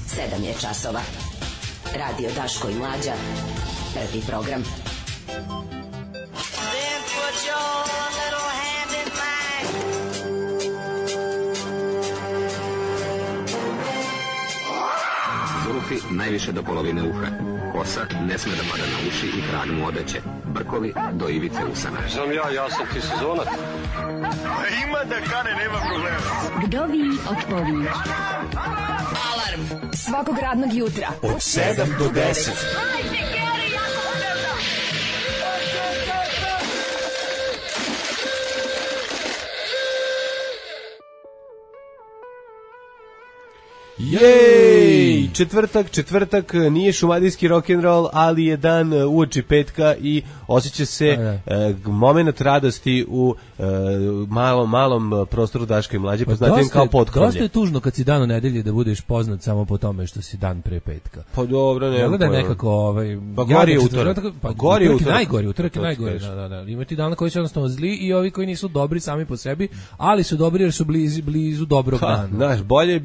7 je časova. Radio Daško i Mlađa. Prvi program. Zulufi najviše do polovine uha. Kosa ne sme da pada na uši i krag mu odeće. Brkovi do ivice usana. Sam ja sam ti sezonac. Ima da kane, nema problema. Vdovi otpovi. Alarm svakog radnog jutra od 7 do 10. Jej! Četvrtak, nije šumadijski rock'n'roll, ali je dan uoči petka i osjeća se moment radosti u malom prostoru Daška i Mlađe, poznatim kao potkrovlje. Dosta je tužno kad si dan u nedelji da budeš poznat samo po tome što si dan pre petka. Pa dobro, nema da nekako gori je utorak. Gori je utorak je najgori. Da. Ima ti dana koji su jednostavno zli i ovi koji nisu dobri sami po sebi, ali su dobri jer su blizu dobrog dana. Znaš, bolje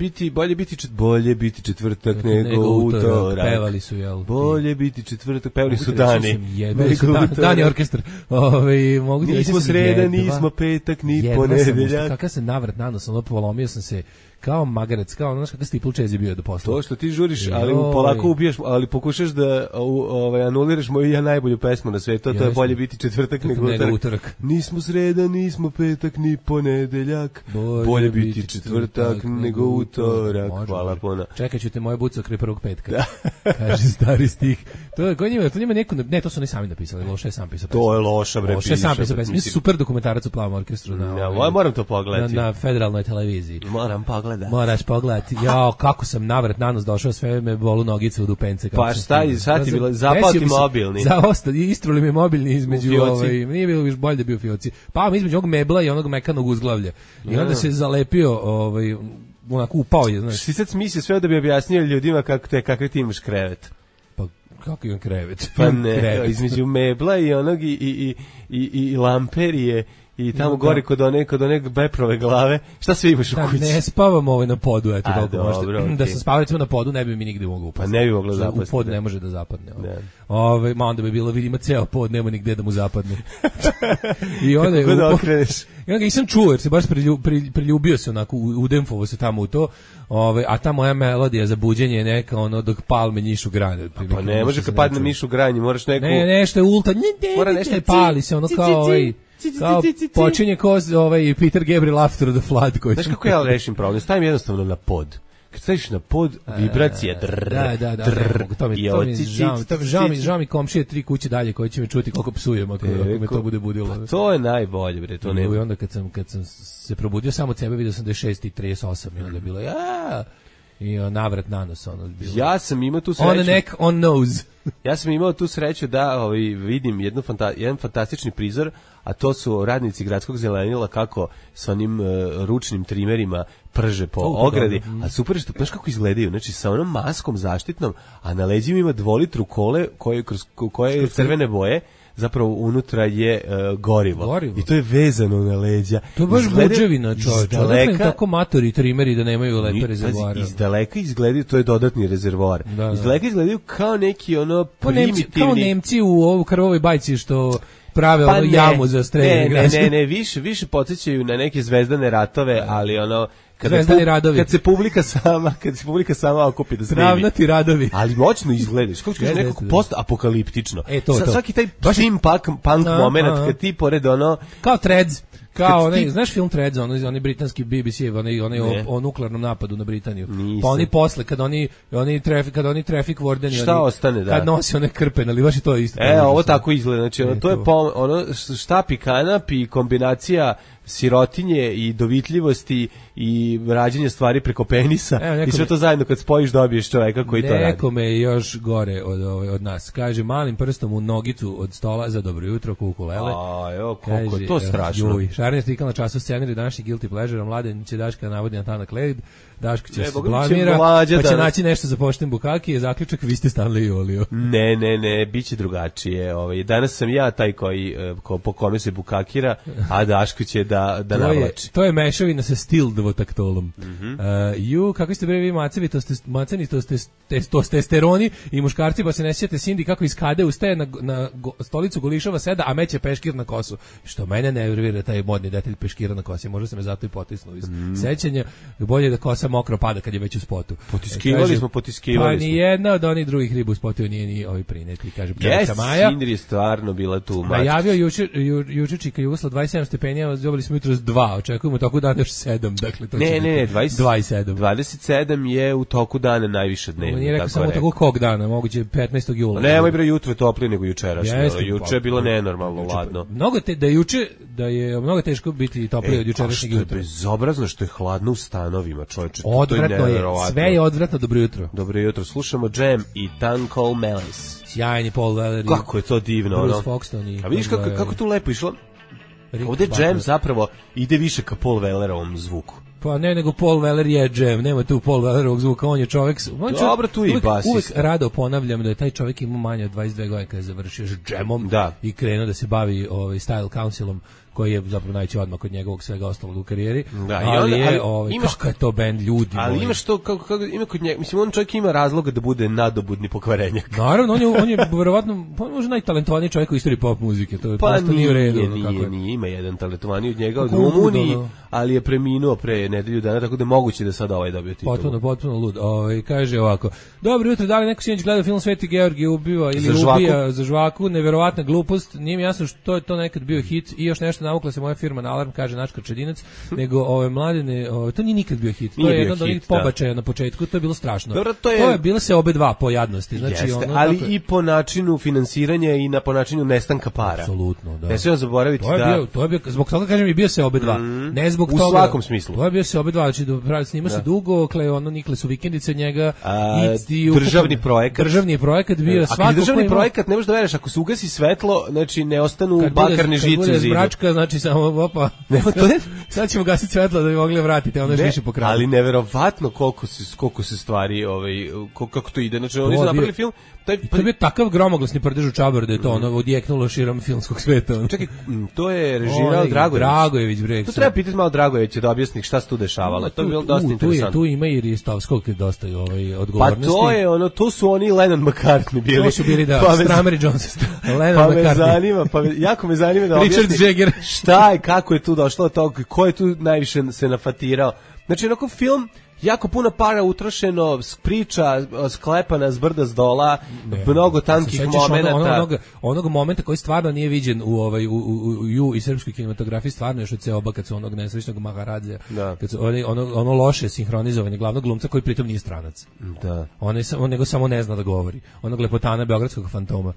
biti četvrtak nego utorak. Pevali su, jel? Bolje biti četvrtak, pevali su Dani. Dani orkestar. Nismo sreda, nismo petak, ni ponedeljak. Kakav se navrat nanos, polomio sam se kao magarac, kao znaš kakav Stipul Čezi bio do posla. To što ti žuriš, ali polako ubijaš, ali pokušaš da anuliraš moju najbolju pesmu na svetu, to je bolje biti četvrtak nego utorak. Nismo sreda, nismo petak, ni ponedeljak. Bolje biti četvrtak nego utorak. Hvala puno. Čekat ću te moje buce okre prvog petka. Kaže stari stih. To njima neko, ne, to su oni sami napisali, Loše je sam pisao pesmu. To je Loša, bre, Loše je sam pisao pesmu. Super dokumentarac u Plavom orkestru. Moram to pogledati. Na federalnoj televiziji. Moraš pogledati. Jao, kako sam navrat nanos došao, sve me bolu nogice u dupence. Pa šta je, sad ti bilo, zapao ti mobilni. Istruli mi mobilni između, nije bilo više bolje da bio fioci. Pa između ovog mebla i onog mekanog uzglavlja. I onda se zalepio, onako upao je, znaš. Ti sad smislio sve da bi objasnio ljudima kakve ti imaš krevet. Pa kako imam krevet? Pa ne, između mebla i onog i lamperije. I tamo gore kod one beprove glave, šta sve imaš u kući? Ne spavam na podu, eto toliko možete. Okay. Da sam spavao recimo na podu, ne bi mi nigde mogao upasti. Pa ne bi moglo zapasti. U pod ne može da zapadne. Ma onda bi bilo, vidimo ceo pod, nema nigde da mu zapadne. I onda kako da okreneš? I onda ga nisam čuo, jer se baš priljubio se onako, udemfovo se tamo u to. A ta moja melodija za buđenje je neka dok palme njišu granje. Pa ne može kad padne mišu granje, moraš neku... Ne, nešto je ulta, mora nešto pali se, kao počinje ko Peter Gabriel After the Flood. Znaš kako ja rešim problem? Stavim jednostavno na pod. Kad staviš na pod, vibracija žao mi komšije 3 kuće dalje koji će me čuti koliko psujem ako me to bude budilo. Pa to je najbolje, bre, to nema. I onda kad sam se probudio sam od sebe, vidio sam da je 6:38 i onda je bilo i navrat nanos bilo. Ja sam imao tu sreću. On neck, on nose. Ja sam imao tu sreću da vidim jedan fantastični prizor, a to su radnici gradskog zelenila kako s onim ručnim trimerima prže po ogradi, a super je što, znaš kako izgledaju, znači sa onom maskom zaštitnom, a na leđima ima 2 litru kole koje je crvene boje, zapravo unutra je gorivo. I to je vezano na leđa. To je baš buđevina, čovječe. Odakle tako matori trimeri da nemaju lepe rezervoare. Izdaleka izgledaju, to je dodatni rezervoar. Izdaleka izgledaju kao neki primitivni... Kao Nemci u ovu krvovoj bajci što prave jamu za streljanje građana. Ne, više podsjećaju na neke zvezdane ratove, ali kad se publika sama okupi da snimi. Travnati radovi. Ali moćno izgledaš, kako kažeš, nekako post-apokaliptično. Svaki taj steampunk moment, kad ti pored kao Threads. Kao znaš film Threads, onaj britanski BBC-ev, onaj o nuklearnom napadu na Britaniju. Pa oni posle, kad oni traffic wardeni, šta ostane, da. Kad nosi one krpe, ali baš i to je isto. Ovo tako izgleda, znači to je štap i kanap i kombinacija sirotinje i dovitljivosti i rađenje stvari preko penisa i sve to zajedno kad spojiš dobiješ čoveka koji to radi. Nekome je još gore od nas. Kaže, malim prstom u nogicu od stola za dobro jutro ukulele. Koliko je to strašno. Šarnija stikala na času scenarij današnji Guilty Pleasure, Mladen će Daška navodi na Tanak Led. Daško će se blamira, pa će naći nešto za pošten Bukaki, je zaključak, vi ste Stanley i Olio. Ne, biće drugačije. Danas sam ja taj po kome se Bukakira, a Daško će da navlači. To je mešavina sa stil dvotaktolom. Kako ste bre vi macevi, testosteroni i muškarci, pa se ne sjećate Cindy kako iz kade ustaje na stolicu golišava seda, a meće peškir na kosu. Što mene nervira taj modni detalj peškira na kosi. Možda se me zato i potisnuo iz sećanja. Bolje da kosa mokro pada kad je već u spotu. Potiskivali smo. Pa ni jedna od onih drugih riba u spotu nije ni ovi prineti, kaže pčelica Maja. Cindy je stvarno bila tu. Najavio juče Čika Jugosla 27 stepenja, dobili smo jutros 2, očekujemo toku dana još 7. Dakle, to ne, 27. 27 je u toku dana najviše dnevno. Nije rekao samo toku kog dana, moguće 15. jula. Nemoj bre, jutro je toplije nego jučerašnje. Juče je bilo nenormalno ladno. Da je mnogo teško biti toplije od jučerašnjeg jutra. Što je bezobrazno što je hladno u stanovima, čoveče. Odvratno je, sve je odvratno. Dobro jutro. Dobro jutro, slušamo Jam i Tuncle Malice. Sjajni Paul Weller. Kako je to divno, Bruce Foxton. A vidiš kako tu lepo išlo? Ovde Jam zapravo ide više ka Paul Wellerovom zvuku. Pa ne, nego Paul Weller je Jam, nema tu Paul Wellerovog zvuka, on je čovjek... Dobro, tu i basista. Uvijek rado ponavljam da je taj čovjek imao manje od 22 godine kada je završio s Jamom i krenuo da se bavi Style Councilom, koji je zapravo najveći odmak od njegovog svega ostalog u karijeri. Da, kakav je to bend, ljudi ali moji. Imaš to, ima kod njega, mislim, on čovjek ima razloga da bude nadobudni pokvarenjak. Naravno, on je verovatno, možda najtalentovaniji čovjek u istoriji pop muzike, to je prosto nije u redu. Nije, ima jedan talentovaniji od njega, od Rumuniji, ali je preminuo pre nedelju dana, tako da je moguće da sad dobio titulu. Potpuno lud. Kaže ovako, dobro jutro, da li neko sinoć gleda film Sveti Georgije ubiva ili ubija za žvaku, neverovatna glupost, nije mi jasno što je to nekad bio hit i još nešto navukla se moja firma na alarm, kaže naš Krčedinac, nego mladine, to nije nikad bio hit. To je jedno od onih pobačaja na početku, to je bilo strašno. Dobro, to je bilo se obe dva po jadnosti. Znači, jeste, ali i po načinu finansiranja i po načinu nestanka para. Apsolutno, da. Ne smijemo zaboraviti to je bio, zbog toga kažem i bio se obe dva. Ne zbog toga. U svakom smislu. To je bio se obe dva, znači snima se dugo, nikle su vikendice od njega. Državni projekat bio svako. Državni projekat ne možeš da veruješ, ako se ugasi svetlo, znači ne ostanu bakarne žice u zidu. Bračka, znači samo opa. Sad ćemo gasiti svetlo da bi mogli vratiti, onda još više po kraju. Ali neverovatno koliko se stvari, kako to ide. Znači, oni su napravili film. To je bio takav gromoglasni prdež u Čabar da je to odjeknulo širom filmskog sveta. Čekaj, to je režirao Dragojević. To treba pitati malo Dragojevića da objasni šta se tu dešavalo. To je bilo dosta interesantno. Tu ima i Ristovskog dosta odgovornosti. Pa to su oni Lennon McCartney bili. To su bili, Stramer i Jones. Lennon McCartney. Jako me zanima da objasni Richard Jagger. Šta je, kako je tu došlo od toga, ko je tu najviše se nafatirao. Znači, onako film, jako puno para utrošeno, priča sklepana s brda s dola, mnogo tankih momenata. Onog momenta koji stvarno nije viđen u i srpskoj kinematografiji, stvarno još od Ceoba, kad su onog nesrećnog Maharadzija, kad su ono loše sinhronizovanje glavnog glumca koji pritom nije stranac. Da. On nego samo ne zna da govori. Onog lepotana beogradskog fantoma.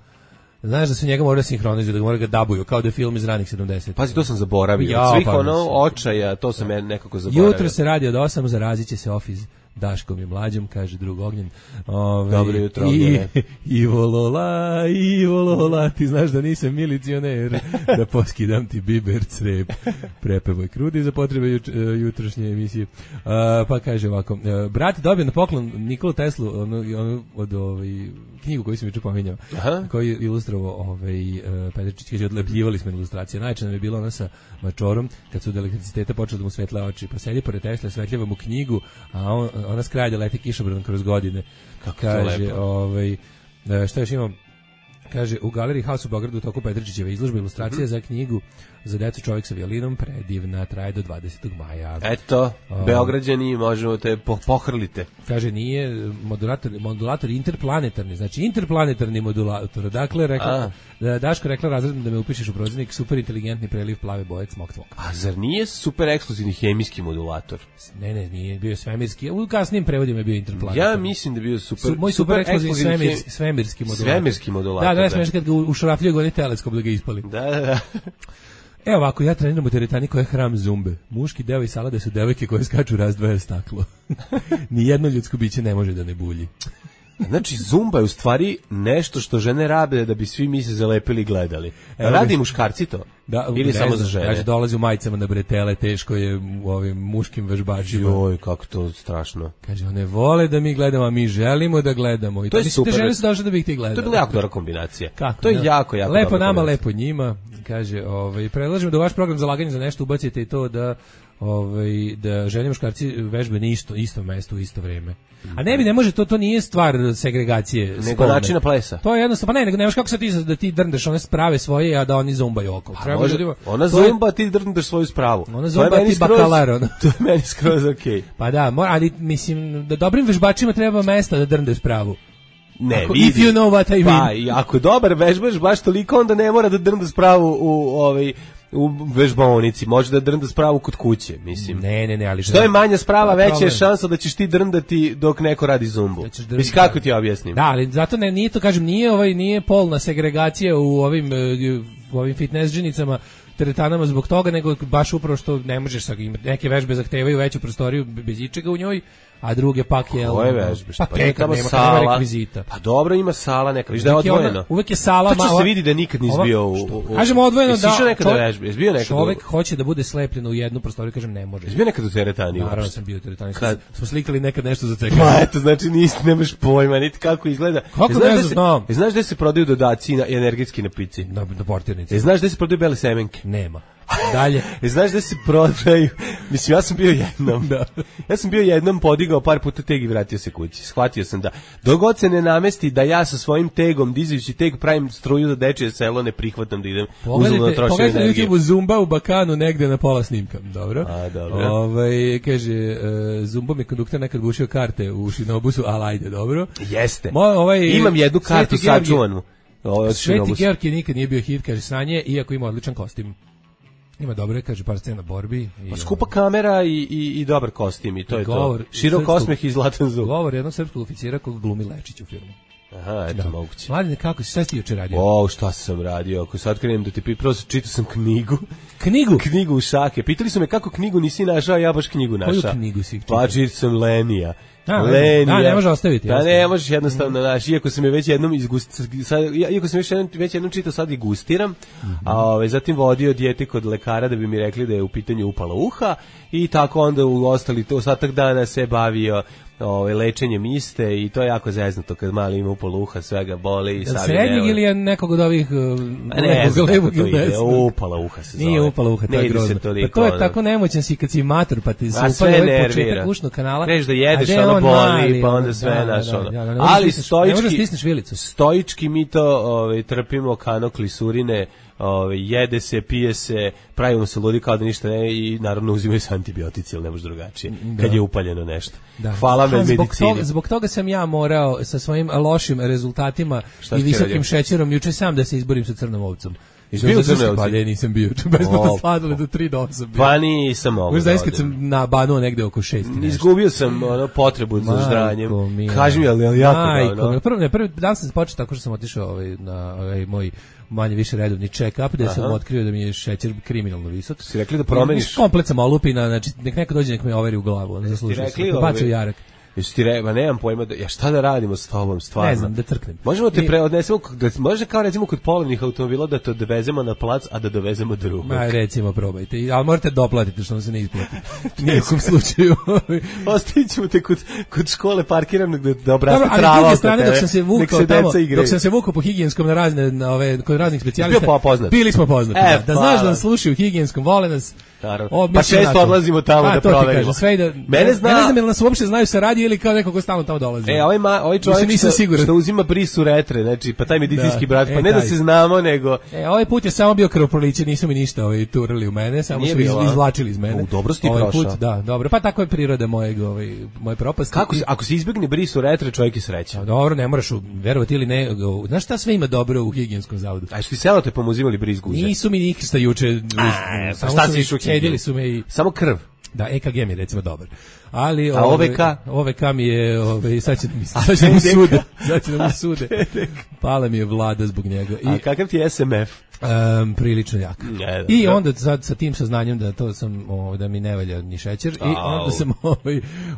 Znaš da su njega morali sinhronizuju, da moraju ga dabuju, kao da je film iz ranih 70. Pazi, to sam zaboravio. Svih očaja, to sam nekako zaboravio. Jutro se radi od 8, zarazit će se Office Daškom i Mlađom, kaže drug Ognjen. Dobro jutro, Ognjene. Ivo Lola, ti znaš da nisam milicioner, da poskidam ti biber crep. Prepevoj krudi za potrebe jutrošnje emisije. Pa kaže ovako, brat dobio na poklon Nikolu Teslu, od knjigu koju sam juče pominjao, koji je ilustrovao Petričić, kaže, odlepljivali smo ilustracije. Najče nam je bilo ona sa mačorom, kad su od elektriciteta počeli da mu svetle oči, pa sedi pored Tesla, svetljava mu knjigu, a ona skralja leti kišobran kroz godine. Kaže, šta još imam? Kaže, u Galeriji House u Beogradu u toku Petričićeve izložbe ilustracija za knjigu za decu Čovjek sa violinom, predivna, traje do 20. maja. Eto, Beograđani, možemo te pohrlite. Kaže, nije modulator interplanetarni, znači interplanetarni modulator. Dakle, Daško rekla razredno da me upišeš u prozirnik, super inteligentni preliv plave boje cmok cmok. A zar nije super ekskluzivni hemijski modulator? Ne, nije, bio je svemirski. U kasnijim prevodima je bio interplanetarni. Ja mislim da je bio moj super ekskluzivni svemirski modulator. Svemirski modulator. Da, smiješ kad ga ušrafljaju goni teleskop da ga ispali. Da. Evo ovako, ja treniram u teretani koja je hram zumbe. Muški deo i salade su devojke koje skaču razdvaja staklo. Nijedno ljudsko biće ne može da ne bulji. Znači, zumba je u stvari nešto što žene rabe da bi svi mi se zalepili i gledali. Radi muškarci to? Da, ili samo za žene? Kaže, dolazi u majicama na bretele, teško je u ovim muškim vežbačima. Joj, kako to strašno. Kaže, one vole da mi gledamo, a mi želimo da gledamo. I to je super. Da žene su došle da bi ih ti gledali. To je bila jako dobra kombinacija. Kako? To je jako lepo nama, lepo njima. Kaže, predlažem da u vaš program zalaganje za nešto ubacite i to da da žene i muškarci vežbe na isto mesto u isto vreme. A ne može, to nije stvar segregacije. Nego načina plesa. To je jednostavno, pa nego nemaš kako se da ti drndeš one sprave svoje, a da oni zumbaju oko. Ona zumba, ti drndeš svoju spravu. Ona zumba, ti bakalar. To je meni skroz okej. Pa da, ali mislim, da dobrim vežbačima treba mesta da drndeš spravu. Ne, if you know what I mean. Pa, i ako dobar vežbaš baš toliko, onda ne mora da drnda spravu u vežbaonici, može da drnda spravu kod kuće, mislim. Ne, ali što je manja sprava, veća je šansa da ćeš ti drndati dok neko radi zumbu. Mislim, kako ti objasnim? Da, ali zato nije to, kažem, nije polna segregacija u ovim fitness džinicama, teretanama zbog toga, nego baš upravo što ne možeš, neke vežbe zahtevaju veću prostoriju bez ičega u njoj, a druge pak je... Koje vežbe? Pa nema rekvizita. Pa dobro, ima sala neka, viš da je odvojeno. Uvek je sala... To se vidi da nikad nisi bio u... Kažemo odvojeno da... Jesi nekada vežbe? Jesi bio nekada... Čovek hoće da bude slepljen u jednu prostoriju, kažem, ne može. Jesi bio nekada u teretani? Naravno sam bio u teretani. Smo slikali nekad nešto za CK. Pa eto, znači nemaš pojma, niti kako izgleda. Kako ne znam? Znaš gde se prodaju dodaci energetski napici? Na portirnici. Znaš gde se prodaju bele semenke? Nema. Dalje. Znaš da se prodaju, mislim, ja sam bio jednom, ja sam bio jednom podigao par puta teg i vratio se kući. Shvatio sam da dogod se ne namesti da ja sa svojim tegom, dizajući teg, pravim struju za dečije selo, ne prihvatam da idem uzaludno trošim energije. Pogledajte YouTube Zumba u Bakanu negde na pola snimka. Dobro. A, dobro. Kaže, Zumba mi konduktor nekad bušio karte u Šinobusu, ali ajde, dobro. Jeste. Imam jednu kartu sačuvanu. Sveti Georg je nikad nije bio hit, kaže Sanje, iako ima odličan kostim. Ima dobro, kaže, par scena borbi. Pa skupa kamera i dobar kostim i to je to. Širok osmeh i zlatan zub. Govor jednog srpskog oficira kog glumi Lečić u filmu. Aha, eto moguće. Mladine, kako si, šta si juče radio? Šta sam radio? Ako sad krenem da ti prvo čitao sam knjigu. Knjigu? Knjigu u šake. Pitali su me kako knjigu nisi našao, ja baš knjigu našao. Koju knjigu si čitao? Pa čitao sam Lenija. Lenija. Ne može ostaviti. Da, ne možeš jednostavno naći, iako sam je već jednom već jednom čitao, sad i gustiram, a zatim vodio dijete kod lekara da bi mi rekli da je u pitanju upala uha i tako onda u ostatak dana se bavio lečenjem iste i to je jako zeznuto kad mali ima upala uha, svega boli i savi srednjeg ili je nekog od ovih levog ili desnog? Upala uha se zove. Nije upala uha, to je grozno. Pa to je tako nemoćan si kad si mator, pa ti se upala ovaj početak ušnog kanala. Kreš da jedeš, ono boli, pa onda sve naš ono. Ali stoički mi to trpimo kanoklisurine, jede se, pije se, pravimo se ludi kao da ništa ne i naravno uzimaju se antibiotici, ali ne može drugačije, kad je upaljeno nešto. Hvala me medicini. Zbog toga sam ja morao sa svojim lošim rezultatima i visokim šećerom juče sam da se izborim sa crnom ovcom. Bio u crnoj ovci? Pa nisam bio, besplatno sladole do 3 do 8 bio. Pa nisam mogu da odim. Kad sam nabanuo negde oko 6. Izgubio sam potrebu za ždranjem. Kaži mi, ali jako prvi dan sam počeo tako što sam otišao na moj manje više redovni check-up, gde sam otkrio da mi je šećer kriminalno visok. Si rekli da promeniš? Komplet sam olupina, znači nek neko dođe nek me overi u glavu, on zaslužuje se. Bacio jarak. Jesi ti nemam pojma, šta da radimo s tobom, stvarno? Ne znam, da crknem. Možemo te preodnesemo, može kao recimo kod polovnih automobila da te dovezemo na plac, a da dovezemo drugog. Recimo, probajte, ali morate doplatiti što vam se ne isplati. Nijekom slučaju. Ostavit ćemo te kod škole parkirano da obraste trava. Ali s druge strane, dok sam se vukao po higijenskom kod raznih specijalista, bili smo poznati. Da znaš da nas slušaju u higijenskom, vole nas. Pa često odlazimo tamo da proverimo. Mene znam ili nas uopšte znaju sa radija ili kao neko ko stalno tamo dolazi. Ovaj čovjek što uzima brisu retre, znači pa taj medicinski brat, pa ne da se znamo nego... Ovaj put je samo bio krvoproliće, nisu mi ništa turali u mene, samo su izvlačili iz mene. Dobro si ti prošao. Da, dobro, pa tako je priroda moje propasti. Ako se izbjegne brisu retre, čovjek je srećan. Dobro, ne moraš verovati ili ne. Znaš šta sve ima dobro u higijenskom zavodu? A što ti selotepom uzimali bris guže? Nisu mi ništa juče. Šta si išao? Cedili su me i... Samo krv. Da, EKG mi je recimo dobar. Ali a OVK? OVK mi je, sad će da mi sude. Pala mi je vlada zbog njega. A kakav ti je SMF? Prilično jak. I onda sad sa tim saznanjem da to sam da mi ne valja ni šećer i onda sam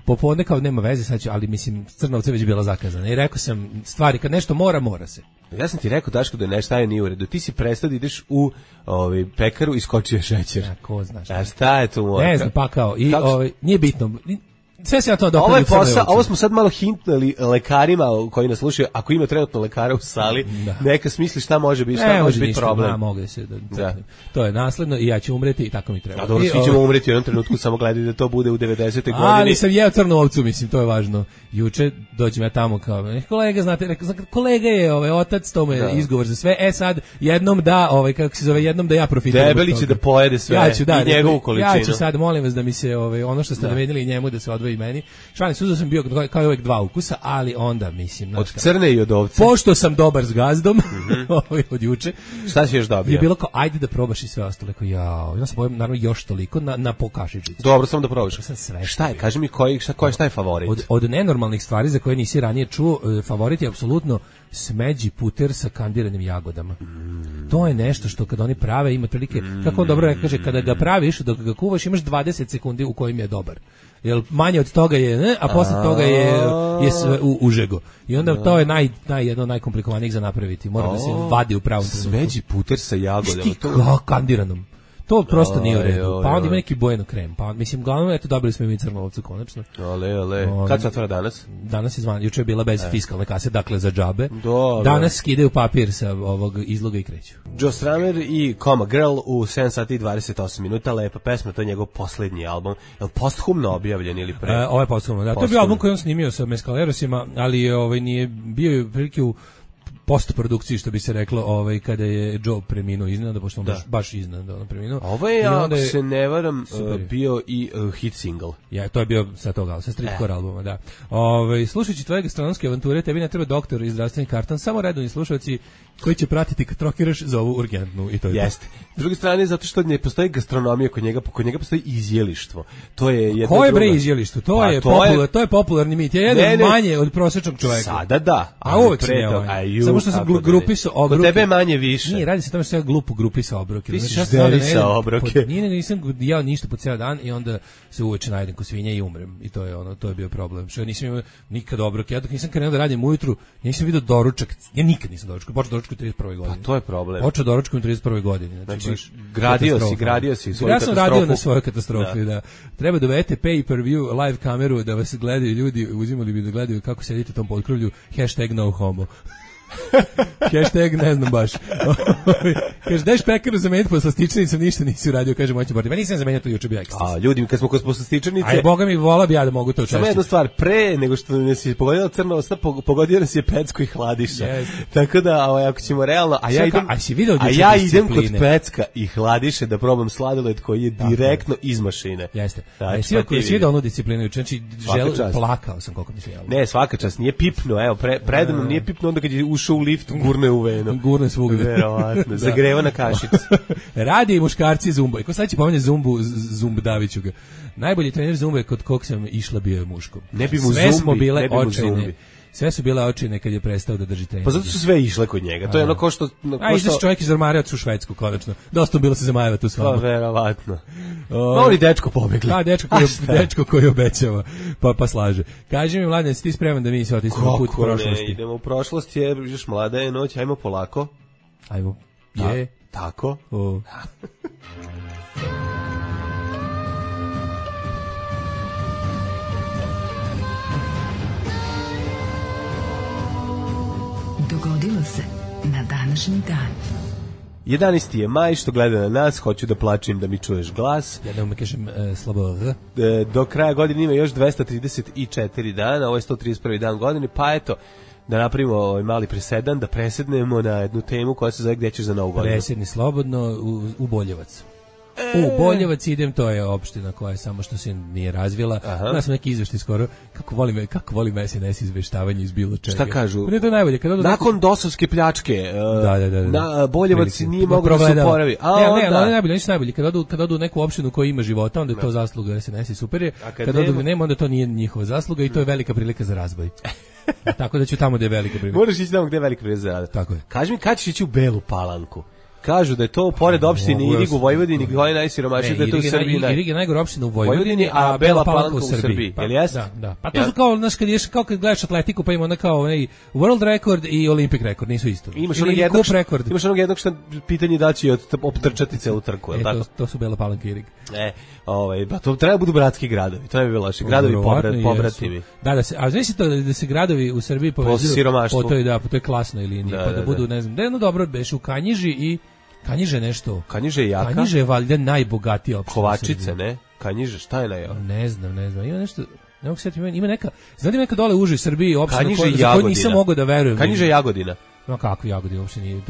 popodne kao nema veze sad ću, ali mislim crna ovca već bila zakazana i rekao sam stvari kad nešto mora se. Ja sam ti rekao Daško da nešto nije u redu. Ti si prestao da ideš u pekaru i skočio šećer. Ja, ko znaš. A šta je tu? Ne znam pa kao i nije bitno. Sve se ja to ovo je posao, ovo smo sad malo hintnuli lekarima koji nas slušaju, ako ima trenutno lekara u sali, neka smisli šta može biti, šta može biti problem. Mogu se da. To je nasledno i ja ću umreti i tako mi treba. A dobro, svi ćemo umreti u jednom trenutku, samo gledaj da to bude u 90. godini. Ali sam jeo crnu ovcu, mislim, to je važno. Juče dođem ja tamo kao, kolega, znate, kolega je otac, to mu je izgovor za sve. Sad jednom da, kako se zove, jednom da ja profitiram. Debeli će da pojede sve i njegovu količinu. Ja ću sad, molim vas da mi se ono što ste navedili njemu da se odvoji meni. Šalim suzo sam bio kao i uvek dva ukusa, ali onda mislim od crne i od ovce. Pošto sam dobar s gazdom, od juče. Šta si još dobio? Je bilo kao ajde da probaš i sve ostalo, kao ja sam bojim naravno još toliko na pokašičicu. Dobro, samo da probaš. Šta je? Kaži mi šta je favorit? Od nenormalnih stvari za koje nisi ranije čuo, favorit je apsolutno smeđi puter sa kandiranim jagodama. To je nešto što kad oni prave ima prilike, kako on dobro kaže, kada ga praviš, dok ga kuvaš imaš 20 sekundi u kojim je dobar. Jer manje od toga je, a posle toga je sve užego. I onda to je jedno najkomplikovanijih za napraviti. Mora da se vadi u pravom trenutku. Smeđi puter sa jagodama. Kandiranom. To prosto nije u redu. Pa onda ima neki bojeno krem. Pa mislim, glavno, eto, dobili smo i mi crnu ovcu, konačno. Ale. Kad se otvara danas? Danas je juče je bila bez fiskalne kase, dakle za džabe. Danas skidaju papir sa ovog izloga i kreću. Joe Strummer i Coma Girl u 7 sati i 28 minuta, lepa pesma, to je njegov poslednji album. Je li posthumno objavljen ili pre? Ovo je posthumno, da. To je bio album koji on snimio sa Mescalerosima, ali nije bio prilike u postprodukciji, što bi se reklo, kada je Joe preminuo iznenada, pošto on baš iznenada preminuo. Ovo je, ako se ne varam, bio i hit single. Ja, to je bio sa toga, sa streetcore albuma, da. Slušajući tvoje gastronomske avanture, tebi ne treba doktor i zdravstveni karton, samo redovni slušalci koji će pratiti kad trokiraš za ovu urgentnu i to je. Jeste. S druge strane, zato što ne postoji gastronomija kod njega postoji izjelištvo. To je jedna Ko je bre izjelištvo? To je popularni mit. Ja jedem manje od prosječnog čoveka. Sada da. A uvek sam samo što sam grupisao obroke. Kod tebe manje više. Nije, radi se tome što ja glupo grupisao obroke. Ti si žderisao obroke. Nisam jeo ništa po cijel dan i onda se uveče najedem ko svinja i umrem. I to je bio problem. Što ja nisam imao nikad obroke. Ja dok nisam krenuo da radim ujutru, nisam vidio doručak. Ja nikad nisam doručak. Počeo doručak u 31. godini. Pa to je problem. Počeo doručak u 31. godini. Znači gradio si svoju katastrofu. Ja sam radio na svojoj katastrofi, da. Treba da uvedete pay-per-view live kameru da vas gledaju ljudi, uzimali bi da gledaju kako sedite u tom potkrovlju, #NoHomo. Hashtag ne znam baš. Kaže, dajš pekaru zameniti po slastičanicom, ništa nisi uradio, kaže moći bordi. Ma nisam zamenio to juče bio ekstra. A ljudi, kad smo kod slastičanice... Aj, boga mi, vola bi ja da mogu to češće. Samo jedna stvar, pre nego što nas je pogodila crna osta, pogodio nas je Pecko i Hladiša. Tako da, ako ćemo realno... A ja idem kod Pecka i Hladiše da probam sladoled koji je direktno iz mašine. Jeste. A jesi vidio onu disciplinu juče? Znači, plakao sam koliko mi se javno. Ne, svaka čast, nije pipno, evo, predano nije pipno, onda kad je ušao u lift, gurne u venu. Gurne svugde. Verovatno, zagreva na kašicu. Radi i muškarci zumba. I ko sad će pomenje Zumb Daviću ga. Najbolji trener zumbe kod kog sam išla bio je muško. Ne bi mu sve zumbi, smo bile očajne. Sve su bile očine kad je prestao da drži trening. Pa zato su sve išle kod njega. To je ono ko što... Izaš čovjek iz ormara u Švedsku, konačno. Dosta bilo se zamajeva tu s vama. Pa verovatno. Oni dečko pobegli. Da, dečko koji obećava, pa slaže. Kaži mi, Mladen, si ti spreman da mi se otisnemo put u prošlosti? Kako ne, idemo u prošlost, još mlada je noć, ajmo polako. Ajmo. Tako. Dogodilo se na današnji dan. 11. je maj, što gleda na nas, hoću da plačem da mi čuješ glas. Ja da mi kažem slabo R. Do kraja godine ima još 234 dana, ovo je 131. dan godine, pa eto, da napravimo ovaj mali presedan, da presednemo na jednu temu koja se zove Gde ćeš za novu godinu. Presedni slobodno u Boljevac. U Boljevac idem, to je opština koja je samo što se nije razvila. Ja sam neki izveštaj skoro, kako volim SNS izveštavanje iz bilo čega. Šta kažu? Ne, to je najbolje. Nakon dosovske pljačke, da. Boljevac nije mogao da se oporavi. Oni su najbolji. Kad odu u neku opštinu koja ima života, onda je to zasluga SNS i super je. Kad odu nema, onda to nije njihova zasluga i to je velika prilika za razvoj. Tako da ću tamo gde je velika prilika. Moraš ići tamo gde je velika prilika za razvoj. Tako je. Kaži mi kad ćeš ići u Belu Palanku? Kažu da je to pored opštine Irig u Vojvodini koja je najsiromašnija, da je to u Srbiji. Irig je najgora opština u Vojvodini, a Bela Palanka u Srbiji. Jel jeste? Da. Pa to su kao, znaš, kad gledaš atletiku, pa ima onda kao onaj world record i Olympic record, nisu isto. Imaš onog jednog što pitanje da će optrčati celu trku, je tako? To su Bela Palanka i Irig. Pa to treba budu bratski gradovi, to ne bi bilo loše. Gradovi pobratimi. Da se, a znači to da se gradovi u Srbiji povezuju po toj klasnoj liniji, pa da budu, ne znam, da je jedno dobro beš u Kanjiži i Kanjiže nešto. Kanjiže je jaka. Kanjiže je valjda najbogatija opština. Kovačice, ne? Kanjiže, šta je najjava? Ne znam. Ima nešto, ne mogu se sjetiti, ima neka, znate neka dole uže u Srbiji opština za koju nisam mogao da verujem. Kanjiže Jagodina. No kako Jagodina uopšte nije,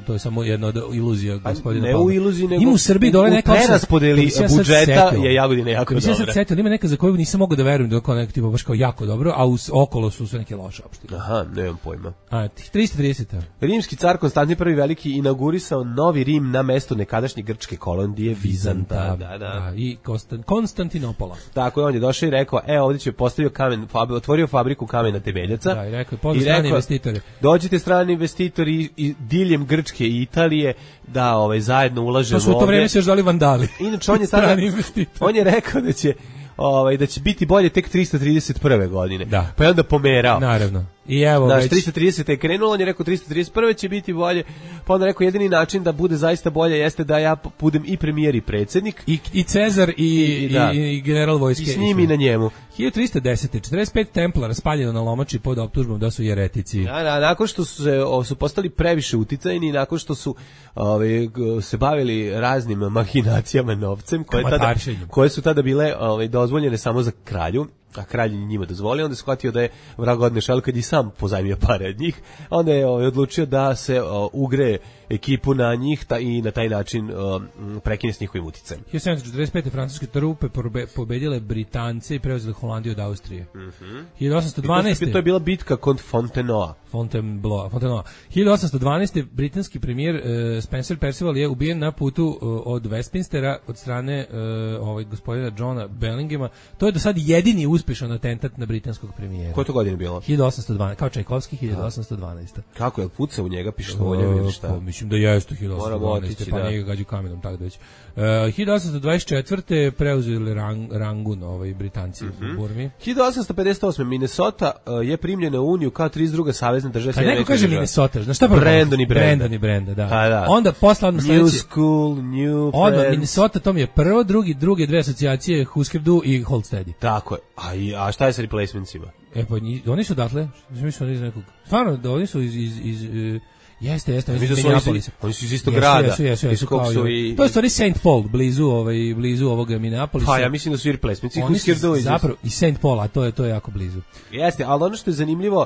to je samo jedna od iluzija gospodina Palme. Ne u iluziji, nego ima u Srbiji dole neka opština. U preraspodeli budžeta je Jagodina jako dobra. Ja sad setio, ima neka za koju nisam mogao da verujem da je kao neka tipa baš kao jako dobro, a okolo su sve neke loše opštine. Aha, nemam pojma. 330. Rimski car Konstantin I Veliki inaugurisao novi Rim na mesto nekadašnje grčke kolonije Vizanta. Da. I Konstantinopola. Tako je, on je došao i rekao, ovdje će postavio otvorio fabriku kamena temeljaca. Da, i rekao, pozdrav strani investitore. Dođite strani investitori i diljem Grčke i Italije da zajedno ulažemo ovdje. To su u to vreme se još dali vandali. Inače on je rekao da će biti bolje tek 331. godine. Da. Pa je onda pomerao. Naravno. I evo već 330 je krenulo, on je rekao 331 će biti bolje. Pa onda rekao jedini način da bude zaista bolje jeste da ja budem i premijer i predsjednik i Cezar i general vojske. I s njim i na njemu. 1310. 45 templara spaljeno na Lomači pod optužbom da su jeretici. Da, nakon što su postali previše uticajni, nakon što su se bavili raznim mahinacijama novcem koje su tada bile dozvoljene samo za kralju, a kralj njima dozvolio, onda je shvatio da je vrag odnešao, kad i sam pozajmio pare od njih, onda je odlučio da se ugre ekipu na njih i na taj način prekine s njihovim uticajem. 1745. francuske trupe pobedile Britance i preuzele Holandiju od Austrije. 1812. To je bila bitka kod Fontenoa. 1812. britanski premijer Spencer Perceval je ubijen na putu od Westminstera od strane gospodina Johna Bellingema. To je do sad jedini uspješan atentat na britanskog premijera. Koje to godine bilo? 1812. Kao Čajkovski, 1812. Kako je puca u njega pištoljem ili šta? Mislim da jeste 1812. Pa nije ga gađu kamenom, tako da već. 1824. preuzeli Rangun Britanci u Burmi. 1858. Minnesota je primljena u Uniju kao 32. savezna država. Kad neko kaže Minnesota, znaš šta pa Brandon i Brenda, da. Onda posle odmah New School, New Friends. Onda Minnesota, to mi je prvo, druge dve asocijacije Husker Du i Hold Steady. Tako je. A šta je sa replacementsima? Pa oni su dakle, mislim oni iz nekog. Stvarno, da oni su iz Jeste, oni su iz istog grada. Jesu, to je stvari St. Paul, blizu ovoga Minneapolisa. Pa ja mislim da su i replacements. Zapravo i St. Paul, a to je jako blizu. Jeste, ali ono što je zanimljivo,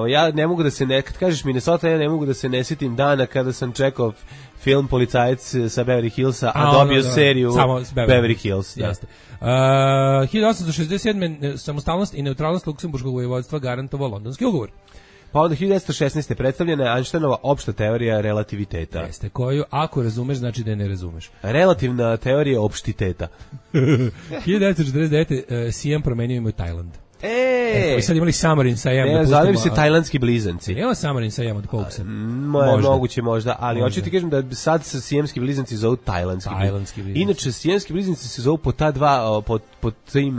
ja ne mogu da se kad kažeš Minnesota, ja ne mogu da se ne sjetim dana kada sam čekao film Policajac sa Beverly Hillsa, a dobio seriju Beverly Hills. Jeste. 1867. samostalnost i neutralnost Luksemburškog vojvodstva garantovao Londonski ugovor. Pa onda 1916. predstavljena je Einsteinova opšta teorija relativiteta. Jeste, koju ako razumeš, znači da je ne razumeš. Relativna teorija opštiteta. 1949. Siam promenio ime u Tajland. Sad imali Samarin sa Jem. Ne, zove se tajlandski blizanci. Evo Samarin sa Jem od Koksa. Moguće možda, ali hoću ti kažem da sad se sijemski blizanci zovu tajlandski blizanci. Inače, sijemski blizanci se zovu po ta dva, po tim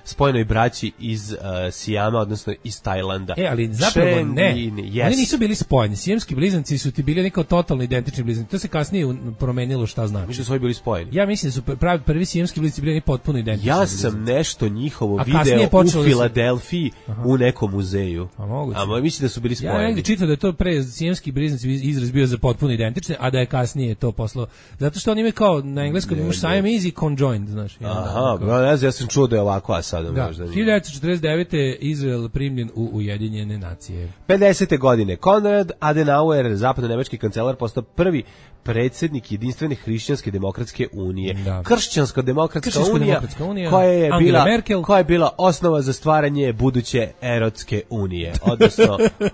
spojenoj braći iz Sijama, odnosno iz Tajlanda. Ali zapravo ne. Oni nisu bili spojeni. Sijemski blizanci su ti bili neko totalno identični blizanci. To se kasnije promenilo šta znači. Mislim da su ovi bili spojeni. Ja mislim da su prvi sijemski blizanci bili potpuno identični. Ja sam nešto njihovo video je počelo u Filadelfiji u nekom muzeju. A moguće. A mislim da su bili spojeni. Ja negdje čitao da je to pre sijemski bliznici izraz bio za potpuno identične, a da je kasnije to poslao. Zato što oni imaju kao na engleskom imaš Siamese i conjoined, znaš. Aha, ja sam čuo da je ovako, a sada da, možda nije. 1949. Izrael primljen u Ujedinjene nacije. 50. godine Konrad Adenauer, zapadno-nemački kancelar, postao prvi predsjednik jedinstvene hrišćanske demokratske unije. Da. Kršćansko-demokratska unija koja je bila osnova za stvaranje buduće erotske unije,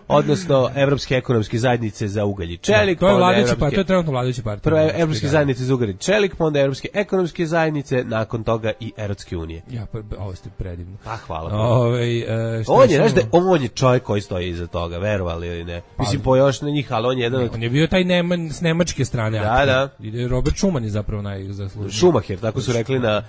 odnosno Evropske ekonomske zajednice za ugalj i čelik. To je vladajući partija, to je trenutno vladajući partija. Prvo Evropske zajednice za ugalj i čelik, pa onda Evropske ekonomske zajednice, nakon toga i erotske unije. Ja, ovo ste predivno. Pa hvala. On je čovjek koji stoji iza toga, verovali ili ne. Mislim, po još na njih, ali on je jedan... On je bio taj s nemačke strane. Da. Robert Schuman je zapravo najzaslužniji. Schumacher, tako su rekli na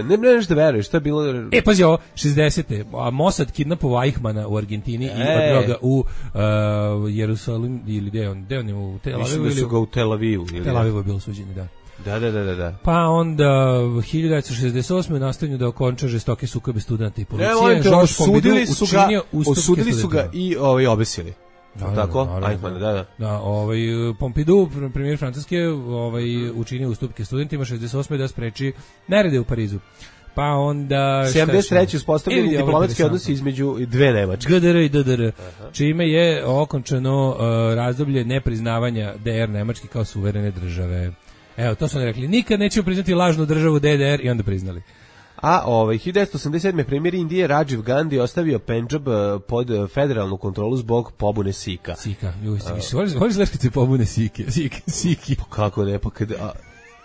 ne nešto veruješ, što je bilo... Pazi ovo, 60. A Mossad kidnapovao Eichmana u Argentini i odveo ga u Jerusalim, ili gde on je u Tel Avivu? Mislim da su ga u Tel Avivu. Tel Avivu je bilo suđenje, da. Da. Pa onda 1968. u nastavlju da okonča žestoke sukobe studenta i policije. Osudili su ga i obesili. Tako? Da, Pompidou, premijer Francuske, učinio ustupke studentima 68. da spreči nerede u Parizu. Pa onda 73. uspostavljeni diplomatski odnosi između dve Nemačke, GDR i DDR, čime je okončano razdoblje nepriznavanja DR Nemačke kao suverene države. Evo, to su oni rekli, nikad nećemo priznati lažnu državu DDR i onda priznali. A 1987. premijer Indije Rajiv Gandhi ostavio Pendžab pod federalnu kontrolu zbog pobune Sika. Voliš kad se pobune Siki? Pa kako ne, pa kada...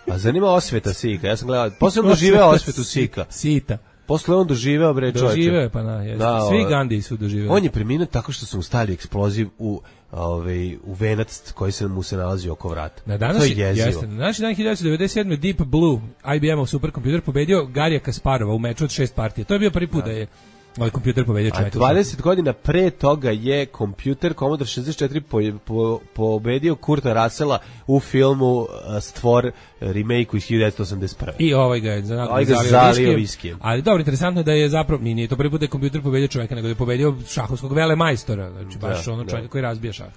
A zanima osveta Sika, ja sam gledao, posle on doživeo osvetu Sika. Sita. Posle on doživeo, bre, čovječe. Doživeo, pa svi Gandhi su doživeli. On je preminuo tako što su mu stavili eksploziv u venac koji mu se nalazi oko vrata. Na današnji dan 1997. Deep Blue, IBM-ov superkompjuter, pobedio Garija Kasparova u meču od 6 partija. To je bio prvi put da je ovaj kompjuter pobedio čovjeka. A 20 godina pre toga je kompjuter Commodore 64 pobedio Kurta Russella u filmu Stvor remake-u iz 1981. I ovaj ga je zalio viskijem. Ali dobro, interesantno je da je zapravo, nije to prvi put da je kompjuter pobedio čovjeka, nego da je pobedio šahovskog velemajstora, znači baš čovjeka koji razbija šah.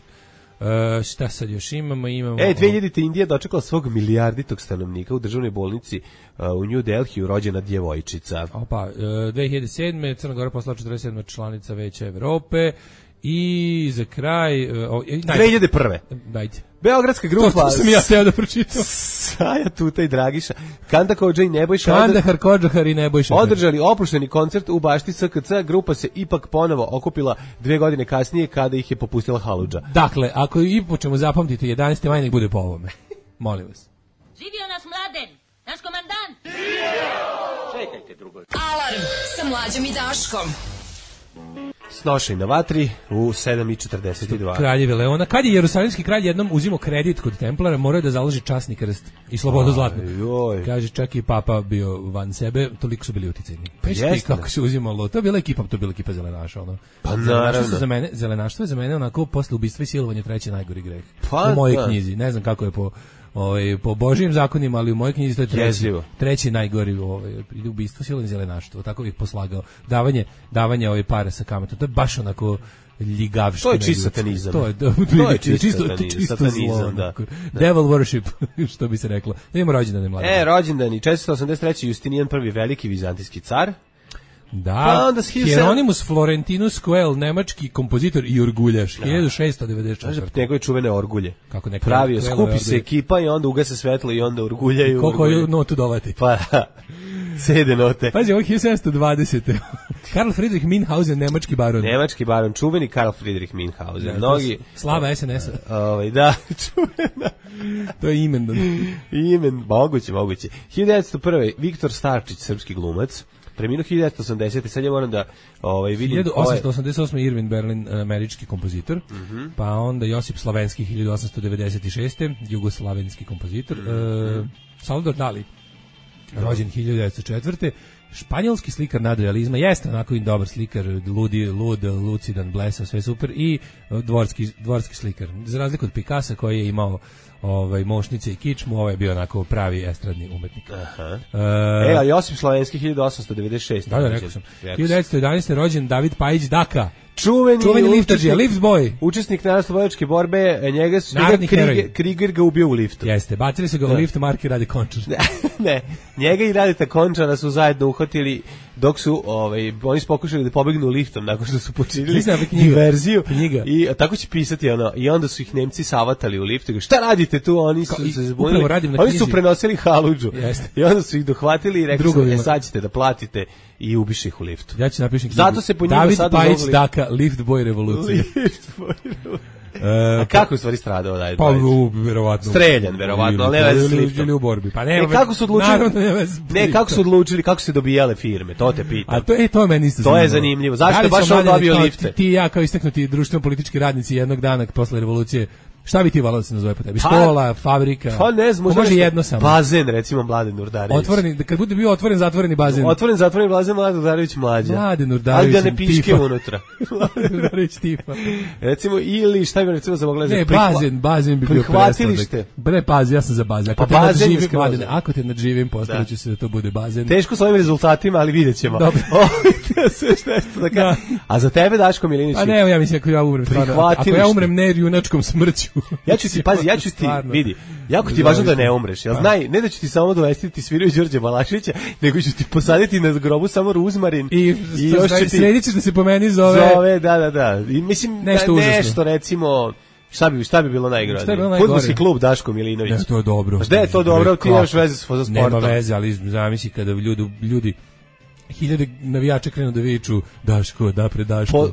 Šta sad još imamo? 2000. Indija dočekala svog milijarditog stanovnika u državnoj bolnici u New Delhiju, rođena djevojčica. 2007. Crna Gora postala 47. članica Veća Evrope i za kraj 2001. Dajte. Beogradska grupa. To sam ja teo da pročitam. Saja Tuta i Dragiša. Kanda Kodža i Nebojša. Kandahar, Kodžahar i Nebojša. Održali opušteni koncert u bašti SKC. Grupa se ipak ponovo okupila 2 godine kasnije kada ih je popustila haludža. Dakle, ako i počnemo zapamtiti 11. maj, nek bude po ovome. Molim vas. Živio nas Mladen, naš komandant. Čekajte drugo. Alarm sa Mlađom i Daškom. Snošaj na vatri u 7:42. Kraljeve Leona. Kad je Jerusalimski kralj jednom uzimao kredit kod Templara, morao je da založi časni krst i slobodu zlatnu. Kaže, čak i papa bio van sebe, toliko su bili uticajni. Pa kako se uzimalo, to je bila ekipa zelenaša. Ono. Pa naravno. Zelenaštvo je za mene onako posle ubistva i silovanja treći najgori greh. U mojoj knjizi, ne znam kako je po Božijim zakonima, ali u mojoj knjizi to je treći najgori ubistvo, silovanje, zelenaštvo. Tako bih poslagao. Davanje para sa kamatom. To je baš onako ljigavština. To je čisto satanizam. To je čisto zlo. Devil worship, što bi se reklo. Da imamo rođendane mlade. Rođendani, 483. Justinijan I, veliki vizantijski car. Da, Hieronymus Florentinus Coel, nemački kompozitor i orguljaš, 1694. Njegove čuvene orgulje. Pravio, skupi se ekipa i onda ugase svetlo i onda orguljaju. Koliko je notu dovati? Pa, CD note. Pazi, ovo 1720. Karl Friedrich Minhausen, nemački baron. Nemački baron, čuveni Karl Friedrich Minhausen. Slava SNS-a. Da, čuvena. To je imen. Moguće. 1901. Viktor Starčić, srpski glumac. Preminuo 1980. Sad ja moram da vidim... 1888. Irving Berlin, američki kompozitor, pa onda Josip Slavenski, 1896. jugoslavenski kompozitor, Salvador Dali, rođen 1904. španjolski slikar nadrealizma, jeste onako i dobar slikar, lud, lucidan, blesav, sve super, i dvorski slikar. Za razliku od Picassa koji je imao mošnice i kičmu, ovo je bio onako pravi estradni umetnik. Aha. A Josip Slovenski 1896. Da, rekao sam. 1911. rođen David Pajić Daka. Čuveni liftađija, lift boy. Učesnik narodnooslobodilačke borbe, njega su Kriger ga ubio u liftu. Jeste, bacili su ga u lift, Marki Rade Končar. Ne, njega i Radeta Končara su zajedno uhvatili dok su oni su pokušali da pobegnu liftom nakon što su počinili diverziju. I tako će pisati i onda su ih Nemci savatali u liftu. Šta radite tu? Oni su se zbunili. Oni su prenosili haludžu. I onda su ih dohvatili i rekli su, sad ćete da platite, i ubiše ih u liftu. Ja ću napišem knjigu. Zato se po njima David sad Pajić Daka, lift boy revolucije. A kako je u stvari stradao David Pajić? Pa, verovatno. Streljan, verovatno, ali ne veze s liftom. Ili u borbi. Pa ne, kako su odlučili? Kako su odlučili, kako su se dobijale firme, to te pitam. A to je meni isto zanimljivo. To je zanimljivo. Zašto je baš on dobio lifte? Ti i ja kao istaknuti društveno-politički radnici jednog dana posle revolucije, šta bi ti volao da se nazove po tebi? Škola, fabrika? Pa ne znam, može jedno samo. Bazen, recimo Mladen Urdarević. Otvoreni, kad bude bio otvoren, zatvoreni bazen. Otvoren, zatvoreni bazen, Mladen Urdarević mlađa. Mladen Urdarević, ali da ne piške unutra. Mladen Urdarević tipa. Recimo, ili šta bi recimo za mogla... Ne, bazen bi bio prihvatilište. Ne, pazi, ja sam za bazen. Ako te nadživim, postavit ću se da to bude bazen. Teško s ovim rezultatima, ali vidjet ćemo. Dobro. A za tebe, Daško Milinović? Pa ne, ja mislim, ako ja umrem ne junačkom smrću. Ja ću ti, pazi, ja ću ti, vidi, jako ti je važno da ne umreš, jel znaj, ne da ću ti samo dovesti ti sviraju Đorđe Balaševića, nego ću ti posaditi na grobu samo ruzmarin i još ću ti... Sredit ćeš da se po meni zove... Da. I mislim, nešto recimo... Šta bi bilo najgore? Fudbalski klub Daško Milinović. Ne, to je dobro. Šta je to dobro? Ti nemaš veze sa sportom. Nema veze, ali zamisli kada ljudi hiljade navijača krenu da viču Daško, napred Daško.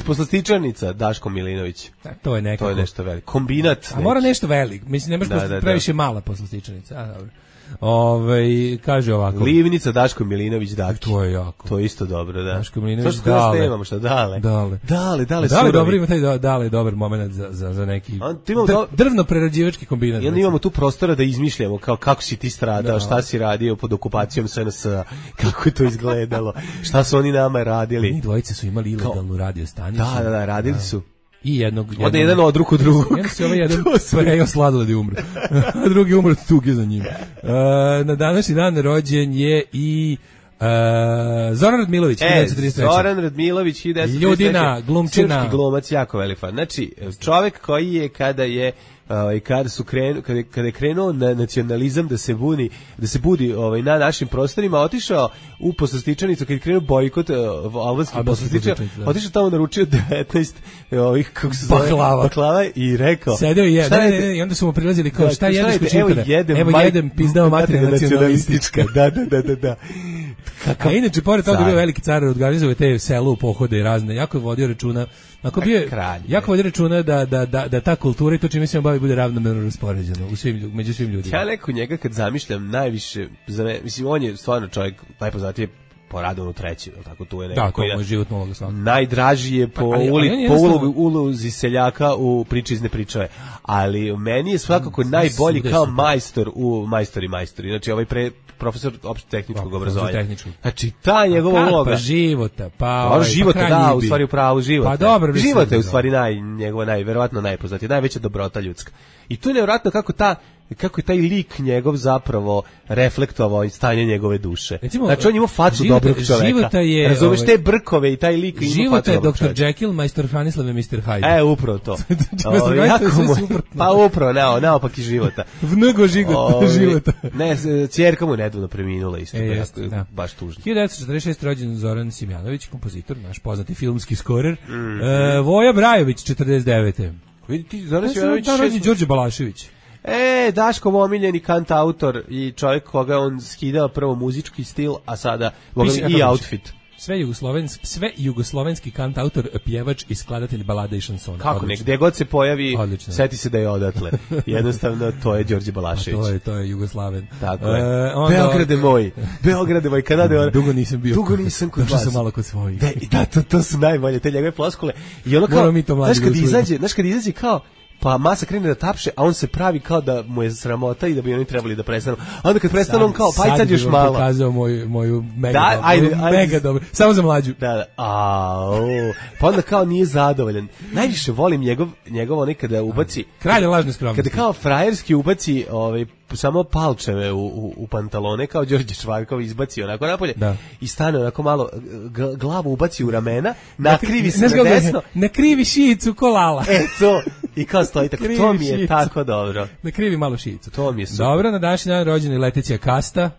Poslastičarnica Daško Milinović. To je nekako. To je nešto veliko. Kombinat. A mora nešto veliko. Mislim, ne možeš previše mala poslastičarnica. A, dobro. Kaže ovako. Livnica Daško Milinović Daki. To je jako. To je isto dobro, da. Daško Milinović Dale. Nemamo šta, Dale. Dale, dobro ima taj Dale, dobar moment za neki drvno-prerađivački kombinat. I onda imamo tu prostora da izmišljamo kao kako si ti stradao, šta si radio pod okupacijom SNS, kako je to izgledalo, šta su oni nama radili. Oni dvojice su imali ilegalnu radio stanicu. Da, radili su. I jednog jedan od drugog. Jedan prejao sladoled i umre. A drugi umre od tuge za njim. Na današnji dan rođen je i Zoran Radmilović, 1933. Zoran Radmilović, 1933. Ljudina, glumčina. Srpski glumac, jako velik fan. Znači, čovjek koji je kada je krenuo na nacionalizam da se budi na našim prostorima, otišao u poslastičarnicu kad je krenuo bojkot albanskih poslastičara, otišao tamo, naručio 19 ovih, kako se zove, baklava i rekao, sedeo je, i onda su mu prilazili kao, šta jedeš kod Čipara? Evo jedem pizdao materija nacionalistička. Da. A inače, pored toga bio veliki car, organizuje te selu, pohode i razne, jako je vodio računa, jako vodio računa da ta kultura i to čime se on bavi bude ravnomerno raspoređeno među svim ljudima. Ja neko njega kad zamišljam najviše, mislim, on je stvarno čovjek najpoznatiji po Radovanu treći, tako tu je neko. Da, to je životno uloga svakako. Najdraži je po ulozi seljaka u priči iz nepričave, ali meni je svakako najbolji kao majstor u majstori. Znači ovaj profesor opšte tehničkog obrazovanja. Znači ta njegova uloga života, života, u stvari upravo života. Pa dobro, život je u stvari verovatno najpoznatiji, najveća dobrota ljudska. I tu je nevjerojatno kako je taj lik njegov zapravo reflektovao stanje njegove duše. Recimo, znači on ima facu dobrog čoveka. Razumeš te brkove i taj lik ima facu dobrog čoveka. Života je Dr. Jekyll, majstor Franislav je Mr. Hyde. Upravo to. Pa upravo, naopak i života. Vnego života. Ne, cijerka mu nedavno preminula isto. Baš tužno. 1946. rođen Zoran Simjanović, kompozitor, naš poznati filmski skorer. Voja Brajović, 49. Vidite, Zoran Simjanović... rođen Đorđe Balašević. Daškov omiljeni kantautor i čovjek koga on skidao prvo muzički stil, a sada i outfit. Sve jugoslovenski kantautor, pjevač i skladatelj balada i šansona. Kako ne, gde god se pojavi, seti se da je odatle. Jednostavno, to je Đorđe Balašević. To je Jugoslaven. Tako je. Beograde moj, kada je... Dugo nisam bio. Dugo nisam kod vas. Došao sam malo kod svojih. Da, to su najbolje, te njegove floskule. I ono kao, znaš kad izađe kao, pa masa krene da tapše, a on se pravi kao da mu je sramota i da bi oni trebali da prestanu. A onda kad prestanu, on kao, pa sad još malo. Sad bi vam pokazao moju mega, Da, ajde. mega dobro. Samo za mlađu. Da. Pa onda kao nije zadovoljan. Najviše volim njegov onaj kada ubaci... Kralj lažne skromnosti. Kada kao frajerski ubaci samo palčeve u pantalone, kao Đorđe Čvarkov izbaci onako napolje i stane onako malo, glavu ubaci u ramena, nakrivi se na desno. Nakrivi šijicu ko Lala. To. I kao stoji tako, to mi je tako dobro. Nakrivi malo šijicu. To mi je super. Dobro, na današnji dan rođena je Leticija Kasta.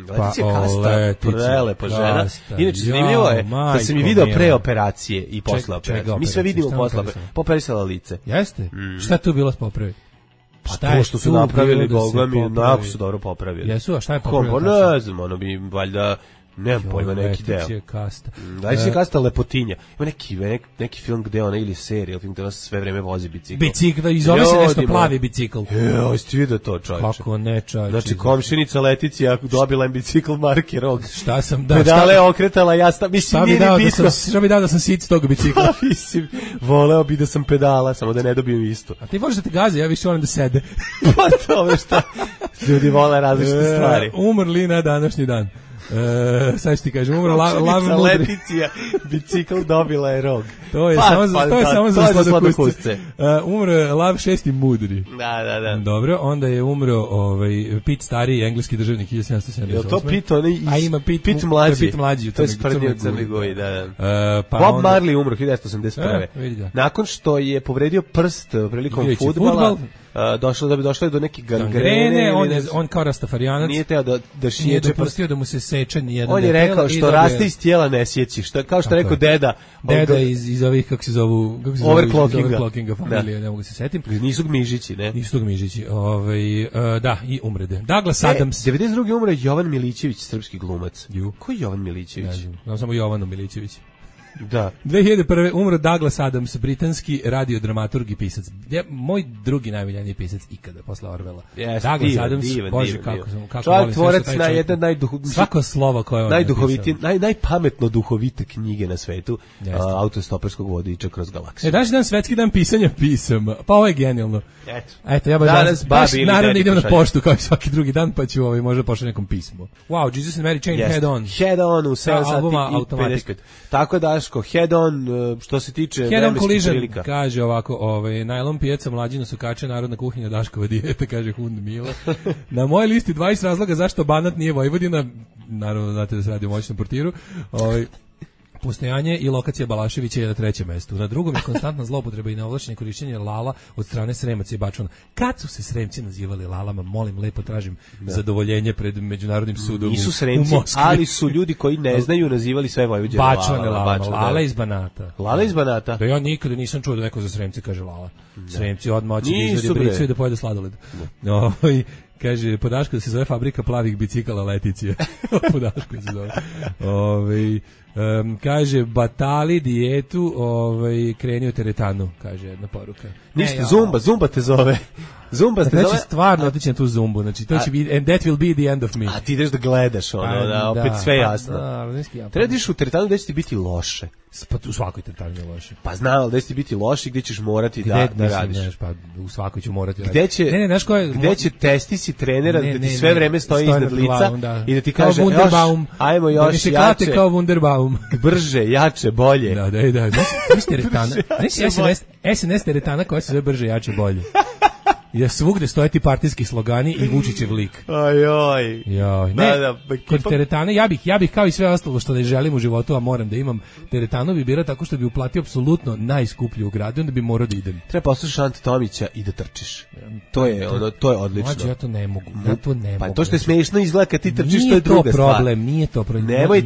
Leticija Kasta, prelepa žena. Inače, zanimljivo je da sam je video pre operacije i posle operacije. Mi sve vidimo posle operacije. Poperisala lice. Jeste? Šta je tu bilo s popravi? Pa to što su napravili, Boga mi, jako su dobro popravili. Jesu, a šta je popravili? Ne znam, ono bi valjda, nemam pojma, neki deo. Leticija Kasta. Leticija Kasta lepotinja. Ima neki film gde ona, ili serija, film gde ona sve vreme vozi bicikl. Bicikl, i zove se nešto plavi bicikl. Jeste vidio to, čovječe. Kako ne, čovječe. Znači, komšinica Leticija dobila im bicikl marke Rog. Šta sam dao? Pedale okretala, ja mislim, nije ni bitno. Šta bi dao da sam sic tog bicikla? Mislim, voleo bi da sam pedala, samo da ne dobijem isto. A ti voliš da te gaze, ja više volim da sede. Pa dobro, šta? Ljudi vole različite stvari. Umrli na današnji dan. Sad ti kažem, umro Lav Mudri. Leticija, bicikl dobila je Rog. To je samo za sladokusce. Umro je Lav VI Mudri. Da. Dobro, onda je umro Pit Stariji, engleski državnik 1778. Je to Pit onaj Pit mlađi? To je sprdnio u Crnoj Goji, da. Bob Marley umro 1981. Nakon što je povredio prst prilikom fudbala, došlo je do neke gangrene. On kao rastafarijanac nije teo da šiječe. Nije dopustio da mu se seče nijedan. On je rekao što raste iz tijela ne sjeći. Kao što je rekao deda. Deda iz ovih, kako se zovu, overclockinga familije, ne mogu se setim. Nisu Gmižići, ne? Nisu Gmižići. Da, i umrede. Douglas Adams. 92. umre Jovan Milićević, srpski glumac. Ko je Jovan Milićević? Znam samo Jovanu Milićević. Da. 2001. umro Douglas Adams, britanski radiodramaturg i pisac. Moj drugi najmiljeniji pisac ikada, posle Orwella. Douglas Adams, bože, kako volim tvorac na jedan svako slovo koje on najduhovitije, najpametno duhovite knjige na svetu, autostoperskog vodiča kroz galaksiju. Danas dan svetski dan pisanja pisama. Pa ovo je genijalno. Eto, ja baš naravno idem na poštu kao i svaki drugi dan, pa ću možda pošaljem nekom pismo. Wow, Jesus and Mary Chain, Head On. Head On u 7 sati i 55. Tako Daško, Head On, što se tiče vremenskih prilika. Kaže ovako, najlon pijaca, mlađina sukače, narodna kuhinja, Daškova dijeta, kaže Hund Mila. Na mojoj listi 20 razloga zašto Banat nije Vojvodina, naravno znate da se radi o moćnom portiru, postojanje i lokacija Balaševića je na trećem mestu. Na drugom je konstantna zloupotreba i neovlašćeno korišćenje lala od strane Sremaca i Bačvana. Kad su se Sremci nazivali lalama, molim, lepo tražim zadovoljenje pred Međunarodnim sudom. Nisu Sremci, ali su ljudi koji ne znaju nazivali sve Vojvođane Bačvane lalama. Lala iz Banata. Lala iz Banata? Da ja nikada nisam čuo da neko za Sremci kaže lala. Sremci odmah hoće da izvedi bricu i da pojede sladoled. Kaže, Podaško da se zove fabrika plavih bicikala Leticija. Podaško se zove. Kaže, batali dijetu, krenio teretanu, kaže jedna poruka. Ništa, Zumba te zove. Zumba te zove. Znači, stvarno otići na tu Zumbu, znači, to će biti, and that will be the end of me. A ti ideš da gledaš, opet sve jasno. Treba diš u teretanu gde će ti biti loše. Pa u svakoj teretanu je loše. Pa znam, gde će ti biti loše, gde ćeš morati da radiš. Pa u svakoj ću morati raditi. Gde će testisi trenera da ti sve vreme stoji iznad lica i da ti kaže, ajmo još jače. Da mi se klate kao Wunderbaum. Brže, jače, bolje. Da. Nisi teretana. Nisi SNS teretana koja se zove brže, jače, bolje. I da svugde stoje ti partijski slogani i Vučićev lik. Ajoj. Kod teretane, ja bih kao i sve ostalo što ne želim u životu, a moram da imam, teretanu bi birao tako što bi uplatio apsolutno najskuplju u gradu, onda bi morao da idem. Treba poslušati Ante Tomića i da trčiš. To je odlično. Mlađe, ja to ne mogu. Pa to što je smiješno izgleda kad ti trčiš, to je druga stvar. Nije to problem. Nemoj,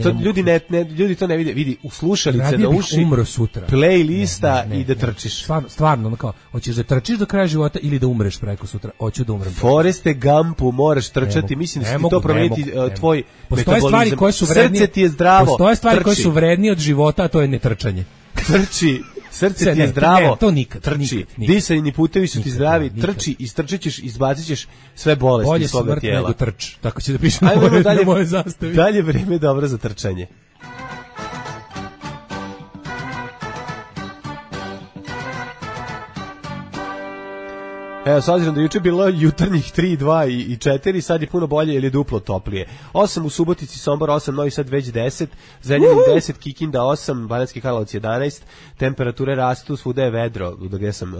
ljudi to ne vide. Vidi, u slušalice na uši, umro sutra. Playlista i da trčiš. Stvarno, kao, hoćeš da trčiš do kraja života ili da umreš preko sutra, hoću da umrem. Foreste Gumpu moraš trčati, mislim da će ti to promeniti tvoj metabolizam. Srce ti je zdravo. Postoje stvari koje su vrednije od života, a to je netrčanje. Trči, srce ti je zdravo. To nikad. Trči. Disajni putevi su ti zdravi, trči, istrčit ćeš, izbacit ćeš sve bolesti iz svoga tijela. Bolje smrt nego trč, tako će da piše na moje zastavi. Dalje vreme je dobro za trčanje. Evo, s obzirom da juče bilo jutarnjih 3, 2 i 4, sad je puno bolje jer je duplo toplije. 8 u Subotici, Sombor 8, Novi Sad već 10, Zrenjanin 10, Kikinda 8, Banatski Karlovac 11, temperature rastu, svuda je vedro, gdje sam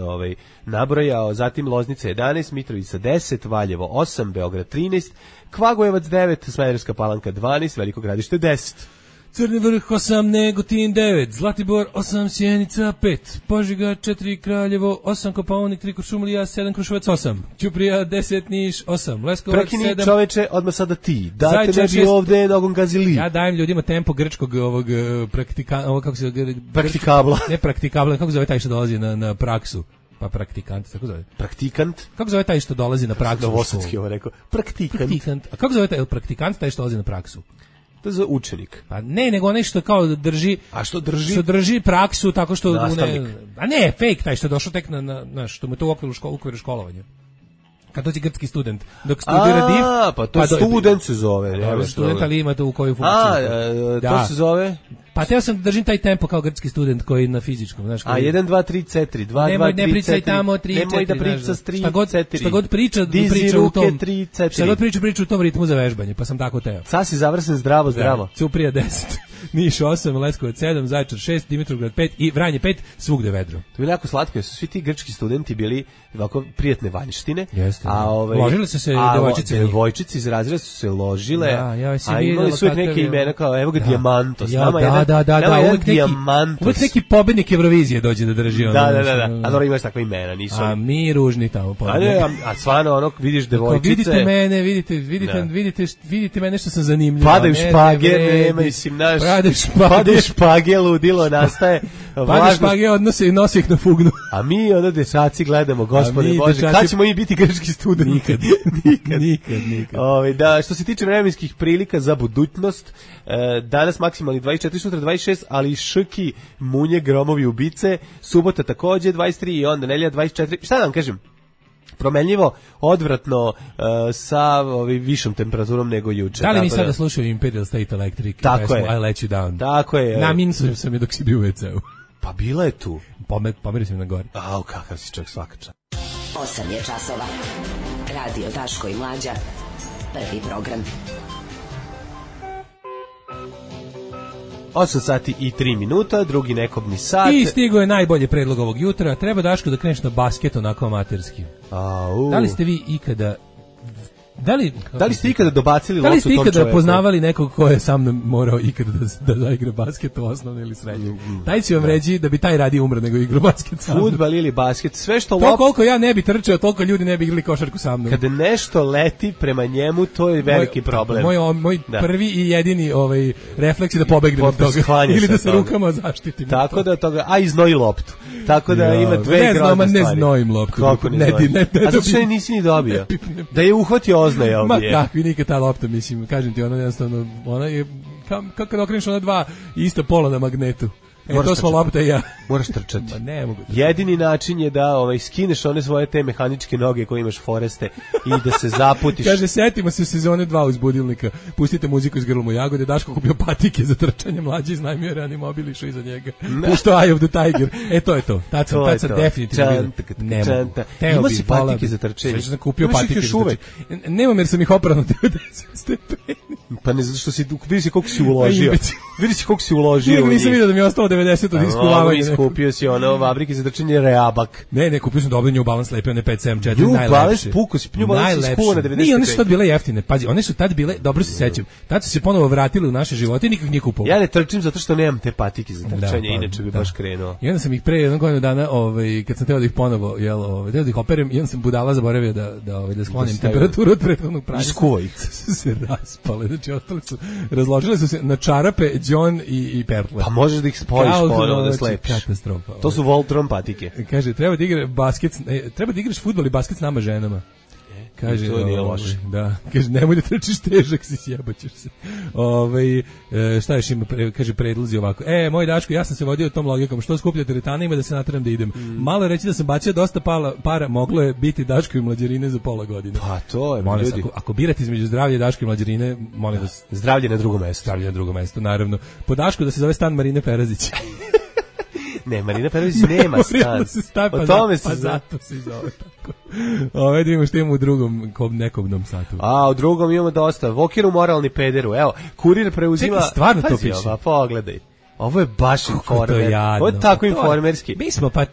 nabrojao, zatim Loznica 11, Mitrovica 10, Valjevo 8, Beograd 13, Kvagojevac 9, Smederevska Palanka 12, Veliko Gradište 10. Crni Vrh 8, Negotin 9, Zlatibor 8, Sjenica 5, Požega 4, Kraljevo 8, Kopaonik 3, Kuršumlija 7, Kruševac 8, Ćuprija 10, Niš 8, Leskovac 7. Prekini čoveče, odmah sada ti. Date ne bi ovde nogom gazili. Ja dajem ljudima tempo grčkog ovog kako se praktikabla. Ne praktikabla, kako zove taj što dolazi na praksu? Pa praktikant, tako zove. Praktikant? Kako zove taj što dolazi na praksu? Novosadski ovo rekao. Praktikant. A kako zove taj praktikant, taj što dolazi na praksu? To je za učenik. Pa ne, nego onaj što kao drži... A što drži? Što drži praksu tako što... Nastavnik. A ne, fake taj što je došao tek na što mu je to u okviru školovanja. Kad dođe grčki student, dok studira div... Pa to student se zove. Student, ali ima to u koju funkciju. To se zove... Pa teo sam da držim taj tempo kao grčki student koji na fizičkom, znaš. A 1 2 3 4 2 2 3 ne pričaj tamo 3 4. Nemoj da priča s 3 4. Šta god priča u tom 3 4. Šta god priča u tom ritmu za vežbanje, pa sam tako teo. Sad si završen zdravo. Ćuprija 10, Niš 8, Leskovac 7, Zaječar 6, Dimitrovgrad 5 i Vranje 5, svugde vedro. To je jako slatko, jer su svi ti grčki studenti bili ovako prijatne vanjštine. Jeste. Ložile su se devojčice. Devojčice iz razreda su se ložile. A imali su neke imena kao evo ga Diamantos. Da, uvek neki pobednik Eurovizije dođe da drži ono. Da. A dobro imaš takva imena, nisu. A mi ružni tamo. A stvarno ono vidiš devojčice. Vidite mene, vidite mene što sam zanimljiv. Padaju špage, nema mislim naš. Padaju špage, ludilo nastaje. Padaju špage, odnose i nosi ih na fugnu. A mi ono dečaci gledamo, Gospode Bože, kad ćemo i biti grčki studenti? Nikad. Da, što se tiče vremenskih prilika za budućnost, danas maksimalni 24, sutra 26, ali šrki, munje, gromovi, ubice, subota takođe 23 i onda nedelja 24. Šta da vam kažem? Promenljivo, odvratno, sa višom temperaturom nego juče. Da li mi sada slušaju Imperial State Electric? Tako je. I let you down. Tako je. Naminsujem sam je dok si bio u WC-u. Pa bila je tu. Pomerio sam na gori. Au, kakav si čovjek, svaka čast. 8 je časova. Radio Daško i Mlađa. Prvi program. 8 sati i 3 minuta, drugi nekobni sat. I stigo je najbolji predlog ovog jutra. Treba, Daško, da kreneš na basket onako amaterski. Da li ste vi ikada... Da li ste ikada dobacili loptu tom čoveku? Da li ste ikada poznavali nekog ko je sa mnom morao ikada da zaigra basket u osnovnoj ili srednjoj? Taj će vam reći da bi taj radije umro nego igra basket sa mnom. Fudbal ili basket, sve što to koliko ja ne bi trčao, toliko ljudi ne bi igrali košarku sa mnom. Kada nešto leti prema njemu, to je veliki problem. Moj prvi i jedini refleks je da pobegnem od toga. Ili da se rukama zaštitim. Tako da toga, a iznoji loptu. Tako da ima dve grozne stvari. Ne znojim loptu. Kako ne znojim? A zato što nisi ni dobio. Da je uhvatio oznaje ovdje. Ma kakvi nikad ta lopta, mislim, kažem ti, ona jednostavno, ona je, kako da okreniš ona dva ista pola na magnetu. To smo lopta i ja. Moraš trčati. Ma ne mogu. Jedini način je da skineš one svoje te mehaničke noge koje imaš Foreste i da se zaputiš. Kaže, setimo se sezone 2 uz budilnika. Pustite muziku iz Grlom u Jagode. Daško kupio patike za trčanje, Mlađe iznajmio Reanimobil, išao iza njega. Pušto Eye of the Tiger. To je to. Tad sam definitivno ne mogu. Ima si patike za trčanje. Sve sam kupio patike za trčanje. Nemam jer sam ih oprao na 90 stepeni. Pa ne, zato što vidi si koliko si uložio. Vidi si koliko si uložio. Nisam vidio da mi je ostalo 90 od iskuvavanja. Iskupio si ono fabrike za trčanje Reabak. Ne, kupio sam dobro New Balance lepio, one 574, New najlepše. New Balance puko si, New Balance si skuo na 95. Nije, one su tad bile jeftine, pazi, one su tad bile, dobro se sećam, tad su se ponovo vratili u naše živote i nikak nije kupovao. Ja ne trčim zato što nemam te patike za trčanje, inače bi baš krenuo. I onda sam ih pre jednog godinu dana, kad sam teo da ih ponovo, teo da ih operem, i onda sam budala zaboravio da sklonim temperaturu od prethodnog praća. Iskuo ih. Se raspale, znači ostali su, razložile su se na čarape, John i Pertle. Pa možeš da ih spojiš ponovo da slepiš. Katastrofa. To su Voltron patike. Kaže, treba da igraš fudbal i basket s nama ženama. Kaže, to nije loše. Da, kaže, nemoj da trčiš težak, si sjebaćeš se. Šta još ima, kaže, predlozi ovako. Moj Daško, ja sam se vodio tom logikom, što skuplja teretana ima da se natram da idem. Malo reći da sam bacio dosta para, moglo je biti Daško i mlađarine za pola godine. Pa to je, molim ljudi. Ako birate između zdravlja Daško i mlađarine, molim vas. Zdravlje na drugom mestu. Zdravlje na drugom mestu, naravno. Po Dašku da se zove stan Marine Perazić. Ne, Marina Perović nema stan. O tome se zato se zove tako. Ove da imamo što imamo u drugom nekobnom satu. A u drugom imamo dosta. Vokiru moralni pederu. Evo, kurir preuzima... Čekaj, stvarno to piše? Pa pogledaj. Ovo je baš informer. Ovo je tako informerski.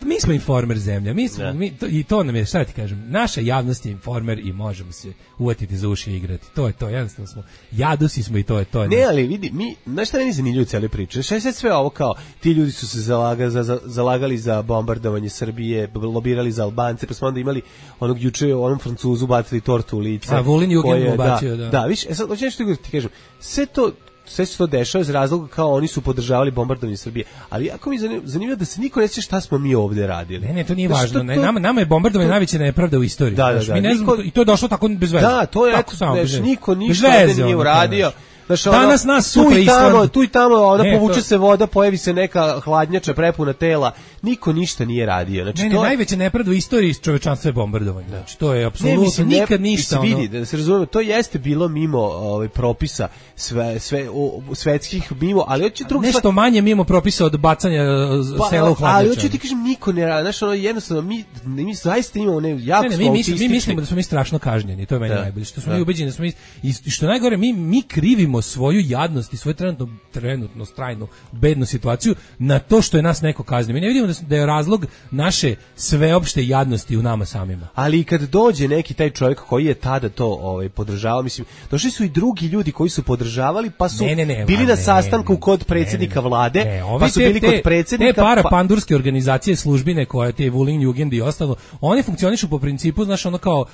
Mi smo informer zemlja. I to nam je, šta ti kažem, naša javnost je informer i možemo se uvatiti za uši i igrati. To je to, jednostavno smo. Jadusi smo i to je to. Ne, ali vidi, znaš šta meni zanimljivo cijeli priče? Šta je sad sve ovo kao, ti ljudi su se zalagali za bombardovanje Srbije, lobirali za Albance, pa smo onda imali onog juče, onom Francuzu bacili tortu u lice. A Vulin Jugend mu bacio, da. Da, viš, sad, hoćeš što ti kažem, sve se to dešava iz razloga kao oni su podržavali bombardovanje Srbije. Ali jako mi zanimljivo da se niko ne sjeća šta smo mi ovde radili. Ne, to nije važno. Nama je bombardovanje najveća nepravda u istoriji. Da. Mi ne znamo, i to je došlo tako bez veze. Da, to je niko ništa ovde nije uradio. Znaš, danas nas sutra Island. Tu i tamo, povuče se voda, pojavi se neka hladnjača prepuna tela. Niko ništa nije radio. Znači, najveća nepravda u istoriji čovečanstva je bombardovanje. Znači, to je apsolutno nikad ništa. Vidi, da se razumemo, to jeste bilo mimo propisa svetskih mimo, ali hoće drugo nešto manje mimo propisa od bacanja sela u hladnjaču. Ali hoće ti kažem, niko ne radi. Znači, jednostavno, mi zaista imamo jako smo autistični. Mi mislimo da smo mi strašno kažnjeni, to je meni najbolje. Što smo mi ubeđeni da smo i što najgore, mi krivimo svoju jadnost i svoju trenutno strajnu bednu situaciju na to što je nas neko kaznio. Mi ne vidimo da je razlog naše sveopšte jadnosti u nama samima. Ali kad dođe neki taj čovjek koji je tada to podržavao, mislim, došli su i drugi ljudi koji su podržavali, pa su bili na sastanku kod predsjednika vlade, pa su bili kod predsjednika... Te parapandurske organizacije službine koje te Vulin Jugend i ostalo, oni funkcionišu po principu, znaš, ono kao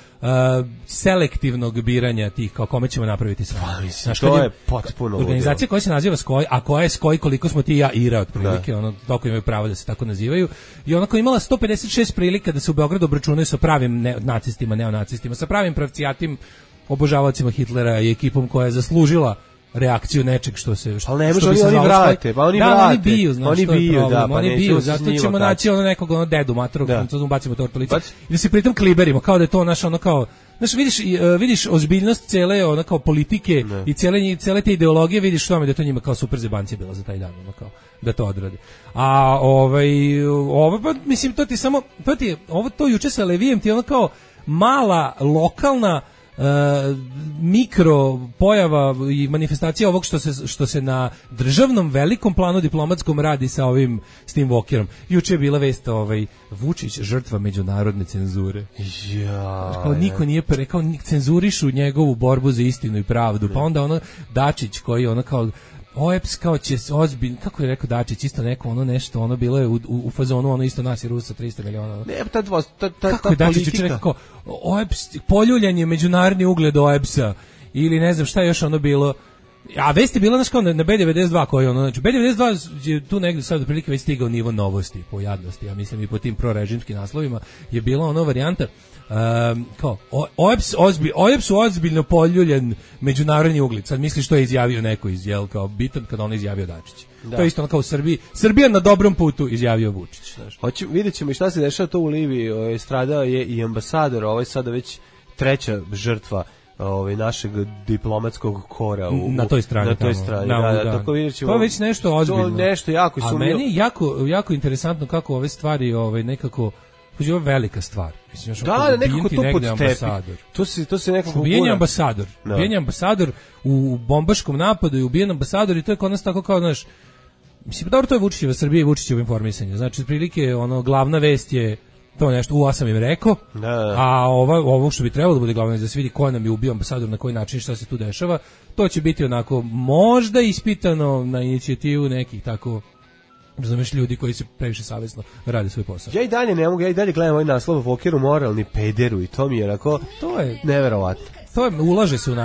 selektivnog biranja tih, kao kome ćemo napraviti sve. Znaš, to je potpuno organizacija koja se naziva Skoj, a koja je Skoj koliko smo ti i ja Ira otprilike, ono toliko imaju pravo da se tako nazivaju. I ona koja imala 156 prilika da se u Beogradu obračunaju sa pravim nacistima, neonacistima, sa pravim pravcijatim obožavacima Hitlera i ekipom koja je zaslužila reakciju nečeg što se ali ne može oni vrate, pa oni vrate. Oni biju, znaš, što je problem. Oni biju, zato ćemo naći nekog dedu matrog, Francuzom bacimo tortu lice i da se pritom kliberimo, kao da je to naš ono kao, znaš, vidiš ozbiljnost cele ono kao politike i cele te ideologije, vidiš tome da je to njima kao super zebancija bilo za taj dan, ono kao da to odrade. A ovo pa mislim to ti samo to juče sa Levijem ti ono kao mala lokalna mikro pojava i manifestacija ovog što se na državnom velikom planu diplomatskom radi s tim Vokirom. Juče je bila vest Vučić žrtva međunarodne cenzure. Kao niko nije rekao cenzurišu njegovu borbu za istinu i pravdu. Pa onda ono Dačić koji ono kao OEPS kao će ozbiljno, kako je rekao Dačić, isto neko ono nešto, ono bilo je u fazonu, ono isto nas i Rusa 300 miliona. Ne, kako je Dačić juče rekao, OEPS, poljuljanje međunarodni ugled OEPS-a, ili ne znam šta je još ono bilo. A vest je bila znaš kao na B92 koji ono, znači B92 je tu negdje sad otprilike već stigao nivo novosti po jadnosti, ja mislim i po tim prorežimskim naslovima je bila ono varijanta kao OEPS ozbiljno poljuljen međunarodni ugled. Sad misliš što je izjavio neko kao bitan kada on izjavio Dačić. Da. To je isto ono kao u Srbija na dobrom putu izjavio Vučić. Vidjet ćemo i šta se dešava to u Libiji. Stradao je i ambasador, ovo je sada već treća žrtva našeg diplomatskog kora na toj strani. Tako vidjet ćemo. To je već nešto ozbiljno. To nešto jako sumnjivo. A meni jako interesantno kako ove stvari nekako je velika stvar. Mislim, nekako to pod tepi. To se nekako ubijen ambasador u bombaškom napadu i ubijen ambasador i to je kod nas tako kao, znaš, mislim, dobro, to je Vučićeva Srbija i Vučićevo informisanje. Znači, otprilike, glavna vest je to nešto, sam im rekao, a ovo što bi trebalo da bude glavno da se vidi ko nam je ubio ambasador, na koji način, šta se tu dešava, to će biti onako možda ispitano na inicijativu nekih tako, razumeš, ljudi koji se previše savjesno rade svoj posao. Ja i dalje ne mogu, ja i dalje gledam ovaj naslov Vokiru moralni pederu i to mi je onako neverovatno. To ulaže se u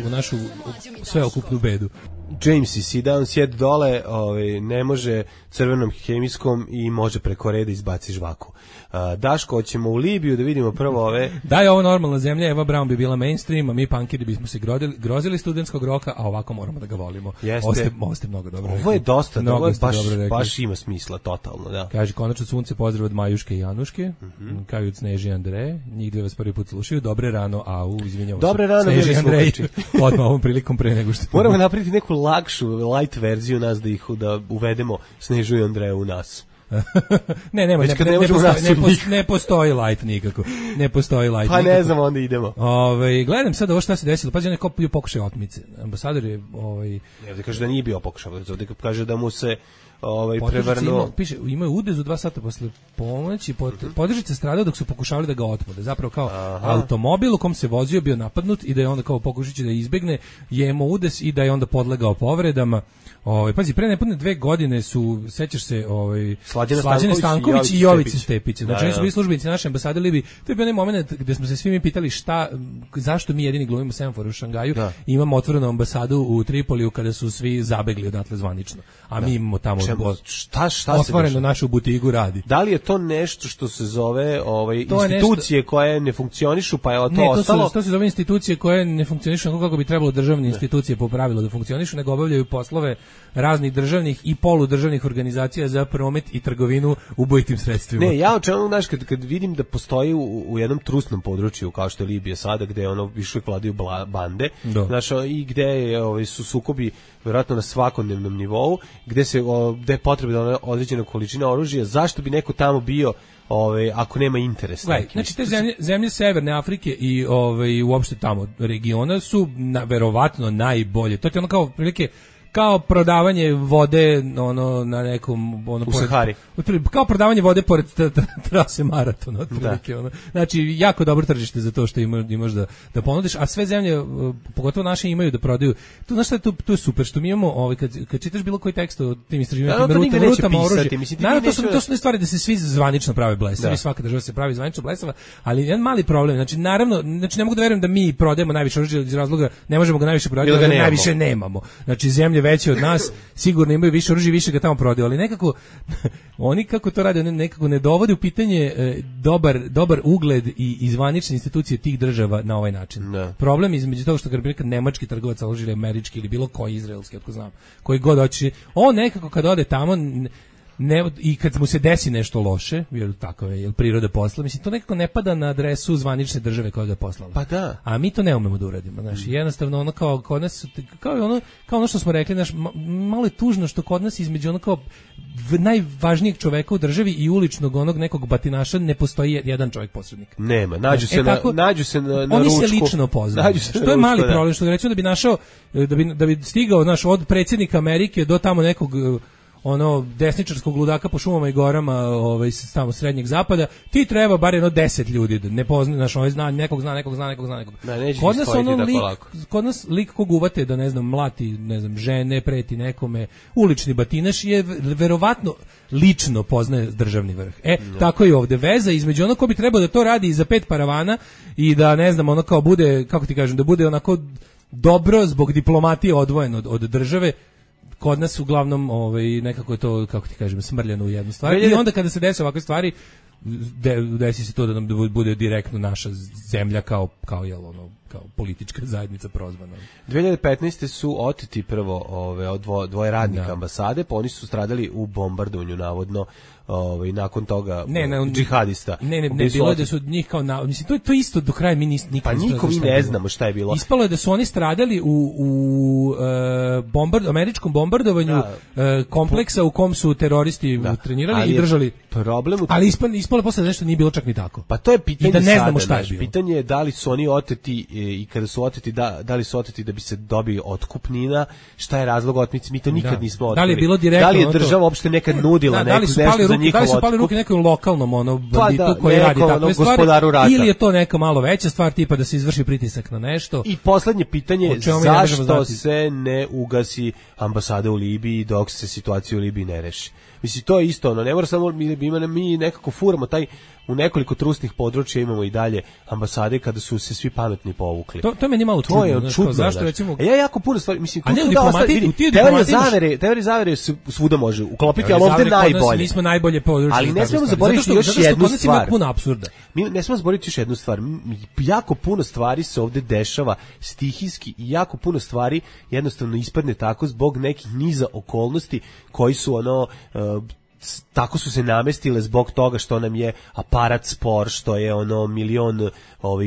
našu sveokupnu bedu. James i sit down, sjed dole, ne može crvenom hemijskom i može preko reda izbaci žvaku. Daško, hoćemo u Libiju da vidimo prvo ove... Da je ovo normalna zemlja, Eva Braun bi bila mainstream, a mi punkiri bismo se grozili studentskog roka, a ovako moramo da ga volimo. Ovo ste mnogo dobro rekli. Ovo je dosta, ovo je baš ima smisla, totalno, da. Kaže, konačno sunce, pozdrav od Majuške i Januške, kao od Sneži i Andreje, njih dve vas prvi put slušaju, dobre rano, izvinjamo se. Dobre rano, Sneži i Andrej, odmah ovom prilikom pre nego što... Moramo napraviti neku lakšu, light verziju nas da uvedemo Snežu i Andreju u nas. ne Već kad ne možemo ne postoji light nikako. Ne postoji light pa nikako. Ne znam, onda idemo. Gledam sad ovo šta se desilo. Pazi, neko bio pokušaj otmice. Ambasador je Ovdje kaže da nije bio pokušaj, ovdje kaže da mu se prevrnuo. Piše, imaju udezu 2 sata posle ponoći, podružnice stradao dok su pokušavali da ga otmude. Zapravo kao automobil u kom se vozio bio napadnut i da je onda kao pokušajući da izbegne, je imao udes i da je onda podlegao povredama. Pazi, pre nepune 2 godine su, sećaš se, Slađana Stanković i Jovica Stepić. Znači, oni su bili službenici naše ambasade u Libiji. To je bio onaj moment gde smo se svi mi pitali zašto mi jedini glumimo semafor u Šangaju i imamo otvorenu ambasadu u Tripoliju kada su svi zabegli odatle zvanično. A mi imamo tamo otvoreno našu butigu radi. Da li je to nešto što se zove institucije koje ne funkcionišu, pa je to ostalo? To se zove institucije koje ne funkcionišu kako bi trebalo državne institucije po pravilu da funkcionišu, nego obavljaju poslove raznih državnih i poludržavnih organizacija za promet i trgovinu ubojitim sredstvima. Ne, ja očekujem, znaš, kad vidim da postoji u jednom trusnom području kao što je Libija sada, gde više vladaju bande, znaš, i gde su sukobi vjerojatno na svakodnevnom nivou, gde je potrebna određena količina oružja, zašto bi neko tamo bio ako nema interes. Znači te zemlje Severne Afrike i uopšte tamo regiona su verovatno najbolje. To je ono kao prilike kao prodavanje vode na nekom u Sahari. Kao prodavanje vode pored trase maratona otprilike. Znači jako dobro tržište za to što imaš da ponudiš, a sve zemlje pogotovo naše imaju da prodaju. Tu znaš šta je tu je super što mi imamo kad čitaš bilo koji tekst o tim istraživanjima rutama oružja. Naravno to su ne stvari da se svi zvanično prave blesavi, svaka država se pravi zvanično blesava, ali jedan mali problem. Znači naravno, ne mogu da verujem da mi prodajemo najviše oružja iz razloga ne možemo ga najviše prodati, jer najviše nemamo. Znači zemlje veće od nas sigurno imaju više oružja, više ga tamo prodaju, ali nekako oni kako to rade, nekako ne dovode u pitanje dobar ugled i zvanične institucije tih država na ovaj način. Problem između toga što kad nemački trgovac oružja ili američki ili bilo koji izraelski, otko znam, koji god hoće, on nekako kad ode tamo i kad mu se desi nešto loše, jer tako je, jer priroda posla, mislim, to nekako ne pada na adresu zvanične države koja ga je poslala. Pa da. A mi to ne umemo da uradimo, znači, jednostavno ono kao kod nas, kao ono što smo rekli, znaš, malo je tužno što kod nas između ono kao najvažnijeg čoveka u državi i uličnog onog nekog batinaša ne postoji jedan čovjek posrednik. Nema, nađu se na ručku. Oni se lično poznaju. Što je mali problem, što recimo da bi našao, da bi stigao, znaš, od predsjednika Amerike do tamo nekog desničarskog ludaka po šumama i gorama tamo srednjeg zapada, ti treba bar 10 ljudi da ne poznaje, znaš, nekog zna. Kod nas lik kog uvate da ne znam mlati, ne znam, žene, preti nekome, ulični batinaš je verovatno lično poznaje državni vrh. Tako je ovde veza između ono ko bi trebao da to radi za 5 paravana i da ne znam, ono kao bude, kako ti kažem, da bude onako dobro zbog diplomatije odvojeno od države. Kod nas uglavnom nekako je to, kako ti kažem, smrljano u jednu stvar. I onda kada se desi ovakve stvari, desi se to da nam bude direktno naša zemlja kao politička zajednica prozvana. 2015. su oteti prvo od dvoje radnika ambasade, pa oni su stradali u bombardovanju navodno. Nakon toga džihadista. Ne, bilo je da su njih kao mislim, to je isto do kraja mi nikad pa nikom mi ne znamo šta je bilo. Ispalo je da su oni stradali u američkom bombardovanju kompleksa u kom su teroristi trenirali i držali. Ali ispalo je posle nešto nije bilo čak ni tako. Pa to je pitanje. I da ne znamo šta je bilo. Pitanje je da li su oni oteti i kada su oteti da li su oteti da bi se dobio otkupnina, šta je razlog otmice, mi to nikad nismo otkrili. Da li je bilo direktno? Da li je država uopšte nekad nudila nešto za da li su pali ruke nekom lokalnom banditu koji radi takve stvari, ili je to neka malo veća stvar tipa da se izvrši pritisak na nešto. I poslednje pitanje, zašto se ne ugasi ambasada u Libiji dok se situacija u Libiji ne reši? Mislim, to je isto, ne mora samo, mi nekako furamo u nekoliko trusnih područja imamo i dalje ambasade kada su se svi pametni povukli. To je meni malo čudno. To je čudno, zašto recimo... Ja jako puno stvari, mislim, teorija zavere svuda može uklopiti, ali ovdje najbolje. Mi smo najbolje područje. Ali ne smemo zaboraviti još jednu stvar. Puno apsurda. Mi ne smemo zaboraviti još jednu stvar. Jako puno stvari se ovdje dešava stihijski i jako puno stvari jednostavno ispadne tako zbog nekih niza okolnosti koji su tako su se namestile zbog toga što nam je aparat spor, što je ono milion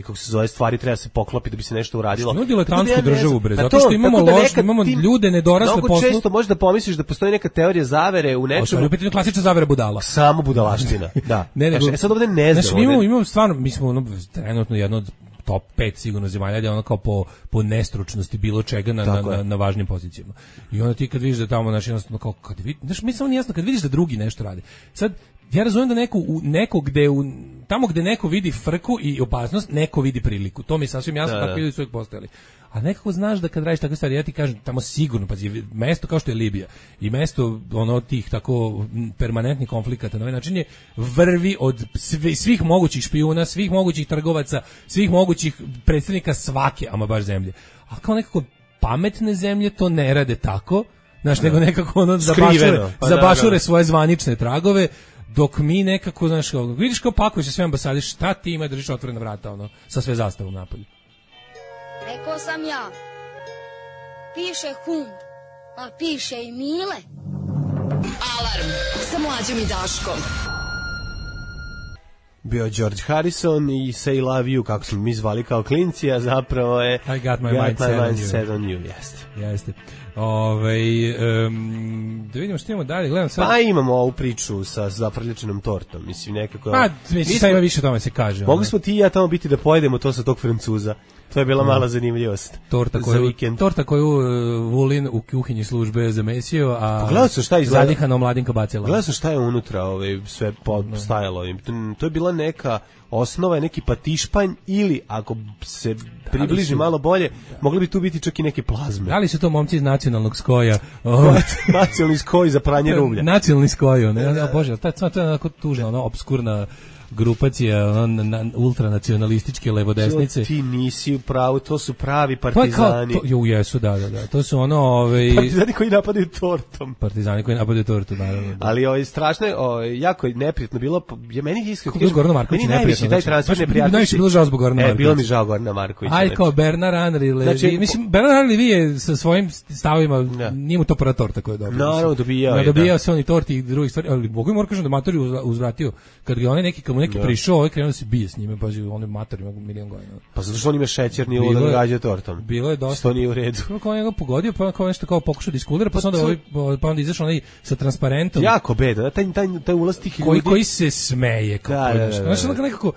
kako se zove stvari treba se poklopiti da bi se nešto uradilo. Što diletantsku državu bre, zato što imamo imamo ljude nedorasle poslu. Mnogo često možda pomisliš da postoji neka teorija zavere u nečemu. U pitanju klasična zavera budala. Samo budalaština, da. Ne, sad ovde ne znam. Znači, imamo stvarno, mi smo trenutno jedno od top 5 sigurno zemalja, je ono kao po nestručnosti bilo čega na važnim pozicijama. I onda ti kad vidiš da tamo jednostavno kao kad vidiš, znači mi samo nije jasno kad vidiš da drugi nešto radi. Sad ja razumem da neko gde tamo gde neko vidi frku i opasnost, neko vidi priliku. To mi je sasvim jasno, tako ljudi su uvijek postojali. A nekako znaš da kad radiš takve stvari, ja ti kažem, tamo sigurno, pazi, mesto kao što je Libija i mesto tih tako permanentnih konflikata na ovaj način je vrvi od svih mogućih špijuna, svih mogućih trgovaca, svih mogućih predstavnika svake, ama baš zemlje. A kao nekako pametne zemlje to ne rade tako, znaš, nego nekako zabašure svoje zvanične tragove, dok mi nekako, znaš, vidiš kao pakuje se sve ambasade, šta ti ima držiš otvorena vrata, sa sve zastavom napolju. Rekao sam ja, piše hum, a piše i Mile. Alarm sa Mlađom i Daškom. Bio George Harrison i Say Love You, kako smo mi zvali kao klinci, a zapravo je I got my mind set on you. Jeste. Da vidimo što imamo dalje, gledam sad. Pa imamo ovu priču sa zaprljačenom tortom, mislim nekako. Sad ima više o tome se kaže. Mogli smo ti i ja tamo biti da pojedemo to sa tog Francuza. To je bila mala zanimljivost. Torta koju Vulin u kuhinji službe zamesio, a pogledao sam šta je zadihano mladinka bacila. Gledao sam šta je unutra sve stajalo. To je bila neka osnova, neki patišpanj ili ako se približi malo bolje, mogli bi tu biti čak i neke plazme. Da li su to momci iz nacionalnog skoja? Nacionalni skoj za pranje rublja. Nacionalni skoj, ne? Bože, to je onako tužna, obskurna grupacija ultranacionalističke levodesnice. Ti nisi u pravu, to su pravi partizani. Jesu, da. To su partizani koji napadaju tortom. Partizani koji napadaju tortu, naravno. Ali strašno je, jako je neprijatno bilo. Meni iskreno kažem, Gorana Marković neprijatno. Taj transfer neprijatno. Najviše bilo žao zbog Gorana Markovića. Bilo mi žao Gorana Markovića. Aj kao Bernard Henri Levy. Mislim, Bernard Henri Levy je sa svojim stavovima, nije mu to prva torta koju je dobio. Naravno, dobijao se on i torti i drugih stvari, ali Bogu mi kažem da matori uzvratio. Kad ga onaj neki prišao, ovaj krenuo se bije s njime, pa on je mator, ima milion godina. Pa zato što on ima šećer, nije ovo da ga gađa tortom. Bilo je dosta. To nije u redu. Kao njega pogodio, pa kao nešto kao pokušao da iskulira, pa onda izašao onaj sa transparentom. Jako beda, taj ulaz tih ljudi. Koji se smeje. Znači, nekako,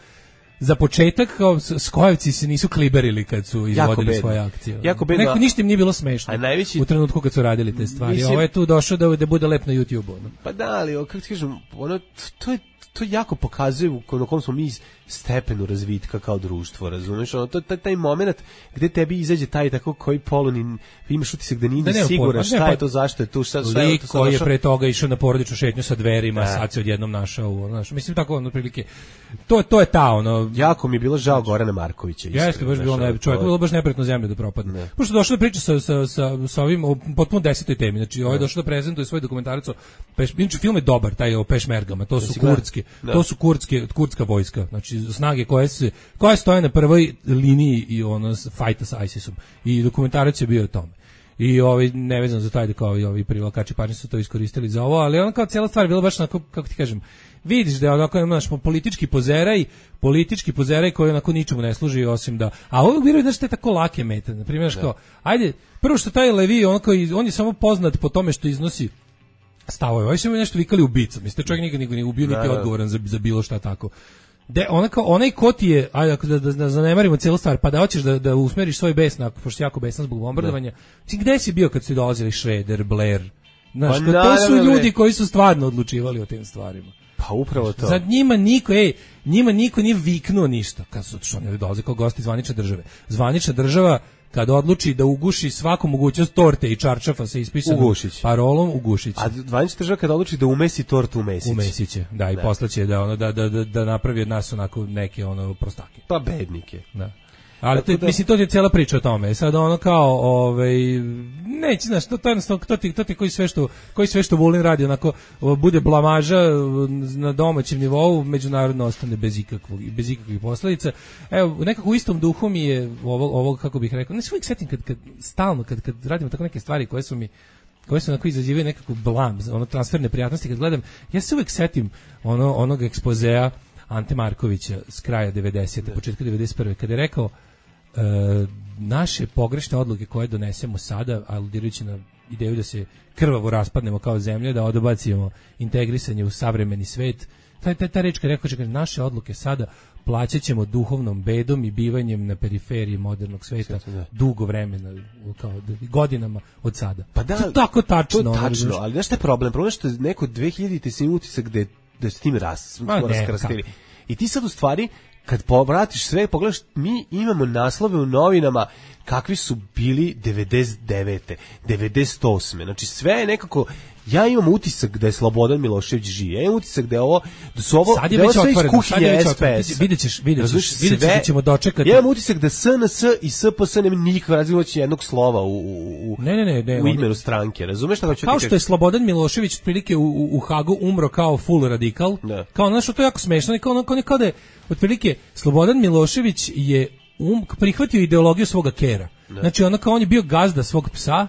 za početak, kao Skojevci se nisu kliberili kad su izvodili svoje akcije. Jako bedno. Neko ništa im nije bilo smešno u trenutku kad su radili te stvari. Ovo je tu došao da bude lep na YouTube-u. Pa da, ali, kako ti kažem, to jako pokazuje na kom smo mi stepenu razvitka kao društvo, razumeš? Taj moment gde tebi izađe taj tako koji polunin, imaš utisak da nije siguran šta je to, zašto je tu, šta je to. Koji je pre toga išao na porodičnu šetnju sa dverima, sad se odjednom našao, mislim tako otprilike. To je ta jako mi je bilo žao Gorana Markovića. Jeste, baš bilo čovjek bilo baš neprijatno zemlju da propadne. Pošto došao da priča sa ovim potpuno 10. temi, znači ovaj došao da prezentuje svoj dokumentarac o film je dobar, taj o pešmergama, to su kurdska vojska, znači snage koje stoje na prvoj liniji i fajta sa ISIS-om. I dokumentarac je bio o tome. I nevezano za taj da kao i ovi privlačači pažnje su to iskoristili za ovo, ali kao cijela stvar bila baš onako, kako ti kažem, vidiš da je onako naš politički pozeraj koji onako ničemu ne služi osim da, a ovog biraju znači te tako lake mete, na primjer kao, ajde, prvo što taj Levi on je samo poznat po tome što iznosi stavove, ovo su mi nešto vikali ubica, mislite čovjek nikad nije ubio niti odgovoran za bilo šta tako. Onaj ko ti je, ajde da zanemarimo cijelu stvar, pa da hoćeš da usmeriš svoj bes, pošto si jako besan zbog bombardovanja, gde si bio kad su dolazili Schroeder, Blair, znaš, to su ljudi koji su stvarno odlučivali o tim stvarima. Pa upravo to. Sad njima niko nije viknuo ništa, kad su oni dolaze kao gosti zvanične države. Zvanična država kad odluči da uguši svaku mogućnost torte i čarčafa sa ispisanom parolom, ugušiće. A zvanična država kad odluči da umesi tortu, umesiće. Da, i poslaće da napravi od nas onako neke prostake. Pa bednike. Da. Ali mislim, to je cijela priča o tome. Sad kao, neće, znaš, to jednostavno, to ti koji sve što Vulin radi, onako, bude blamaža na domaćem nivou, međunarodno ostane bez ikakvih posljedica. Evo, nekako u istom duhu mi je ovo kako bih rekao, ne se uvijek setim kad radimo tako neke stvari koje su mi koje su onako izazivaju nekako blam, ono transferne prijatnosti kad gledam. Ja se uvek setim onog ekspozea Ante Markovića s kraja 90. početka 91. kada je rekao naše pogrešne odluke koje donesemo sada, aludirajući na ideju da se krvavo raspadnemo kao zemlja, da odbacimo integrisanje u savremeni svet. Ta reč kad rekao, kaže, naše odluke sada plaćat ćemo duhovnom bedom i bivanjem na periferiji modernog sveta dugo vremena, kao godinama od sada. Pa da, to je tako tačno. To je tačno, ali znaš šta je problem? Problem je što neko 2000-te se ima utisak da s tim raskrstili. I ti sad u stvari, kad povratiš sve, pogledaš, mi imamo naslove u novinama kakvi su bili 99. 98. Znači sve je nekako, ja imam utisak da je Slobodan Milošević živ. Ja imam utisak da je ovo, da su ovo, sad je da već sve iz otvoreno, kuhinje SPS. Videćeš da ćemo dočekati. Ja imam utisak da SNS i SPS nema nikakve različnosti jednog slova u imenu stranke. Razumeš šta hoću ti kažem? Kao što je Slobodan Milošević otprilike u Hagu umro kao full radikal. Da. Kao nešto to je jako smešno, kao da je otprilike Slobodan Milošević je prihvatio ideologiju svoga kera. Znači on je bio gazda svog psa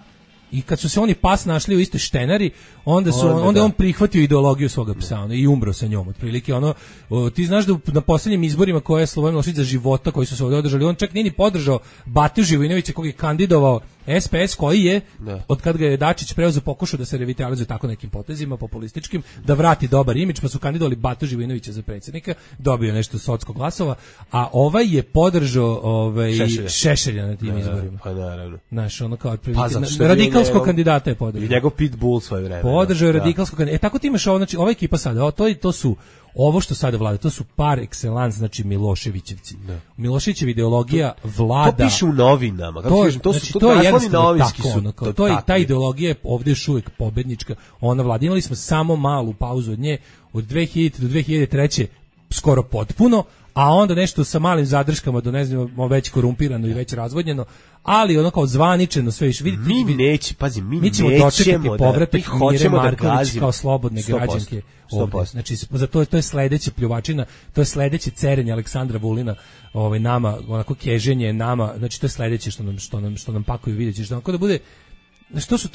i kad su se oni pas našli u istoj štenari, onda je on prihvatio ideologiju svoga psa i umro sa njom. Otprilike ti znaš da na posljednjim izborima koje je Slobodan Milošević za života koji su se ovdje održali, on čak nije ni podržao Batu Živojinovića kog je kandidovao SPS koji je, od kad ga je Dačić preuzeo, pokušao da se revitalizuje tako nekim potezima populističkim, da vrati dobar imidž, pa su kandidovali Batu Živojinovića za predsjednika, dobio nešto socko glasova, a ovaj je podržao Šešelja na tim izborima. Pa naravno. Znaš, kao radikalskog kandidata je podržao. I njegov pitbull svoje vreme. Podržao je radikalskog kandidata. Tako ti imaš znači ova ekipa sada, to su ovo što sada vlada, to su par excellence, znači Miloševićevci. Miloševićeva ideologija vlada. To piše u novinama. To je jednostavno tako. To je ta ideologija je ovdje još uvijek pobednička. Ona vlada. Imali smo samo malu pauzu od nje, od 2000 do 2003. skoro potpuno, a onda nešto sa malim zadrškama do ne znam, već korumpirano i već razvodnjeno, ali ono kao zvaničeno sve više. Mi ćemo dočekati povratak Mire Marković kao slobodne građanke ovdje. Znači, to je sledeća pljuvačina, to je sledeće cerenje Aleksandra Vulina, nama, onako keženje nama, znači to je sledeće što nam pakuju, vidjet ćeš, da bude. Znači,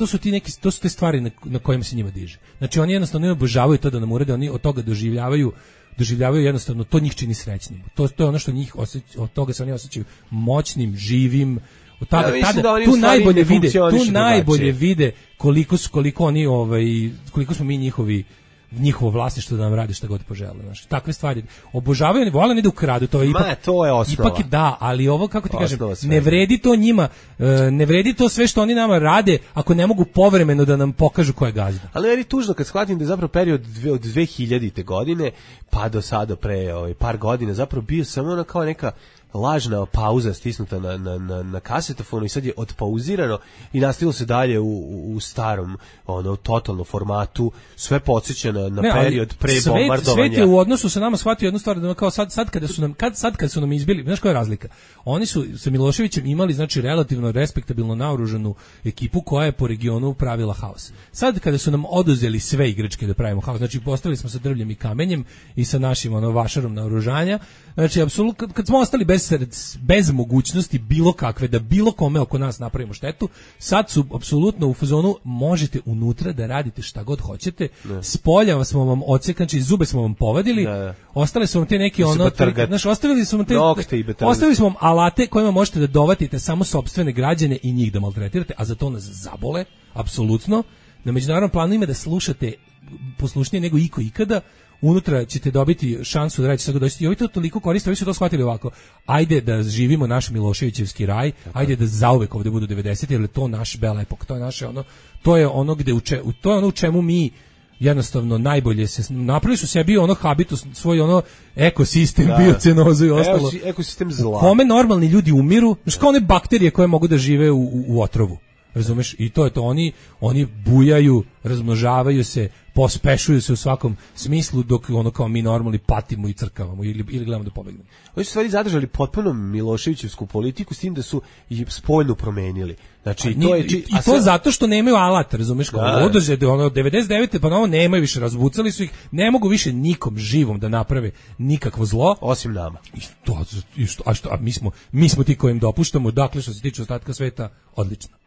to su te stvari na kojima se njima diže. Znači, oni jednostavno ne obožavaju to da nam urede, oni od toga doživljavaju jednostavno, to njih čini srećnim. To je ono što njih od toga se oni osjećaju moćnim, živim. Tu najbolje vide koliko smo mi njihovo vlasništvo da nam radi šta god požele. Znači, takve stvari obožavaju, oni vole da ukradu, to je ipak, to je osnova. Ipak da, ali ovo, kako ti kažem, ne vredi to njima, ne vredi to sve što oni nama rade ako ne mogu povremeno da nam pokažu ko je gazda. Ali meni tužno kad shvatim da je zapravo period od 2000. godine pa do sada pre par godina zapravo bio samo ono kao neka lažna pauza stisnuta na kasetofonu i sad je odpauzirano i nastavilo se dalje u starom totalnom formatu, sve podsjeća na period pre bombardovanja. Svet je u odnosu sa nama shvatio jednu stvar, da kao sad kad su nam izbili, znaš koja je razlika? Oni su sa Miloševićem imali, znači, relativno respektabilno naoružanu ekipu koja je po regionu pravila haos. Sad kada su nam oduzeli sve igračke da pravimo haos, znači postavili smo sa drvljem i kamenjem i sa našim vašarom naoružanja, znači apsolutno kad smo ostali bez mogućnosti bilo kakve da bilo kome oko nas napravimo štetu, sad su apsolutno u fazonu možete unutra da radite šta god hoćete, spolja smo vam odsekli, zube smo vam povadili, ostale su vam te neki ostavili smo vam alate kojima možete da dovatite samo sopstvene građane i njih da maltretirate, a za to nas zabole, apsolutno. Na međunarodnom planu ima da slušate poslušnije nego iko ikada. Unutra ćete dobiti šansu da radite šta god hoćete. I ovi to toliko koriste, ovi su to shvatili ovako. Ajde da živimo naš Miloševićevski raj, ajde da zauvek ovdje budu 90, jer je to naš bela epok, to je naše to je ono u čemu mi jednostavno najbolje se napravili su sebi habitus, svoj ekosistem, biocenozu i ostalo. Ekosistem zla. U kome normalni ljudi umiru, znači kao one bakterije koje mogu da žive u otrovu. Razumeš? I to je to, oni bujaju, razmnožavaju se, pospešuju se u svakom smislu, dok kao mi normalni patimo i crkavamo ili gledamo da pobegnemo. Oni su stvari zadržali potpuno Miloševićevsku politiku s tim da su i spoljno promenili. Znači, to zato što nemaju alat, razumeš? Održe 99. pa nemaju više, razbucali su ih, ne mogu više nikom živom da naprave nikakvo zlo. Osim nama. A mi smo ti kojim dopuštamo, dakle što se tiče ostatka sveta, odlično.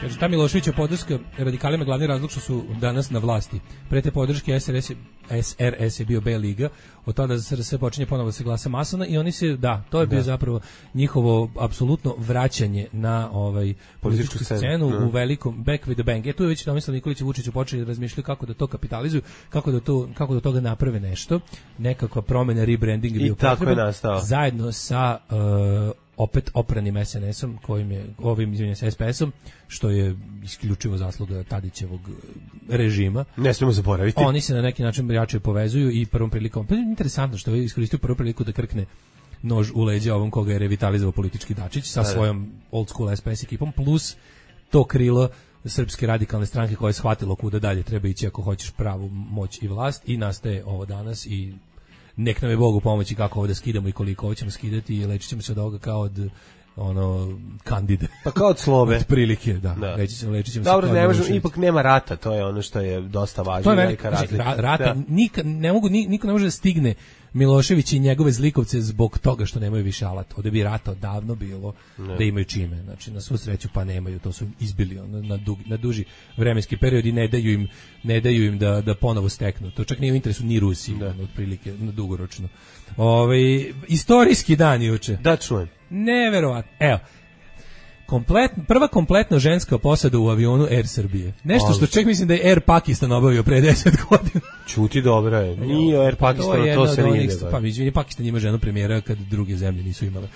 Kaže, ta Miloševića podrška radikalima glavni razlog što su danas na vlasti. Pre te podrške SRS je bio B liga, od tada SRS počinje ponovo da se glasa masovno i oni se, to je bio zapravo njihovo apsolutno vraćanje na političku scenu u velikom back with the bang. Tu je već Tomislav Nikolić i Vučić počeli da razmišljaju kako da to kapitalizuju, kako da toga naprave nešto, nekakva promena, rebranding je bio potreban, zajedno sa opet opranim SNS-om, SPS-om, što je isključivo zasluga Tadićevog režima. Ne smemo zaboraviti. Oni se na neki način jače povezuju i prvom prilikom, pa je interesantno što je iskoristio prvu priliku da krkne nož u leđa ovom koga je revitalizovao politički Dačić sa svojom old school SPS ekipom, plus to krilo Srpske radikalne stranke koje je shvatilo kuda dalje treba ići ako hoćeš pravu moć i vlast, i nastaje ovo danas i nek nam je Bog u pomoći kako ovo da skidamo i koliko ovo ćemo skidati i lečit ćemo se od ovoga kao od Kandide. Pa kao od Slobe. Od prilike, da. Lečit ćemo se. Dobro, ne možemo, ipak nema rata, to je ono što je dosta važno. To je velika razlika. Rata, niko ne može da stigne Milošević i njegove zlikovce zbog toga što nemaju više alat. Ovde bi rata odavno bilo da imaju čime. Znači, na svu sreću pa nemaju, to su izbili na duži vremenski period i ne daju im da ponovo steknu. To čak nije u interesu ni Rusiji, otprilike, na dugoročno. Istorijski dan juče. Da, čujem. Neverovatno. Evo, prva kompletno ženska posada u avionu Air Srbije. Nešto što čak mislim da je Air Pakistan obavio pre 10 godina. Čuti, dobro je. Nije Air Pakistan, to se nije desilo. Pa izvini, Pakistan ima ženu premijera kad druge zemlje nisu imale.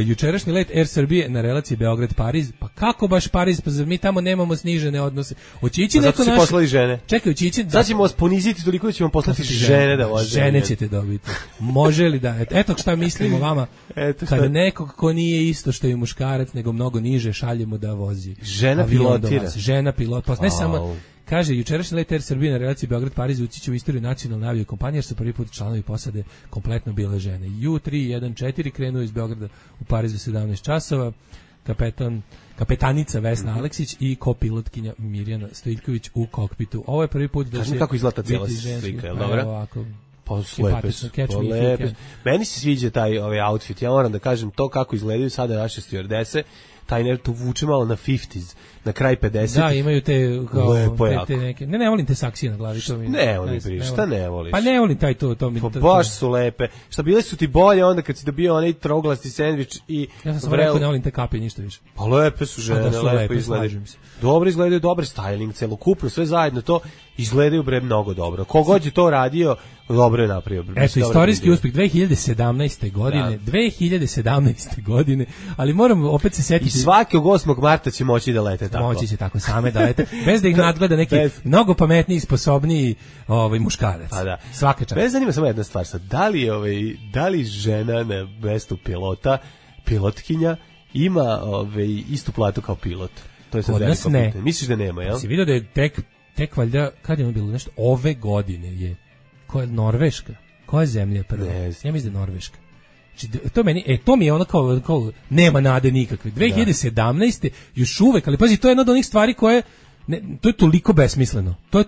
Jučerašnji let Air Srbije na relaciji Beograd-Pariz. Pa kako baš Pariz? Pa mi tamo nemamo snižene odnose. Hoće ići neko naš... poslali žene. Čekaj, hoće ići... Sad ćemo vas poniziti toliko da ćemo poslati žene da voze. Žene ćete dobiti. Može li da... Eto šta mislimo vama. Kada nekog ko nije isto što je muškarac, nego mnogo niže, šaljemo da vozi. Žena pilotira. Žena pilot. Pa ne samo... Kaže, jučerašnji let Air Srbije na relaciji Beograd-Pariz ući će u istoriju nacionalne aviokompanije, jer su prvi put članovi posade kompletno bile žene. U314 krenuo iz Beograda u Pariz u 17 časova, kapetanica Vesna Aleksić i kopilotkinja Mirjana Stojiljković u kokpitu. Ovo je prvi put da se... kako izgleda ta cijela slika, je li dobra? Ovako, pa lepe su. Meni se sviđa taj outfit, ja moram da kažem to kako izgledaju sada naše stewardese, taj to vuče malo na 50s, na kraj 50. Da, imaju te kao te neke. Ne volim te saksije na glavi, to mi. Ne volim, šta ne voliš? Pa ne volim taj to mi. Pa baš su lepe. Šta bile su ti bolje onda kad si dobio onaj troglasti sendvič i ja sam rekao ne volim te kape ništa više. Pa lepe su žene, lepo izgledaju. Dobro izgledaju, dobar styling, celokupno sve zajedno to izgledaju bre mnogo dobro. Kogod je to radio, dobro je napravio. Eto, istorijski uspeh 2017. godine, ali moram opet se setiti. I svakog 8. marta će moći da lete tako. Moći će tako same da lete, bez da ih nadgleda neki mnogo pametniji, sposobniji muškarac. Pa da. Svaka čast. Mene zanima samo jedna stvar sad, da li žena na mestu pilotkinja ima istu platu kao pilot? To je sad veliko pitanje. Misliš da nema, jel? Si vidio da je tek valjda, kad je ono bilo nešto, ove godine je, koja je Norveška? Koja zemlja je prva? Ja mislim da je Norveška. Znači, to mi je ono kao nema nade nikakve. 2017. još uvek, ali pazi, to je jedna od onih stvari koje, to je toliko besmisleno. To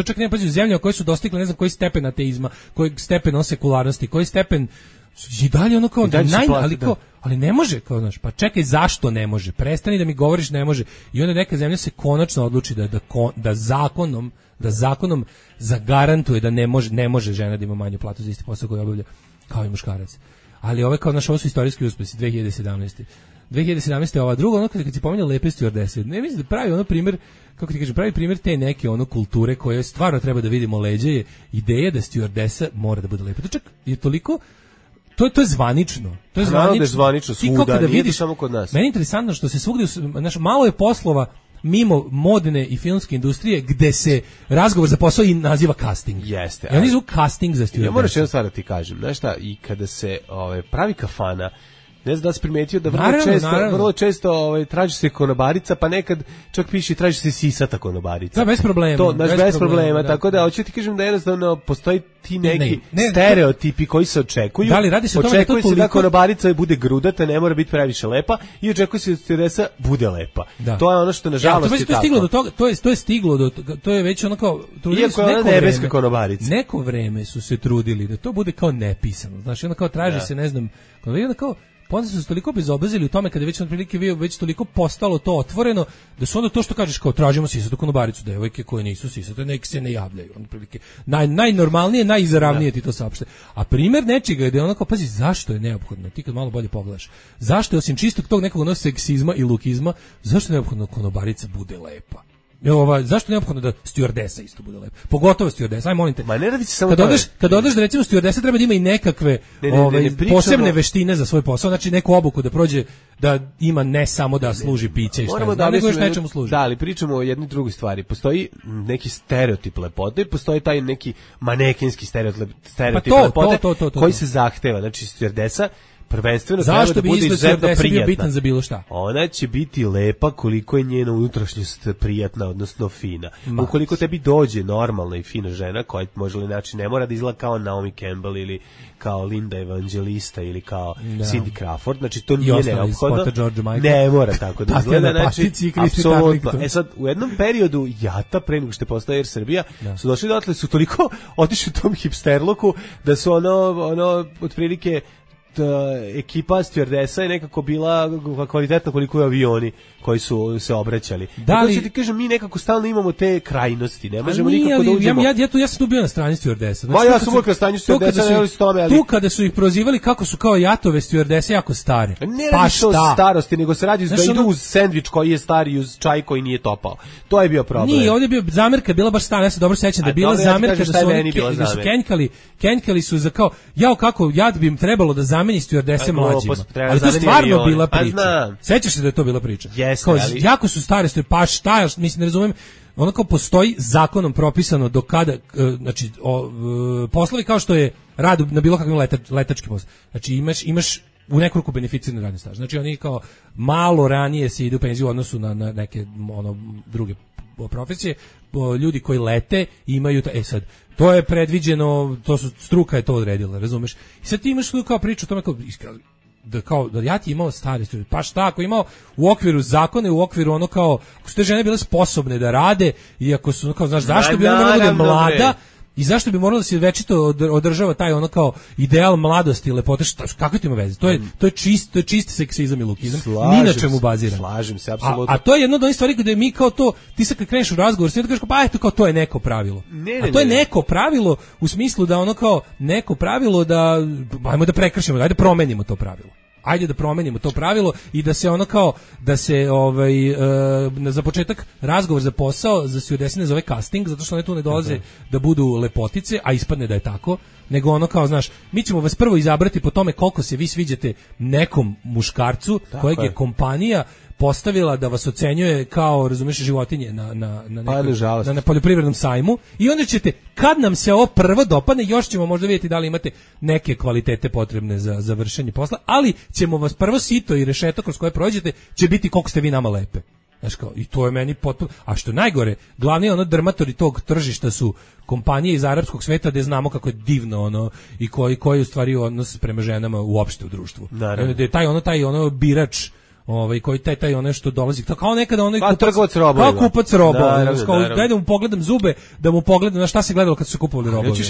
čak nema, pazi, u zemljama koje su dostigle, ne znam, koji stepen ateizma, koji stepen sekularnosti, koji stepen i dalje ono kao ali ne može, kao znaš, pa čekaj, zašto ne može? Prestani da mi govoriš ne može. I onda neka zemlja se konačno odluči da zakonom zagarantuje da ne može žena da ima manju platu za isti posao koji obavlja kao i muškarac. Ali ovo kao naš, ovo su istorijski uspesi 2017. 2017. ova druga, ono kad si pominjao lepe stewardese, ne mislim da pravi ono primjer, kako ti kažem, pravi primjer te neke ono kulture koje stvarno treba da vidimo leđe, je ideja da stewardesa mora da bude lepa. To čak je toliko, to je zvanično. To je zvanično svuda, nije to samo kod nas. Meni je interesantno što se svugdje, malo je poslova mimo modne i filmske industrije gde se razgovor za posao i naziva casting. Jeste. I oni zovu casting za stewardesa. Ja moram jednu stvar da ti kažem. Znaš šta, i kada se pravi kafana, ne znam da si primetio da vrlo često traži se konobarica, pa nekad čak piše traži se sisata konobarica. Da, bez problema. To, bez problema, tako da hoću ti kažem da jednostavno postoji ti neki stereotipi koji se očekuju. Da li radi se o tome da to toliko... da konobarica bude grudata, ne mora biti previše lepa, i očekuje se da stewardesa bude lepa. Da. To je ono što nažalost je tako. Stiglo do toga, to je stiglo do toga, to je već ono kao trudili se neko nebeska konobarica. Neko vreme su se trudili da to bude kao nepisano. Znači onda kao traži se, ne znam, kao Pa onda su se toliko bezobrazili u tome kada je već otprilike već toliko postalo to otvoreno, da su onda to što kažeš kao tražimo sisatu konobaricu, devojke koje nisu sisate, nek se ne javljaju. Otprilike najnormalnije, najizravnije ti to saopšte. A primer nečega je da je onako, pazi, zašto je neophodno, ti kad malo bolje pogledaš, zašto je osim čistog tog nekog seksizma i lukizma, zašto je neophodno konobarica bude lepa? Zašto je neophodno da stjuardesa isto bude lepa? Pogotovo stjuardesa, aj molim te. Ma ne radi se samo kad odeš da recimo stjuardesa treba da ima i nekakve posebne veštine za svoj posao, znači neku obuku da prođe, da ima ne samo da služi piće i šta, nego još nečemu služi. Da, ali pričamo o jednoj drugoj stvari. Postoji neki stereotip lepote, postoji taj neki manekenski stereotip lepote koji se zahteva. Znači stjuardesa prvenstveno treba da bude izuzetno prijatna. Bitan za bilo šta? Ona će biti lepa koliko je njena unutrašnjost prijatna, odnosno fina. Ukoliko tebi dođe normalna i fina žena, koja može li znači ne mora da izgleda kao Naomi Campbell ili kao Linda Evangelista ili kao Cindy Crawford, znači to nije neophodno. Ne mora tako da izgleda, znači apsolutno. Sad, u jednom periodu Jata, pre nego što je postao Air Srbija, su došli dotle, su toliko otišli u tom hipsterluku da su ono otprilike ekipa stjuardesa je nekako bila kvalitetna koliko je avioni koji su se obraćali. Da li ti kažem, mi nekako stalno imamo te krajnosti, ne možemo nikako da uđemo. Ja sam tu bio na strani stjuardesa. Znači, ja sam uvijek na strani stjuardesa, tu kada su ih prozivali kako su kao Jatove stjuardese jako stare. Ne radi se o starosti, nego se radi da idu uz sendvič koji je stari i uz čaj koji nije topao. To je bio problem. Nije, ovdje je bio zamerka, bila baš stara, ja se dobro sećam da je bila zamerka da su kenjkali su za kao, kako Jat bi im trebalo da zameni stjuardese mlađima. Ali to stvarno bila priča. Sećaš se da je to bila priča? Jeste, ali jako su stare, pa šta, mislim, ne razumem, ono kao postoji zakonom propisano do kada, znači, poslovi kao što je rad na bilo kakvim letačkim poslovima, znači imaš u nekoliko beneficirane radne staže, znači oni kao malo ranije se ide u penziju u odnosu na neke druge profesije, ljudi koji lete imaju, sad, to je predviđeno, struka je to odredila, razumeš, i sad ti imaš tu kao priču o tome da ja ti imao stare stvari, pa šta, ako imao u okviru zakone, u okviru ono kao, ako su te žene bile sposobne da rade, i ako su, kao, znaš, zašto bi ona morala da je mlada, i zašto bi moralo da se večito održava taj ono kao ideal mladosti i lepote, kako to ima veze? To je čist seksizam i lukizam, ni na čemu baziran. Slažem se, apsolutno. A to je jedno od onih stvari gde mi kao to, ti sad kad kreneš u razgovor, sve da kažeš, pa eto kao to je neko pravilo. A to je neko pravilo u smislu da ono kao neko pravilo da, ajmo da prekršimo, ajde promenimo to pravilo. Ajde da promenimo to pravilo i da se ono kao, da se za početak razgovor za posao za stjuardese ne zove casting, zato što one tu ne dolaze da budu lepotice, a ispadne da je tako, nego ono kao, znaš, mi ćemo vas prvo izabrati po tome koliko se vi sviđate nekom muškarcu kojeg je kompanija postavila da vas ocenjuje kao, razumeš, životinje na poljoprivrednom sajmu, i onda ćete, kad nam se ovo prvo dopadne, još ćemo možda vidjeti da li imate neke kvalitete potrebne za vršenje posla, ali ćemo vas prvo sito i rešeto kroz koje prođete će biti koliko ste vi nama lepe. Znaš kao, i to je meni potpuno, a što najgore, glavni drmatori tog tržišta su kompanije iz arapskog sveta, gde znamo kako je divno i koji u stvari odnos prema ženama uopšte u društvu. Gde je taj birač, koji taj ono što dolazi, kao nekada onaj kupac robova, daj da mu pogledam zube, da mu pogledam na šta se gledalo kad su se kupovali robovi.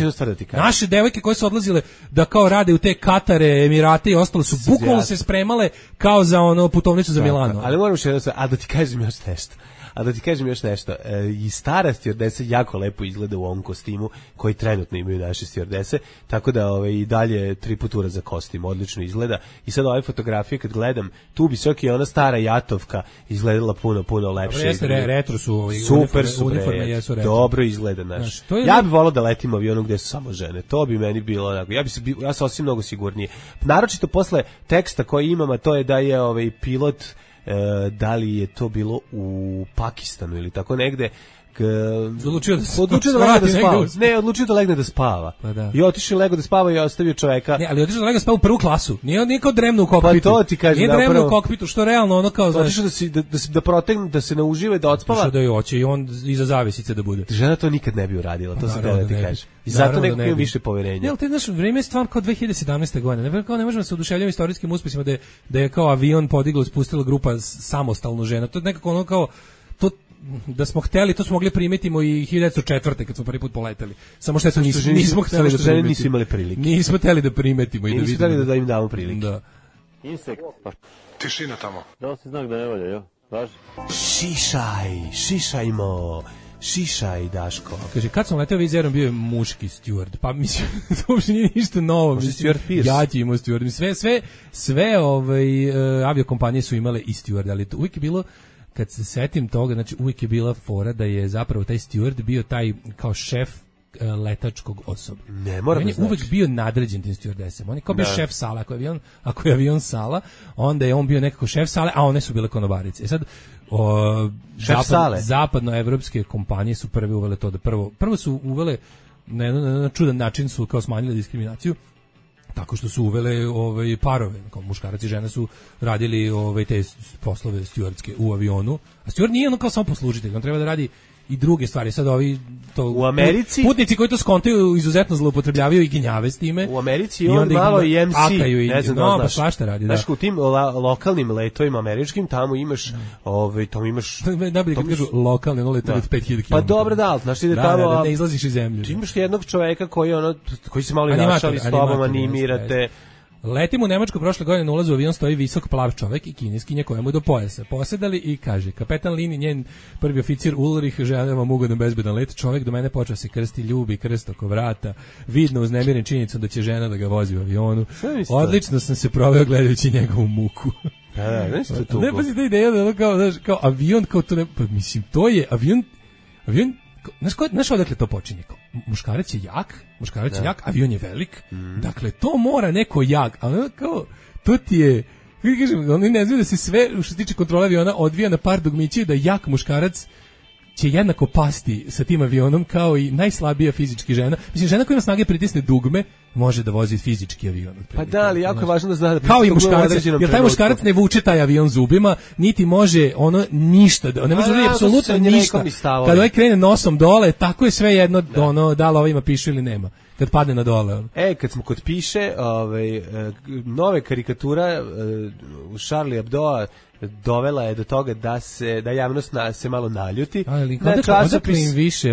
Naše devojke koje su odlazile da kao rade u te Katare, Emirate i ostalo su bukvalno se spremale kao za putovnicu za Milano. Ali moram što da ti kažem još nešto. A da ti kažem još nešto, i stara stjuardesa jako lepo izgleda u ovom kostimu koji trenutno imaju naše stjuardese, tako da i dalje 3 putura za kostim, odlično izgleda. I sad ove fotografije kad gledam, tu bi čak i ona stara Jatovka izgledala puno lepše. Retro su, super su, uniforme jesu retro. Dobro izgleda, znaš. Ja bih volao da letim avionom gde su samo žene, to bi meni bilo onako, ja sam osim mnogo sigurnije. Naročito posle teksta koji imam, a to je da je pilot, da li je to bilo u Pakistanu ili tako negde, odlučio da legne da spava. I otišao lego da spava i ostavio čoveka. Ne, ali otišao da legne da spava u prvu klasu. Nije kao dremno u kokpitu. Pa to ti kažem, nije dremno u kokpitu, što realno ono kao, znaš, otišao da protegne, da se ne uživa i da odspava. Što da je hoće i on iza zavesice da bude. Žena to nikad ne bi uradila, to se da ti kaže. I zato nekako ima više poverenja. Ne, ali znaš, vrijeme je stvar kao 2017. godine. Ne možemo se oduševljavati istorijskim uspjesima da je kao avion podigla, spustila grupa samostalno žena. To je nekako ono kao, da smo hteli, to smo mogli primetimo i 1904. kad smo prvi put poleteli. Samo što nismo hteli da primetimo. Nisu imali prilike. Nismo hteli da primetimo i da vidimo. Nismo hteli da im damo prilike. Da. Insekt, pa Tišina tamo. dao si znak da ne valja, jel? Važi. Šišaj, Daško. Kaže, kad sam leteo vizerom bio je muški steward. Pa mislim, to uopšte nije ništa novo. Možda Stewart Pearce. Ja ti imao steward. Sve aviokompanije su imale i steward, ali to uvijek je bilo, kad se setim toga, znači uvijek je bila fora da je zapravo taj steward bio taj kao šef letačkog osoblja. Ne, mora On da je znači. uvek bio nadređen tim stewardesama. On je kao bio šef sala. Ako je avion sala, onda je on bio nekako šef sale, a one su bile konobarice. Sad, zapadnoevropske kompanije su prve uvele to da prvo su uvele na jedan čudan način su kao smanjile diskriminaciju tako što su uvele parove, kao muškarac i žena su radili te poslove stewardske u avionu, a steward nije ono kao samo poslužitelj, on treba da radi i druge stvari. Sad ovi to u Americi putnici koji to skontaju izuzetno zloupotrebljavaju i ginjave s time. U Americi i on malo i MC, ne znam da znaš. Svašta radi, da. Znaš, u tim lokalnim letovima američkim, tamo imaš tamo imaš najbolje kad kažu lokalni, ono letovi od 5000 km. Pa dobro, da, znaš, ide tamo, da ne izlaziš iz zemlje. Ti imaš jednog čoveka koji se malo i našali s tobom, animirate. Letim u Nemačku prošle godine na ulazu u avion stoji visok plav čovek i kineskinja koja mu je do pojasa. Posedali i kaže, kapetan linije, njen prvi oficir Ulrich, želim vam ugodan bezbedan let, čovek do mene počeo se krsti, ljubi krst oko vrata, vidno uznemiren činjenicom da će žena da ga vozi u avionu. Odlično sam se proveo gledajući njegovu muku. Ne, pa si ta ideja da kao avion, kao to ne, pa mislim, to je avion, znaš odakle to počinje? Muškarac je jak, avion je velik, dakle to mora neko jak, ali kao, to ti je, kažem, oni ne znaju da se sve, što se tiče kontrole aviona, odvija na par dugmića i da jak muškarac će jednako pasti sa tim avionom kao i najslabija fizički žena. Mislim, žena koja ima snage pritisne dugme, može da vozi fizički avion. Pa da, ali jako je važno da zna da kao i muškarac, jer taj muškarac ne vuče taj avion zubima, niti može ono ništa, ne može da apsolutno ništa. Kad ovaj krene nosom dole, tako je sve jedno, da li ovima pišu ili nema. Kad padne na dole. Kad smo kod piše, nove karikatura Charlie Hebdoa dovela je do toga da javnost se malo naljuti. Ali odakle im više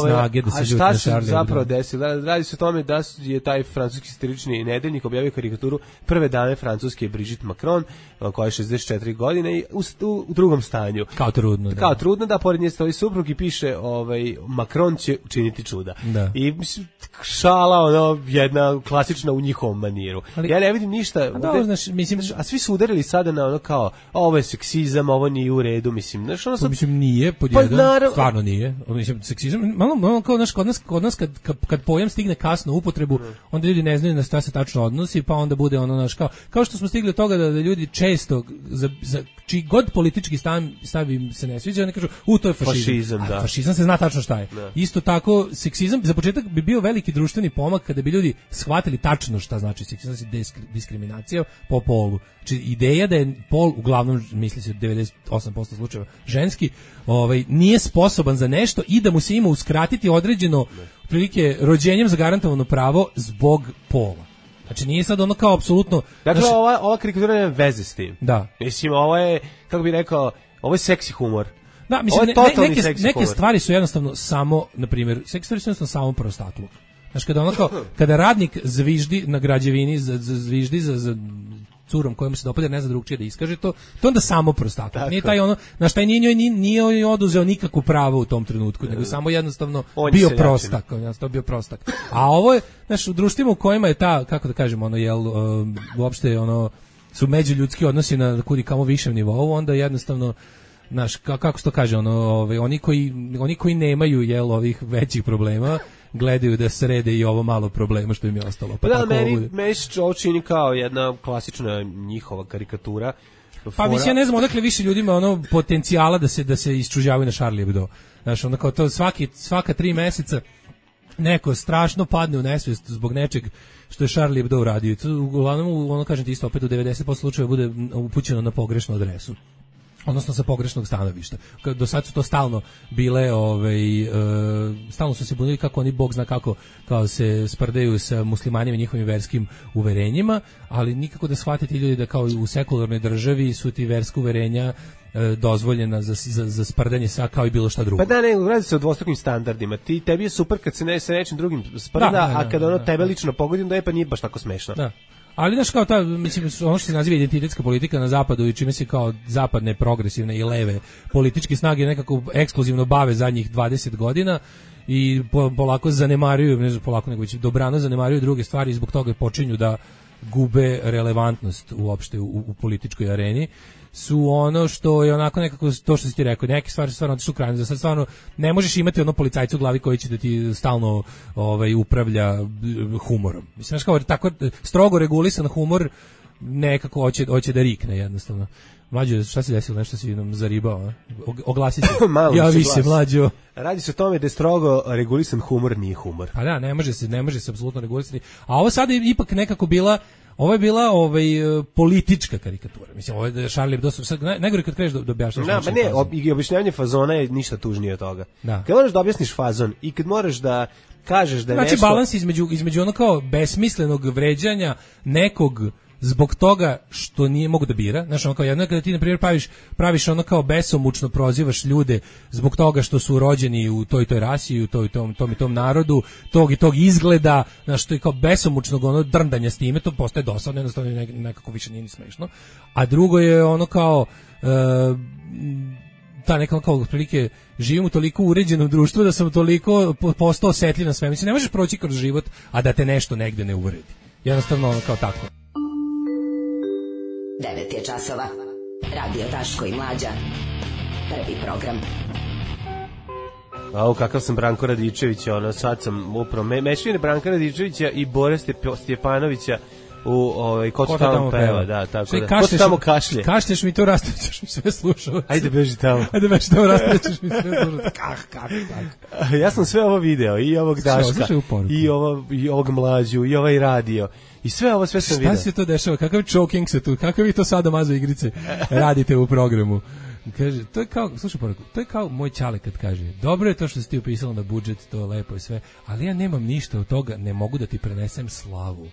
snage da se ljuti na Charlie Hebdo? A šta se zapravo desilo? Radi se o tome da je taj francuski satirični nedeljnik objavio karikaturu prve dame Francuske Brigitte Macron, koja je 64 godine i u drugom stanju. Kao trudno. Da, pored nje stoji suprug i piše Macron će učiniti čuda. Da. I šala, jedna klasična u njihovom maniru. Ja ne vidim ništa. A svi su udarili sada na kao ovo je seksizam, ovo nije u redu, mislim. Mislim, nije, pod jedan, stvarno nije. Mislim, seksizam, malo kao, kod nas kad pojam stigne kasno u upotrebu, onda ljudi ne znaju na šta se tačno odnosi, pa onda bude kao što smo stigli od toga da ljudi često, za čiji god politički stav im se ne sviđa, oni kažu, to je fašizam. Fašizam se zna tačno šta je. Isto tako, seksizam, za početak bi bio veliki društveni pomak kada bi ljudi shvatili tačno šta znači seksizam, diskriminacija po polu. Znači, ideja da je pol, uglavnom misli se 98% slučajeva ženski, nije sposoban za nešto i da mu se ima uskratiti određeno prilike rođenjem zagarantovano pravo zbog pola. Znači nije sad ono kao apsolutno. Dakle, ova karikatura nema veze s tim. Da. Mislim, ovo je, kako bih rekao, ovo je seksi humor. Da, mislim, neke stvari su jednostavno samo, na primjer, seksi stvari su jednostavno samo prostatluk. Znači, kada radnik zviždi na građevini, zviždi za curom kojom se dopada, ne zna drugčije da iskaže to onda samo prostatak. Nije taj na šta nije oduzeo nikakvu pravo u tom trenutku, nego samo jednostavno bio prostak. A ovo je, znaš, u društvima u kojima je ta, kako da kažem, uopšte su međuljudski odnosi na kudi kamo višem nivou, onda jednostavno, znaš, kako se to kaže, oni koji nemaju ovih većih problema, gledaju da srede i ovo malo problema što im je ostalo. Pa da, meni se ovo čini kao jedna klasična njihova karikatura. Pa mislim, ja ne znam odakle više ljudima potencijala da se isčuđavaju na Charlie Hebdo. Znaš, kao to svaka 3 meseca neko strašno padne u nesvijest zbog nečeg što je Charlie Hebdo uradio. Uglavnom, kažem ti isto, opet u 90% slučajeva bude upućeno na pogrešnu adresu. Odnosno sa pogrešnog stanovišta. Do sad su to stalno bile, stalno su se bunili kako oni, Bog zna kako, kao se sprdaju sa muslimanima i njihovim verskim uverenjima, ali nikako da shvate ti ljudi da kao u sekularnoj državi su ti verska uverenja dozvoljena za sprdanje sa kao i bilo šta drugo. Pa da, ne, radi se o dvostrukim standardima. Tebi je super kad se sa nečim drugim sprda, a kad tebe lično pogodi, onda pa nije baš tako smešno. Da. Ali znaš kao ta, mislim, ono što se naziva identitetska politika na zapadu i čime se kao zapadne progresivne i leve političke snage nekako ekskluzivno bave zadnjih 20 godina i polako zanemaruju, ne znam polako nego već dobrano zanemaruju druge stvari i zbog toga počinju da gube relevantnost uopšte u političkoj areni, su ono što je onako nekako to što si ti rekao, neke stvari su stvarno otišle u krajnost, da sad stvarno ne možeš imati ono policajca u glavi koji će da ti stalno upravlja humorom. Mislim, znaš kao tako strogo regulisan humor nekako hoće da rikne jednostavno. Mlađo, šta se desilo, nešto si nam zaribao, oglasi se, javi se Mlađo. Radi se o tome da je strogo regulisan humor, nije humor. Pa da, ne može se apsolutno regulisati. A ovo sada je ipak nekako bila, ovo je bila politička karikatura. Mislim, ovo je Charlie Hebdo, sad najgore kad kreneš da objašnjaš. Da, pa ne, i objašnjavanje fazona je ništa tužnije od toga. Da. Kad moraš da objasniš fazon i kad moraš da kažeš da je znači, nešto... balans između ono kao besmislenog vređanja nekog zbog toga što nije mogu da bira. Znaš, ono kao jedno kada ti, na primjer, praviš ono kao besomučno prozivaš ljude zbog toga što su rođeni u toj rasi, u tom narodu, tog i tog izgleda, znaš, to je kao besomučnog ono drndanja s time, to postaje dosadno, jednostavno nekako više nije ni smešno. A drugo je ono kao... ta neka kao otprilike živim u toliko uređenom društvu da sam toliko postao osetljiv na sve. Mislim, ne možeš proći kroz život, a da te nešto negde ne uvredi. Jednostavno ono kao tako. 9 je časova. Radio Daško i Mlađa. Prvi program. Au, kakav sam Branko Radičević, ono, sad sam upravo mešavine Branka Radičevića i Bore Stjepanovića u ko to tamo peva, da, tako da. Ko to tamo kašlje? Kašlješ mi to, rastaćeš mi sve slušao. Ajde beži tamo. Rastaćeš mi sve slušao. Kak. Ja sam sve ovo video, i ovog Daška, i ovog Mlađu, i ovaj radio. I sve sam video. Šta se to dešava? Kakav choking se tu? Kakve vi to sadomazo igrice radite u programu? Kaže, to je kao, slušaj poruku, to je kao moj ćale kad kaže, dobro je to što si ti upisala na budžet, to je lepo i sve, ali ja nemam ništa od toga, ne mogu da ti prenesem slavu.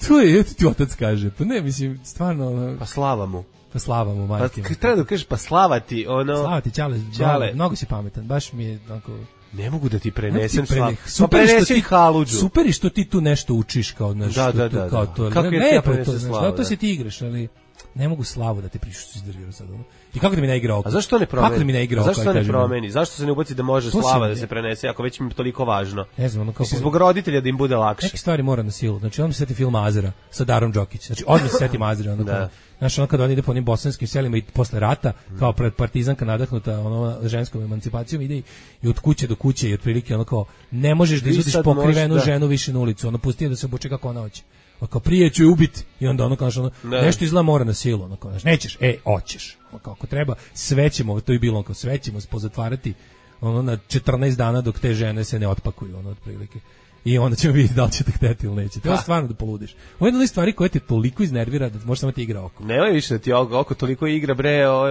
To je, ti otac kaže, pa ne, mislim, stvarno... Pa slava mu. Pa slava mu, majke. Pa treba da kažeš, pa slava ti, ono... Slava ti, ćale, mnogo si pametan, baš mi je, onako... Ne mogu da ti prenesem slavu. Pa prenesi haludžu. Super je što ti tu nešto učiš, kao nešto, da. Kao to. Kako je ja prenesem slavu? To se ti igraš, ali... Ne mogu slavu da te prišu što si držio sad. I kako da mi ne igra oko? A zašto to ne promeni? Kako da mi ne igra oko? Zašto to ne promeni? Zašto se ne ubaci da može slava da se prenese, ako već mi je toliko važno? Ne znam, ono kao... Zbog roditelja da im bude lakše. Neke stvari mora na silu. Znači, on mi se seti film Azera sa Darom Đokić. Znači, odmah se seti Azera. Ono kao, znaš, ono kada on ide po onim bosanskim selima i posle rata, kao pred partizanka nadahnuta ženskom emancipacijom, ide i od kuće do kuće i otprilike ono kao, ne možeš da izvodiš pokrivenu ženu više na ulicu. Ono, pusti je da se obuče kako ona hoće. Kao prije ću je ubiti i onda ono kao nešto izgleda mora na silu, ono kao nećeš, hoćeš, ono kao ako treba sve ćemo, to je bilo kao sve ćemo pozatvarati ono na 14 dana dok te žene se ne otpakuju, ono otprilike. I onda ćemo vidjeti da li ćete hteti ili neće. Treba stvarno da poludiš. Ovo je jedna od stvari koje te toliko iznervira da možeš samo ti igra oko. Nemoj više da ti oko toliko igra,